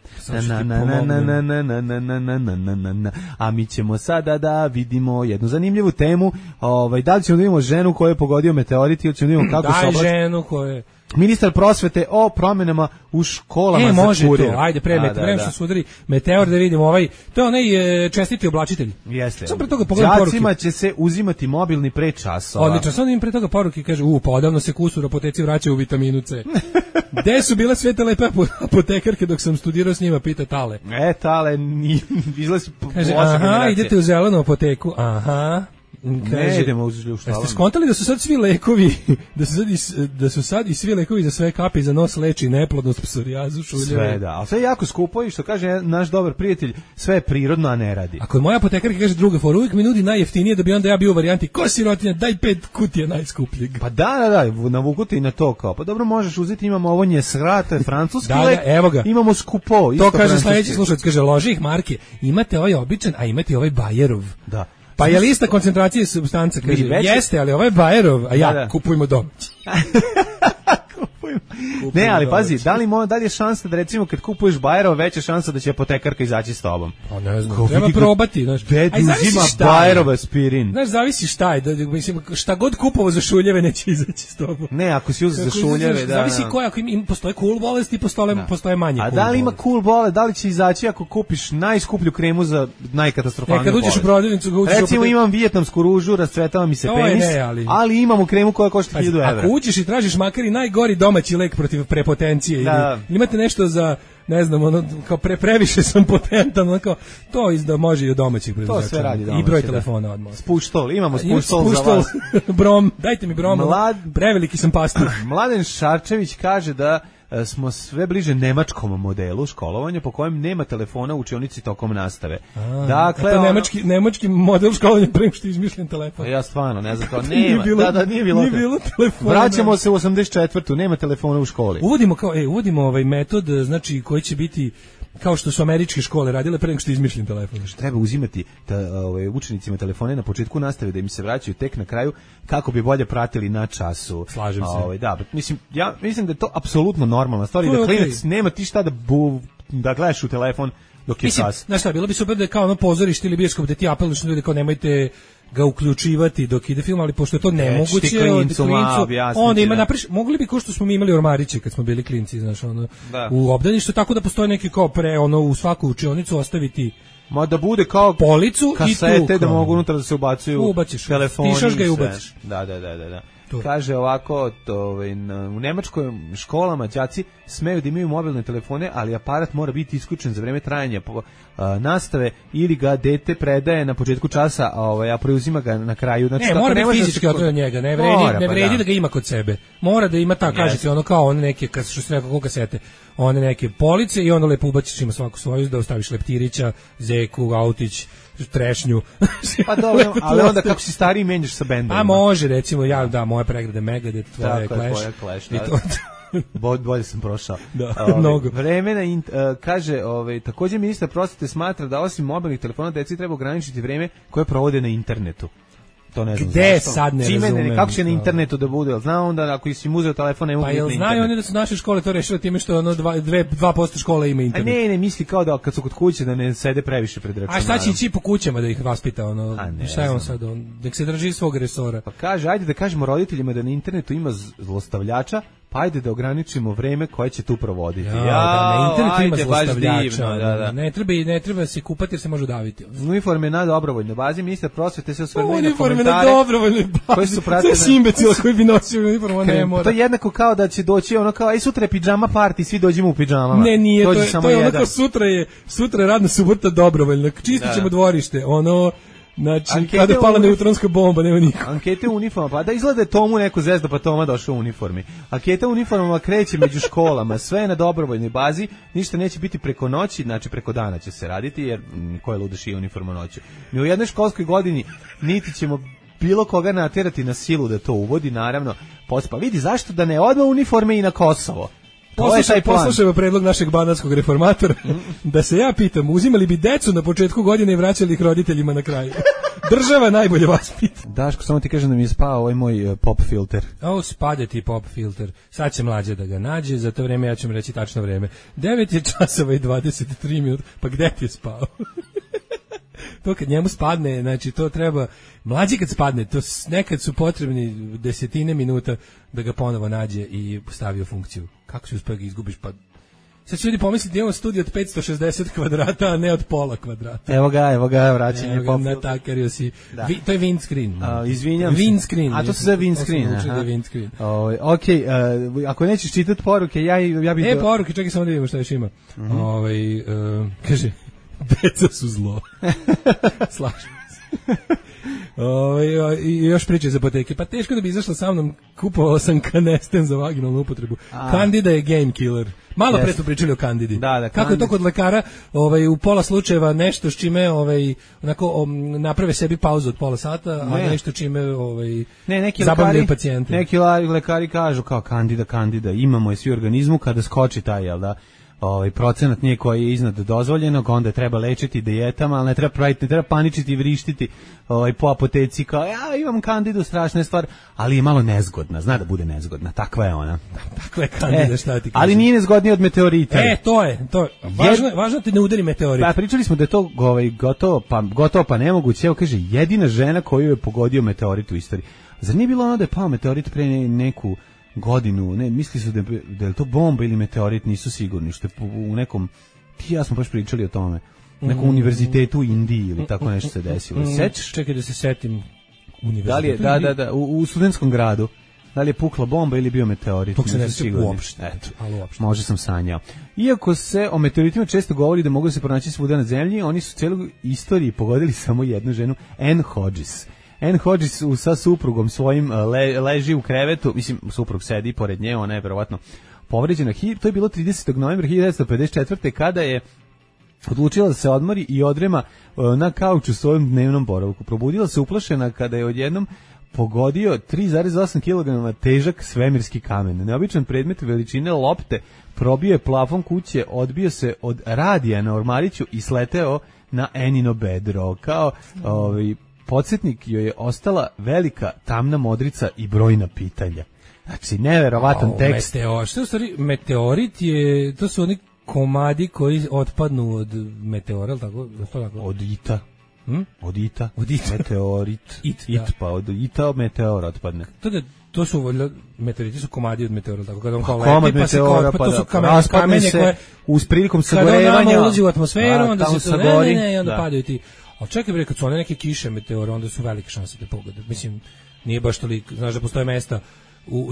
A mi ćemo sada da vidimo jednu zanimljivu temu. Da li ćemo da vidimo ženu koju je pogodio meteorit ili ćemo da vidimo kako se oblači? Daj ženu koju je... Ministar prosvete o promenama u školama za može kurir. To, ajde, pre što se udari meteor da vidimo to je onaj čestiti oblačitelj. Jeste. Sam pre toga pogledam poruke. Đacima će se uzimati mobilni pre časova. Odlično, sam im pre toga poruke kaže, pa odavno se kusur apoteci vraćaju u vitaminu C. Gde su bile sve te lepe apotekarke dok sam studirao s njima, pita Tale. Tale, izlazi kaže, aha, idete u zelenu apoteku, aha. Ne idemo uz ljuštalan. Jeste skontali da su sad svi lekovi, da su sad i svi lekovi za sve kapi za nos leči neplodnost, psorijazu, šuljeve. Sve da, ali sve je jako skupo i što kaže naš dobar prijatelj, sve je prirodno, a ne radi. Ako je moja apotekarka kaže druga fora, uvijek mi nudi najjeftinije da bi onda ja bio u varijanti ko sirotinja, daj 5 kutija najskupljeg. Pa da, navukuti i na to kao, pa dobro možeš uzeti, imamo ovo njesra, to je francuski lek, evo ga. Imamo skupo. To kaže sledeći slušalac, kaže loži ih marke, imate ovaj običan, a imate ovaj Bajerov. Da. Pa je lista koncentracije supstance, kaže, jeste, ali ovaj Bajerov, a ja kupujemo domaći. Ne, ali pazi, da li je šansa da recimo kad kupuješ Bajerov veća šansa da će apotekarka izaći s tobom? Pa ne znam, treba probati, znaš. Uzima Bajerov aspirin. Znaš, zavisi šta je, mislim, šta god kupovo za šuljeve neće izaći s tobom. Ne, ako si uzeo za šuljeve, da. Zavisi koja, ako postoje cool bolesti, postoje manje cool bolesti. A da li ima cool bolest, da li će izaći ako kupiš najskuplju kremu za najkatastrofalniju bolest? Kad uđeš u prodavnicu, recimo imam vijetnamsku ružu, rascvetava mi se penis, ali imamo kremu koja košta 1000 €. Ako uđeš i tražiš makar i najgori domaći lek protiv prepotencije ili imate nešto za, ne znam, kao previše sam potentan, kao to da može i od domaćih preduzeća. To sve radi domaći. I broj telefona odmah. Spuštol, imamo spuštol za vas. Brom, dajte mi brom, preveliki sam pastir. Mladen Šarčević kaže da smo sve bliže nemačkom modelu školovanja po kojem nema telefona u učionici tokom nastave. Dakle, nemački model školovanja pre nego što je izmišljen telefon. Ja stvarno ne znam, kao nema. Nije bilo telefona. Vraćamo se u 84. Nema telefona u školi. Uvodimo ovaj metod, znači koji će biti kao što su američke škole radile pre nego što je izmišljen telefon. Treba uzimati učenicima telefone na početku nastave da im se vraćaju tek na kraju kako bi bolje pratili na času. Slažem se. Ja mislim da je to apsolutno normalna stvar i da klinac nema ti šta da gledaš u telefon dok je čas. Znaš šta, bilo bi super da je kao ono pozorište ili bioskop da ti apeluješ na ljude kao nemojte ga uključivati dok ide film, ali pošto je to nemoguće onda ima napriš, mogli bi kao što smo mi imali ormariće kad smo bili klinci, znaš, u obdaništu, tako da postoje neki kao u svaku učionicu ostaviti da bude kao policu kasete da mogu unutra da se ubacuju telefoni, pišaš ga i ubaciš. Da. Kaže ovako, u nemačkim školama đaci smeju da imaju mobilne telefone, ali aparat mora biti isključen za vreme trajanja nastave ili ga dete predaje na početku časa, a preuzima ga na kraju. Znači, mora biti fizički od njega, ne vredi da ga ima kod sebe. Mora da ima kaže se kao one neke, što se rekao kasete, one neke police i ono lepo ubaciš, ima svaku svoju, da ostaviš leptirića, zeku, autić, trešnju. Pa dobro, ali onda kako si stariji menjaš sa bendom. A može, recimo, moje pregrade Megadeth, tvoje Clash. Bolje sam prošao. Mnogo. Vreme kaže, također ministar prosvete smatra da osim mobilnih telefona deci treba ograničiti vreme koje provode na internetu. To ne znam. Gde sad ne razumem? Kako će na internetu da bude? Zna onda ako si uzeo telefon ne mogu biti na internetu. Pa znaju oni da su naše škole to rešile time što ono 2% škole ima internet. A ne, misli kao da kad su kod kuće da ne sede previše pred računarom. A šta će ići po kućama da ih vaspita? Šta je on sad? Nek se drži svog resora. Pa kaže, ajde da kažemo roditeljima da na internetu ima zlostavljača, pa ajde da ograničimo vreme koje će tu provoditi. Na internetu ima zlostavljača. Da. Ne treba se kupati jer se može udaviti. Uniforme na dobrovoljnoj bazi, ministar prosvete se osvrnuo na komentare. Uniforme na dobrovoljnoj bazi. Koji su pratili sve imbecila koji bi nosio uniformu, ne mora. To je jednako kao da će doći ono kao, aj sutra je pidžama party, svi dođemo u pidžamama. Ne, nije, to je onako sutra je radna subota dobrovoljna. Čistit ćemo dvorište, znači, kada pala neutronska bomba, nema niko. Ankete u uniformama, pa da izgleda Tomu neko zezda, pa Toma došao u uniformi. Ankete u uniformama kreće među školama, sve je na dobrovoljnoj bazi, ništa neće biti preko noći, znači preko dana će se raditi, jer ko je ludaš i uniforma noću. Mi u jednoj školskoj godini niti ćemo bilo koga naterati na silu da to uvodi, naravno. Pa vidi, zašto da ne odmah uniforme i na Kosovo? Poslušajmo predlog našeg banatskog reformatora, da se ja pitam, uzimali bi decu na početku godine i vraćali ih roditeljima na kraju. Država najbolje vaspita. Daško, samo ti kažem da mi je spao ovaj moj pop filter. Spade ti pop filter. Sad će mlađe da ga nađe, za to vreme ja ću mu reći tačno vreme. 9 je časova i 23 minuta, pa gde ti je spao? To kad njemu spadne, znači to treba, mlađi kad spadne, to nekad su potrebni desetine minuta da ga ponovo nađe i stavi u funkciju. Kako si uspio ga izgubiš, pa sad će ljudi pomisliti da imamo studij od 560 kvadrata, a ne od pola kvadrata. Evo ga, vraćanje pop filter. Natakariju si. To je windscreen. Izvinjam se. Windscreen. A to se zove windscreen. Okej, ako nećeš čitati poruke, ja bih... Poruke, čekaj samo da vidimo šta još ima. Kaže... Deca su zlo. Slažem se. I još priče iz apoteke. Pa teško da bi izašla sa mnom, kupovao sam kanesten za vaginalnu upotrebu. Candida je game killer. Malo pre smo pričali o Candidi. Kako je to kod lekara, u pola slučajeva nešto s čime onako naprave sebi pauzu od pola sata, a nešto čime zabavljaju pacijente. Neki lekari kažu kao Candida, imamo je svi u organizmu kada skoči taj, jel da? Procenat nije koji je iznad dozvoljenog, onda treba lečiti dijetama, ali ne treba paničiti i vrištiti po apoteci kao, ja imam Kandidu, strašna stvar, ali je malo nezgodna, zna da bude nezgodna, takva je ona. Takva je Kandida, šta ti kažem. Ali nije nezgodnija od meteorita. To je. Važno ti ne udari meteorit. Pa pričali smo da je to gotovo pa nemoguće, evo kaže, jedina žena koju je pogodio meteorit u istoriji. Zar nije bilo ono da je pao meteorit pre neku godinu, ne, misli su da je to bomba ili meteorit, nisu sigurni, što je u nekom, ti ja smo baš pričali o tome, u nekom univerzitetu u Indiji ili tako nešto se desilo. Sećaš? Čekaj da se setim. Univerzitetu da, u studentskom gradu. Da li je pukla bomba ili bio meteorit? To se ne sjeća uopšte. Možda sam sanjao. Iako se o meteoritima često govori da mogu se pronaći svuda na zemlji, oni su cijelu istoriji pogodili samo jednu ženu, Anne Hodges. Anne Hodges sa suprugom svojim leži u krevetu, mislim, suprug sedi pored nje, ona je verovatno povređena. To je bilo 30. novembra 1954. kada je odlučila da se odmori i odrema na kauču svojom dnevnom boravku. Probudila se uplašena kada je odjednom pogodio 3,8 kg težak svemirski kamen. Neobičan predmet veličine lopte probio je plafon kuće, odbio se od radija na ormariću i sleteo na Enino bedro. Kao podsjetnik joj je ostala velika tamna modrica i brojna pitanja. Znači, neverovatan tekst. Što je u stvari, meteorit je, to su oni komadi koji otpadnu od meteora, tako? Od ita. Od ita. Meteorit. Pa od ita meteor otpadne. To su meteoriti, su komadi od meteora, tako kada on kao leti, pa se to su kamenje koje uz prilikom sagorevanja, kada nama ulazi u atmosferu, onda se to vremene i onda padaju ti. Ali čekaj bre, kad su one neke kiše meteora, onda su velike šanse da pogode. Mislim, nije baš toliko, znaš da postoje mesta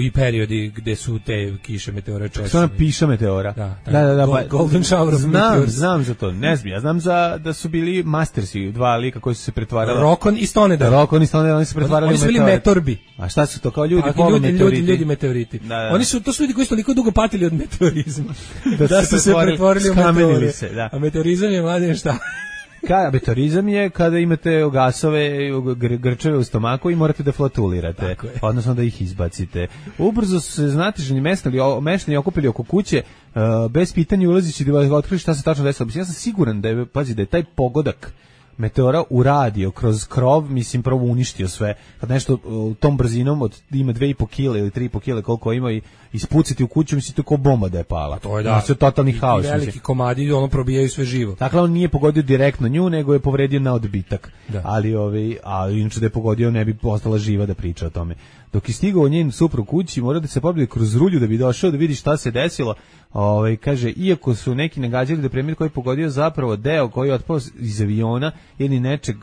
i periodi gde su te kiše meteora češće. Što ona piša meteora? Da. Golden shower of meteors. Znam za to, ne znam. Ja znam da su bili mastersi, dva lika koji su se pretvarali. Rokon i Stonedar. Oni se pretvarali oni su bili meteorbi. A šta su to, kao ljudi meteoriti? Oni su, to su ljudi koji su toliko dugo patili od meteorizma. da su se pretvorili u meteore. A meteorizam je, mladen, šta? Meteorizam je kada imate gasove, grčeve u stomaku i morate da flotulirate, odnosno da ih izbacite. Ubrzo su se znatiženi meštani okupili oko kuće, bez pitanja ulazići da otkrili šta se tačno desilo. Ja sam siguran da je taj pogodak meteora uradio kroz krov, mislim prvo uništio sve. Kad nešto tom brzinom od ima 2,5 kg ili 3,5 kg koliko ima i ispuciti u kuću, mislim to kao bomba da je pala. To je da. Sve totalni haos. Veliki komadi, ono probijaju sve živo. Dakle, on nije pogodio direktno nju, nego je povredio na odbitak. Da. Ali inače da je pogodio ne bi ostala živa da priča o tome. Dok je stigao njen suprug kući, mora da se pobije kroz rulju da bi došao da vidi šta se desilo. Kaže, iako su neki nagađali da premijer koji je pogodio zapravo deo koji je otpao iz aviona ili nečeg,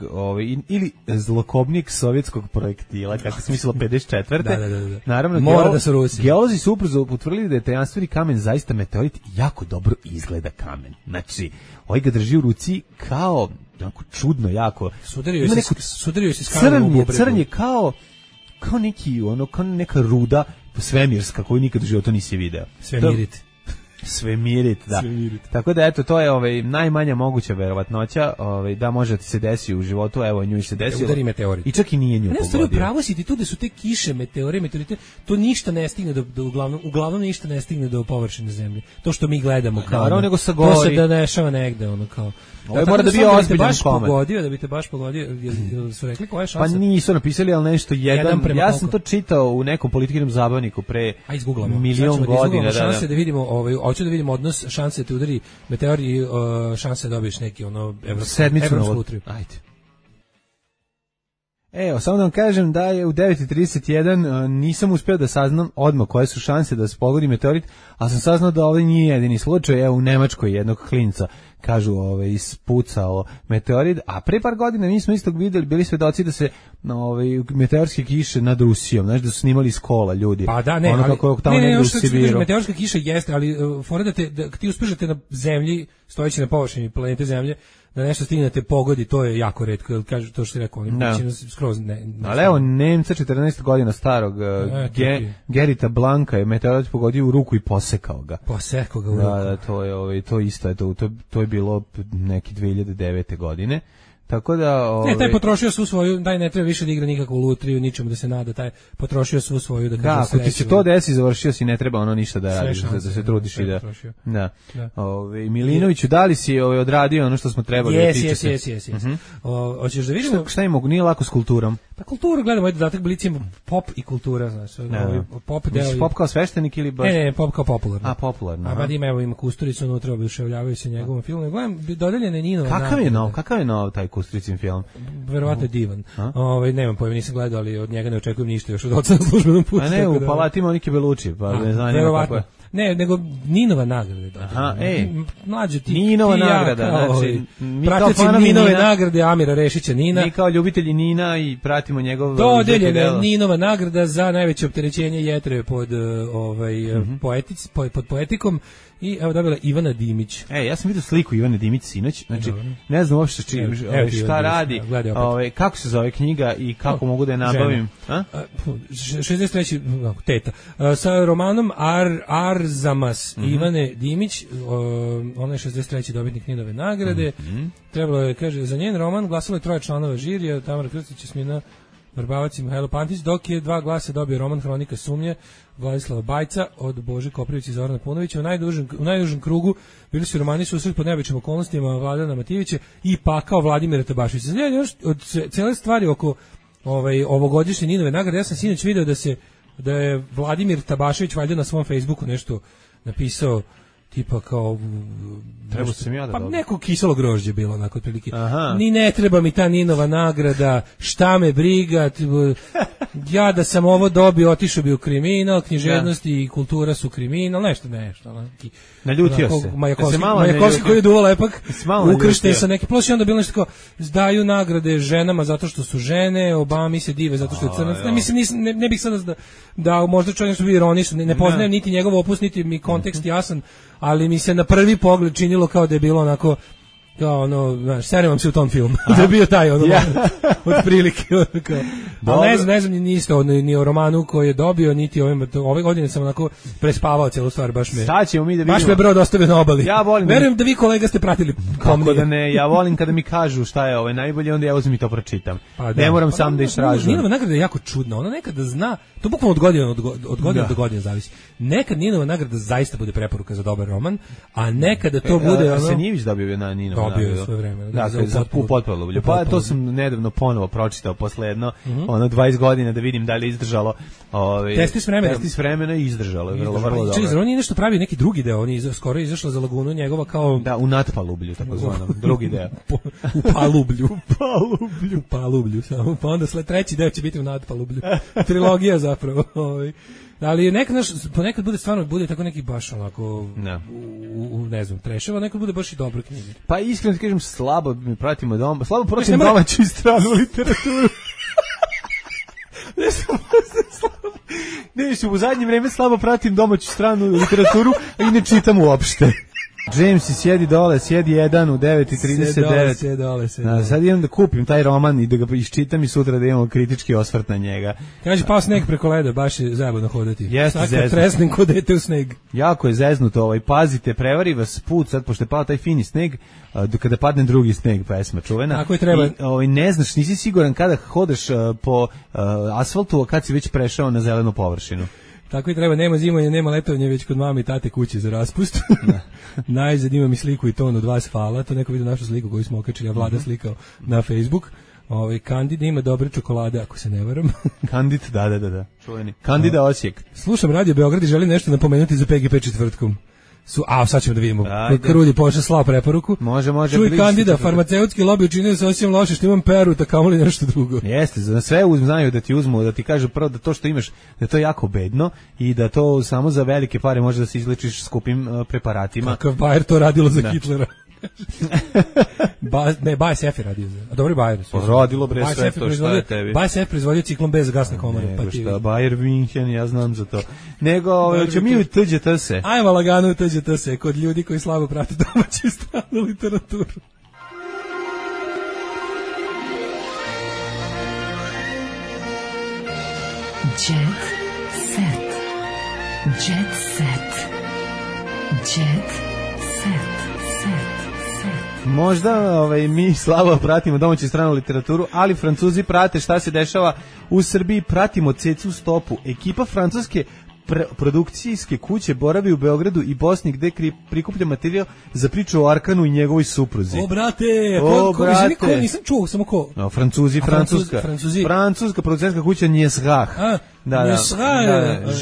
ili zlokobnik sovjetskog projektila, kako se mislilo 54. Da. Naravno, mora da su Rusi. Geolozi su ubrzo utvrdili da je tajanstveni kamen zaista meteorit, jako dobro izgleda kamen. Znači, ovaj ga drži u ruci kao, jako čudno, jako. Sudario se s kamenom u bubreku. Crn je kao neki, kao neka ruda svemirska koju nikad u životu nisi video. Svemirit, da. Tako da eto, to je najmanja moguća verovatnoća, da može da ti se desi u životu, evo nju se desilo. Udari meteorit. I čak i nije nju pogodio. Pravo si ti tu da su te kiše, meteorite, to ništa ne stigne uglavnom ništa ne stigne do površine zemlje. To što mi gledamo kao. Nego sa to se da dešava negde, kao. Ovo mora da bi ozbiljan koment. Da bi te baš pogodio, jel su rekli koja je šansa? Pa nisu napisali, ali nešto jedan ja sam to čitao u nekom političkom zabavniku pre milion godina. Šanse da vidimo, hoću da vidimo odnos šanse da te udari meteor i šanse da dobiješ neki evropsku lutriju. Ajde. Evo, samo da vam kažem da je u 9:31 nisam uspeo da saznam odmah koje su šanse da se pogodi meteorit, a sam saznao da ovdje nije jedini slučaj. Evo, u Nemačkoj jednog klinca kažu ispucao meteorit, a pre par godina mi smo isto bili svedoci da se meteorske kiše nad Rusijom, znači da su snimali iz kola ljudi. Pa da, ne, meteorska kiša jeste, ali fora da ti uspeš na zemlji, stojeći na površini planete Zemlje, da nešto stignete pogodi, to je jako retko, jer kažu to što si rekao, oni skroz ne. Ali evo, Nemca 14 godina starog, Gerita Blanka je meteorit pogodio u ruku i posekao ga. Posekao ga u ruku. Da, to isto, to je bilo neki 2009. godine. Tako da taj potrošio svu svoju, daj ne treba više da igra nikakvu lutriju, ničemu da se nada, taj potrošio svu svoju da ako ti se to desi, završio si, ne treba ništa da radiš, da se trudiš i da. Milinoviću, da li si odradio ono što smo trebali? Jesi. Hoćeš da vidimo šta ima, nije lako s kulturom. Pa kulturu gledamo, ovaj dodatak Blicijima, pop i kultura, znaš, pop deo. Pop kao sveštenik ili baš? Ne, pop kao popularno. A popularno. A ima Kusturicu unutra, oduševljavaju se njegovom filmu. Gledam, dodeljene Ninova. Kakav je nov taj Kusturicin film? Verovatno je divan. Nemam pojma, nisam gledao, ali od njega ne očekujem ništa još od oca na službenom putu. A ne, u Palati Monike Belucci, pa ne znam kako je. Ne, nego Ninova nagrada. Aha, mlađe ti. Ninova nagrada, znači mi kao fanovi Ninove nagrade Amira Rešića Nina. Mi kao ljubitelji Nina i pratimo njegov dodeljena Ninova nagrada za najveće opterećenje jetre pod pod poetikom. I evo dobila Ivana Dimić. Ja sam vidio sliku Ivane Dimić sinoć, znači ne znam uopšte šta radi, kako se zove knjiga i kako mogu da je nabavim. 63. teta. Sa romanom Arzamas Ivane Dimić, ona je 63. dobitnik Ninove nagrade. Trebalo je, kaže, za njen roman glasalo je 3 članova žirija, Tamara Krstić, Jasmina Vrbavac i Mihajlo Pantić, dok je 2 glasa dobio roman Hronika sumnje Vladislava Bajca od Bože Koprivića i Zorana Punovića. U najužem krugu bili su romani Susret pod neobičnim okolnostima Vladana Matijevića i Pakao Vladimira Tabaševića. Od cele stvari oko ovogodišnje Ninove nagrade, ja sam sinoć video da je Vladimir Tabašević valjda na svom Facebooku nešto napisao, tipa kao treba sam ja da pa neko kiselo grožđe bilo onako otprilike. Ni ne treba mi ta Ninova nagrada, šta me briga, ja da sam ovo dobio, otišao bi u kriminal, književnost i kultura su kriminal, nešto. Naljutio se. Majakovski koji je duo lepak, ukršten sa neki, plus i onda bilo nešto kao, daju nagrade ženama zato što su žene, Obama se dive zato što je crnac. Mislim, ne bih sada da možda čovjek nešto bi ironično, ne poznajem niti njegov opus, niti mi kontekst jasan, ali mi se na prvi pogled činilo kao da je bilo onako, kao znaš, serim vam se u tom filmu, da je bio taj od prilike. Ali ne znam ni o romanu koji je dobio, niti ove godine sam onako prespavao celu stvar, baš me brod ostavio na obali. Verujem da vi kolega ste pratili pomnije. Kako da ne, ja volim kada mi kažu šta je najbolje, onda ja uzmem i to pročitam. Ne moram sam da istražujem. Ninova nagrada je jako čudna, ona nekada zna, to bukvalno od godine do godine zavisi. Nekad Ninova nagrada zaista bude preporuka za dobar roman, a nekada to bude Arsenijević dobio na Ninova. Dobio je svoje vreme. Dakle, za potpalublju. Pa to sam nedavno ponovo pročitao posle jedno 20 godina da vidim da li je izdržalo. Testi s vremena i izdržalo. Vrlo dobro. Čekaj, on je nešto pravi neki drugi deo, on je skoro izašao za lagunu njegova kao... Da, u natpalublju, takozvanom, drugi deo. U palublju, samo. Pa onda treći deo će biti u natpalublju. Trilogija zapravo. Ali ponekad bude stvarno tako neki baš onako ne znam, treševa, nekad bude baš i dobro knjige. Pa iskreno ti kažem, slabo pratimo domaću i stranu literaturu. U zadnje vreme slabo pratim domaću stranu literaturu, a i ne čitam uopšte. James, sjedi dole, sjedi jedan u 9:39. Sjedi dole. Sad idem da kupim taj roman i da ga iščitam i sutra da imamo kritički osvrt na njega. Kaže, pao sneg preko leda, baš je zajebano hodati. Jeste zeznuto. Tresnem kod dete u sneg. Jako je zeznuto, pazite, prevari vas put, sad pošto je pao taj fini sneg, kada padne drugi sneg, pesma čuvena. Tako je treba. I ne znaš, nisi siguran kada hodeš po asfaltu, a kad si već prešao na zelenu površinu. Tako i treba, nema zimovanja, nema letovanja, već kod mame i tate kuće za raspust. Najzad imam i sliku i ton od vas, hvala, to neko vidio našu sliku koju smo okačili, a Vlada slikao na Facebook. Kandida ima dobre čokolade, ako se ne varam. Kandid, da, čuveni. Kandida Osijek. Slušam Radio Beograd i želim nešto napomenuti za PGP četvrtkom. Sad ćemo da vidimo. Krulji pošle slao preporuku. Može. Čuj, Kandida, farmaceutski lobby učinio se osim loše što imam peru, da kamoli nešto drugo. Jeste, za sve znaju da ti uzmu, da ti kažu prvo da to što imaš, da je to jako bedno i da to samo za velike pare može da se izlečiš skupim preparatima. Kakav Bayer to radilo za Hitlera. BASF je radio za. A dobro je Bayer. Radilo bre sve to što je tebi. BASF proizvodio ciklon bez gasne komore. Pa ti. Bayer München, ja znam za to. Nego, ćemo mi u TGT se. Ajmo lagano u TGT se, kod ljudi koji slabo prate domaću i stranu literaturu. Jet set. Jet set. Jet set. Možda mi slabo pratimo domaću stranu literaturu, ali Francuzi prate šta se dešava u Srbiji, pratimo cecu stopu. Ekipa francuske produkcijske kuće boravi u Beogradu i Bosni gde prikuplja materijal za priču o Arkanu i njegovoj supruzi. O brate, ko nisam čuo, samo ko? Francuzi. Francuska producentska kuća Njesrah. Da.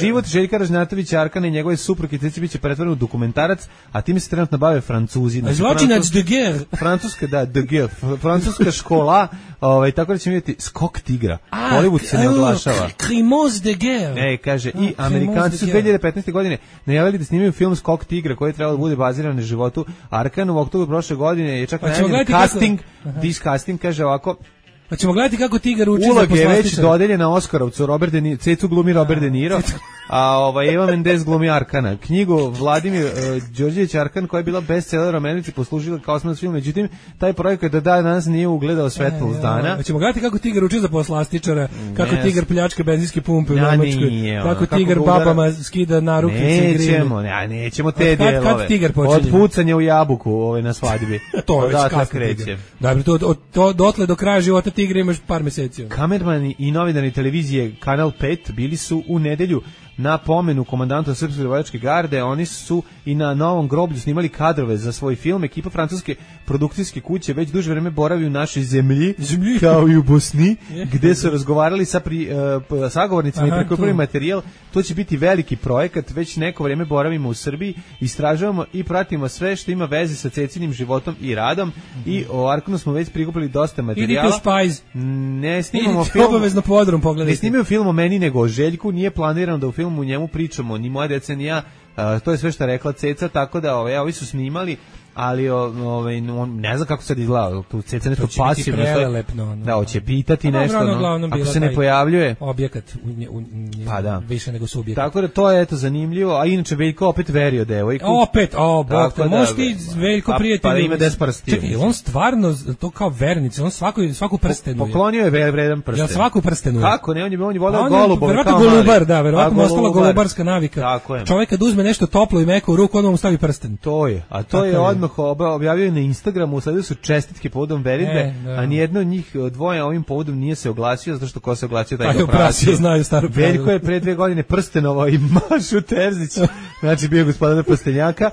Život Željka Ražnjatovića, Arkana i njegove supruge Ceci biće pretvoren u dokumentarac, a time se trenutno bave Francuzi. Zločinac de guerre. Francuska, de guerre. Francuska škola, tako da ćemo vidjeti Skok tigra. Hollywood se ne oglašava. Crimoz de guerre. Kaže, i Amerikanci su 2015. godine najavili da snimaju film Skok tigra koji je trebalo da bude baziran na životu Arkana. U oktobru prošle godine je čak najavljen casting, kaže ovako. Pa ćemo gledati kako tigar uči za poslastičar. Uloga je već dodeljena Oskarovcu, Cecu glumi Robert De Niro, a Eva Mendes glumi Arkana. Knjigu Vladimir Đorđević Arkan, koja je bila bestseller u Americi, poslužila kao osnovac film, međutim, taj projekat do danas nije ugledao svetlo dana. Ćemo gledati kako tigar uči za poslastičara, kako tigar pljačka benzinske pumpe u Nemačkoj, kako tigar babama skida narukvice i grine. Nećemo te delove. Kad tigar počinje? Od pucanja u jabuku na svadbi. To je već kasno tigar. Dakle, dotle do kraja života tigra imaš par meseci. Kamermani i novinari televizije Kanal 5 bili su u nedelju na pomenu komandanta Srpske lovačke garde. Oni su i na Novom groblju snimali kadrove za svoj film. Ekipa francuske produkcijske kuće već duže vreme boravi u našoj zemlji, kao i u Bosni, gde su razgovarali sa sagovornicima i prikupili materijal. To će biti veliki projekat. Već neko vreme boravimo u Srbiji, istražujemo i pratimo sve što ima veze sa Cecinim životom i radom. I o Arkanu smo već prikupili dosta materijala. Idite u Spice. Ne snimamo film. Obavezno podrum pogledajte. Ne snimamo film o meni nego o Željku. Nije planirano da u filmu njemu pričamo, ni moja deca, ni ja. To je sve što je rekla Ceca, tako da ovi su snimali, ali ne znam kako sad izgleda, tu Ceca nešto pasivno, da, hoće pitati nešto, ako se ne pojavljuje. Objekat, pa da. Više nego subjekat. Tako da to je zanimljivo, a inače Veljko opet verio devojku. Opet, bog te, možeš ti Veljko prijatelj. Pa ima 10 prstiju. Čekaj, on stvarno, to kao vernici, on svaku prstenuje. Poklonio je vredan prsten. Ja svaku prstenuje. Kako, ne, on je voleo golubove. Verovatno golubar, da, verovatno ostala golubarska navika. Čovjek kad uzme nešto toplo i meko u ruku, onda mu stavi prsten. To je, a to je odmah odmah objavio na Instagramu, usledili su čestitke povodom veritbe, a nijedno od njih dvoje ovim povodom nije se oglasio, zato što ko se oglasio taj oprasio. Znaju staru pravilu. Veljko je pre 2 godine prstenovao i Mašu Terzić, znači bio gospodar Prstenjaka,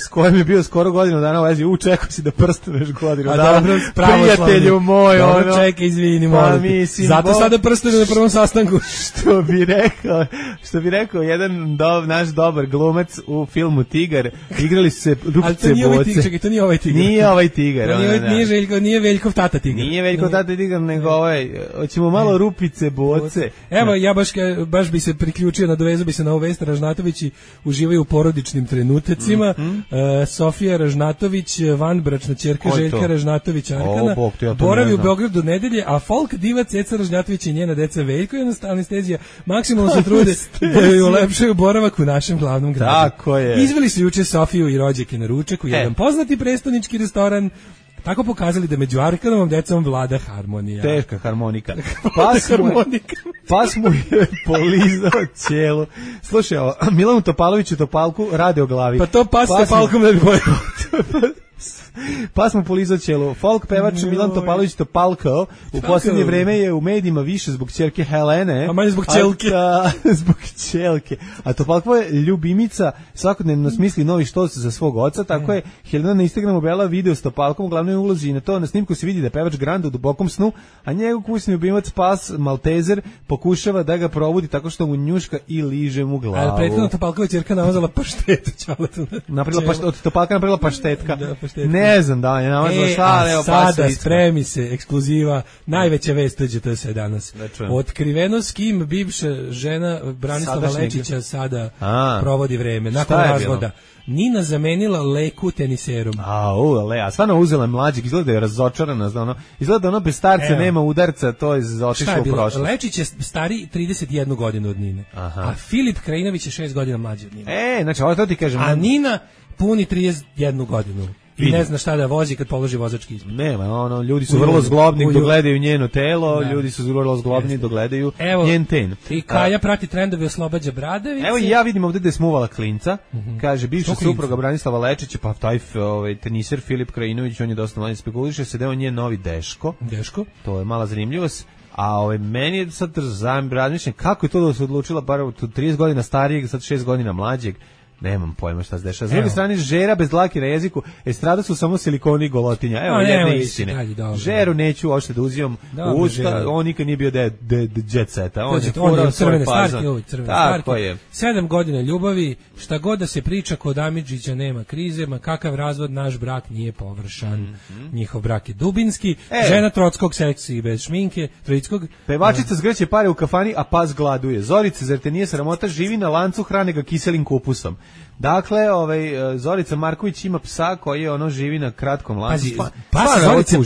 s kojim je bio skoro godinu dana u vezi, čekao si da prstenuješ godinu dana. Prijatelju moj, dobro, čekaj, izvini, molim ti. Zato sada prstenuju na prvom sastanku. Što bi rekao jedan naš dobar glumac u filmu Tigar, igrali su se Rupice Boce. To nije ovaj Tigar. Nije ovaj Tigar. Nije Veljkov tata Tigar. Nije Veljkov tata Tigar, nego hoćemo malo Rupice Boce. Evo, ja baš bi se priključio, nadovezao bi se na ovu vest. Ražnatovići uživaju u porodičnim trenutacima. Sofija Ražnatović, vanbračna ćerka Željka Ražnatović Arkana, boravi u Beogradu nedelje, a folk diva Ceca Ražnatović i njena deca Veljko i anestezija maksimalno se trude da joj ulepšaju boravak u našem glavnom gradu. Tako je. Izveli su juče Sofiju i rođake na ručak u jedan poznati prestonički restoran, tako pokazali da među Arkanovom decom vlada harmonija. Teška harmonika. Pas mu je polizao cijelu. Slušaj, Milanu Topaloviću Topalku rade o glavi. Pa to pas Topalkom ne bi bojao. Pa smo polizao cijelu. Folk pevač Milan Topalović Topalko u posljednje vreme je u medijima više zbog ćerke Helene. A manje zbog ćelke. Zbog ćelke. A Topalko je ljubimica, svakodnevno smisli novi štos za svog oca, tako je Helena na Instagramu objavila video s Topalkom u glavnoj ulozi i na snimku se vidi da je pevač Granda u dubokom snu, a njegov kućni ljubimac pas Maltezer pokušava da ga probudi tako što mu njuška i liže mu glavu. A prethodno Topalkova ćerka namazala paštetu čaletu. Od Topalka napravila paštetka. Ne znam da je namazala šta, evo sada spremi se, ekskluziva, najveća vest to se danas. Otkriveno s kim bivša žena Branislava Lečića sada provodi vreme, nakon razvoda. Nina zamenila Leku teniserom. A stvarno uzela mlađeg, izgleda da je razočarana, izgleda da bez starca nema udarca, to je otišlo u prošlost. Lečić je stari 31 godinu od Nine, a Filip Krajinović je 6 godina mlađi od Nine. Znači, ovo to ti kažem. A Nina puni 31 godinu. I ne zna šta da vozi kad položi vozački ispit. Nema, ljudi su vrlo zglobni dok gledaju njeno telo, ljudi su vrlo zglobni dok gledaju njen ten. I Kaja prati trendove oslobađa bradavice. Evo i ja vidim ovdje da je smuvala klinca, kaže bivša supruga Branislava Lečića, pa taj teniser Filip Krajinović, on je dosta manje spekuliše se da je on njen novi Deško. To je mala zanimljivost. A meni je sad razmišljam kako je to da se odlučila bar 30 godina starijeg, sad 6 godina mlađeg. Nemam pojma šta se dešava. S druge strane, žera bez dlake na jeziku, estrada su samo silikoni i golotinja. Evo jedne istine. Žeru neću uopšte da uzimam u usta, on nikad nije bio jet seta. On je furao svoj fazon. Tako je. 7 godina ljubavi, šta god da se priča, kod Amidžića nema krize, ma kakav razvod, naš brak nije površan. Njihov brak je dubinski, žena Trockog seksi bez šminke, Trockog. Pevačica zgrće pare u kafani, a pas gladuje. Zorica, zar te nije sramota, živi na lancu, hrane ga kiselim kupusom. Dakle, Zorica Marković ima psa koji živi na kratkom lancu.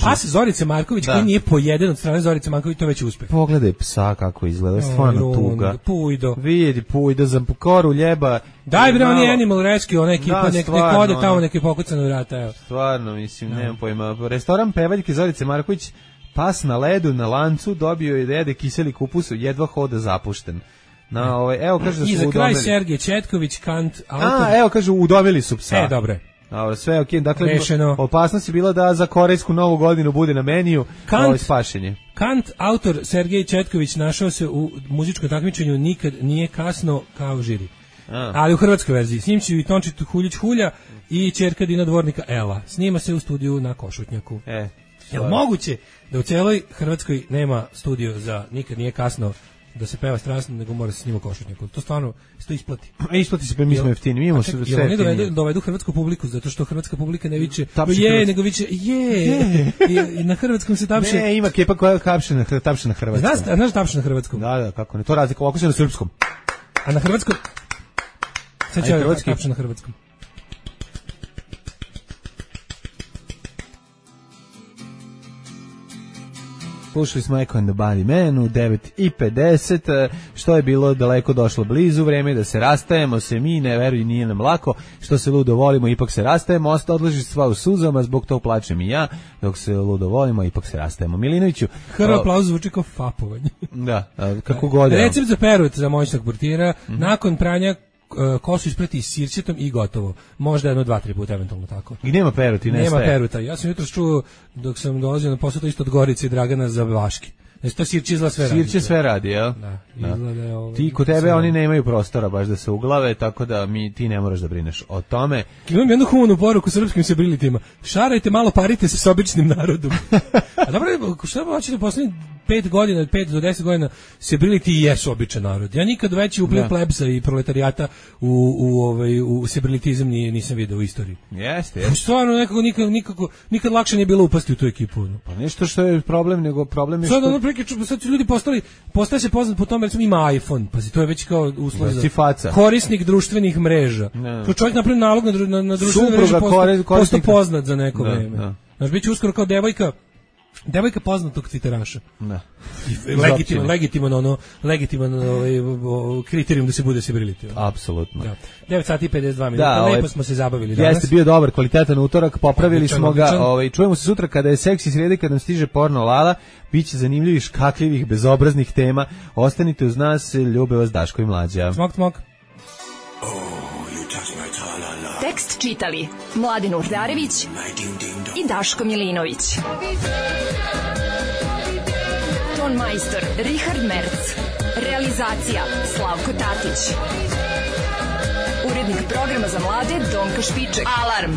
Pas Zorice Marković koji nije pojeden od strane Zorice Marković, to već uspeh. Pogledaj psa kako izgleda, stvarno tuga. Pujdo. Vidi, Pujdo, za koru ljeba. Daj bre, on je Animal Rescue, ona ekipa, nek ode tamo, nek je pokuca na vrata. Stvarno, mislim, nemam pojma. Restoran pevaljke Zorice Marković, pas na ledu, na lancu, dobio je da jede kiseli kupus, jedva hoda zapušten. Evo kaže da su udomili. I za kraj Sergej Četković, Kant, autor. Evo kaže udomili su psa. Dobro. Sve je okej. Dakle, opasnost je bila da za korejsku novu godinu bude na meniju spašenje. Kant, autor Sergej Četković, našao se u muzičkom takmičenju Nikad nije kasno kao žiri. Ali u hrvatskoj verziji. S njim će i Tončit Huljić Hulja i ćerka Dina Dvornika Ela. Snima se u studiju na Košutnjaku. Je li moguće da u cijeloj Hrvatskoj nema studio za Nikad nije kasno da se peva strasno, nego mora se snima Košutnjaku? To stvarno se to isplati. Isplati se, pa mi smo jeftini. Mi imamo sve jeftini. Oni dovedu hrvatsku publiku, zato što hrvatska publika ne viče nego viče I na hrvatskom se tapše. Ne, ima kepa koja tapše na hrvatskom. Znaš tapše na hrvatskom? Da, kako ne. To razlika, ovako se na srpskom. A na hrvatskom? Sad će tapše na hrvatskom. Slušali smo Echo and the Body Man u 9:50, što je bilo daleko došlo blizu, vreme da se rastajemo, se mi, ne veruj, nije nam lako, što se ludo volimo, ipak se rastajemo, odlaži sva u suzama, zbog tog plačem i ja, dok se ludo volimo, ipak se rastajemo. Milinoviću. Aplauz zvuči kao fapovanje. Da, kako god. Recept za perut za moćnog portira, nakon pranja kosu isprati s sirćetom i gotovo. Možda 1-2-3 puta eventualno tako. I nema peruti, nema peruta. Ja sam jutros čuo dok sam dolazio na posao to isto od Gorice i Dragana za Vaški. To sirće izgleda sve radi. Sirće sve radi, jel? Da. Izgleda, ti kod tebe oni nemaju prostora baš da se uglave, tako da ti ne moraš da brineš o tome. Imam jednu humanu poruku srpskim sebrilitima. Šarajte malo, parite se s običnim narodom. A dobro, šta hoćete poslednjih 5 godina, 5 do 10 godina serbriliti i jesu običan narod. Ja nikad veći upliv plebsa i proletarijata u serbrilitizam nisam video u istoriji. Jeste. Stvarno nikad lakše nije bilo upasti u tu ekipu. No. Pa nešto što je problem, nego problem je sad su ljudi postaje se poznat po tome, recimo ima iPhone, pazi, to je već kao uslov za korisnik društvenih mreža. To čovjek napravi nalog na društvene mreže, posto poznat za neko vreme. Znaš, bit će uskoro kao devojka poznatog tviteraša. Da. Legitiman kriterijum da se bude serbriliti. Apsolutno. 9 sati i 52 minuta, lepo smo se zabavili danas. Jeste bio dobar, kvalitetan utorak, popravili smo ga. Čujemo se sutra kada je seksi sredi, kada nam stiže porno Lala, biće zanimljivih, škakljivih, bezobraznih tema. Ostanite uz nas, ljube vas Daško i Mlađa. Smok. Tekst čitali Mladin Urdarević i Daško Milinović. Ton majstor Richard Merc. Realizacija Slavko Tatić. Urednik programa za mlade Donka Špiček. Alarm!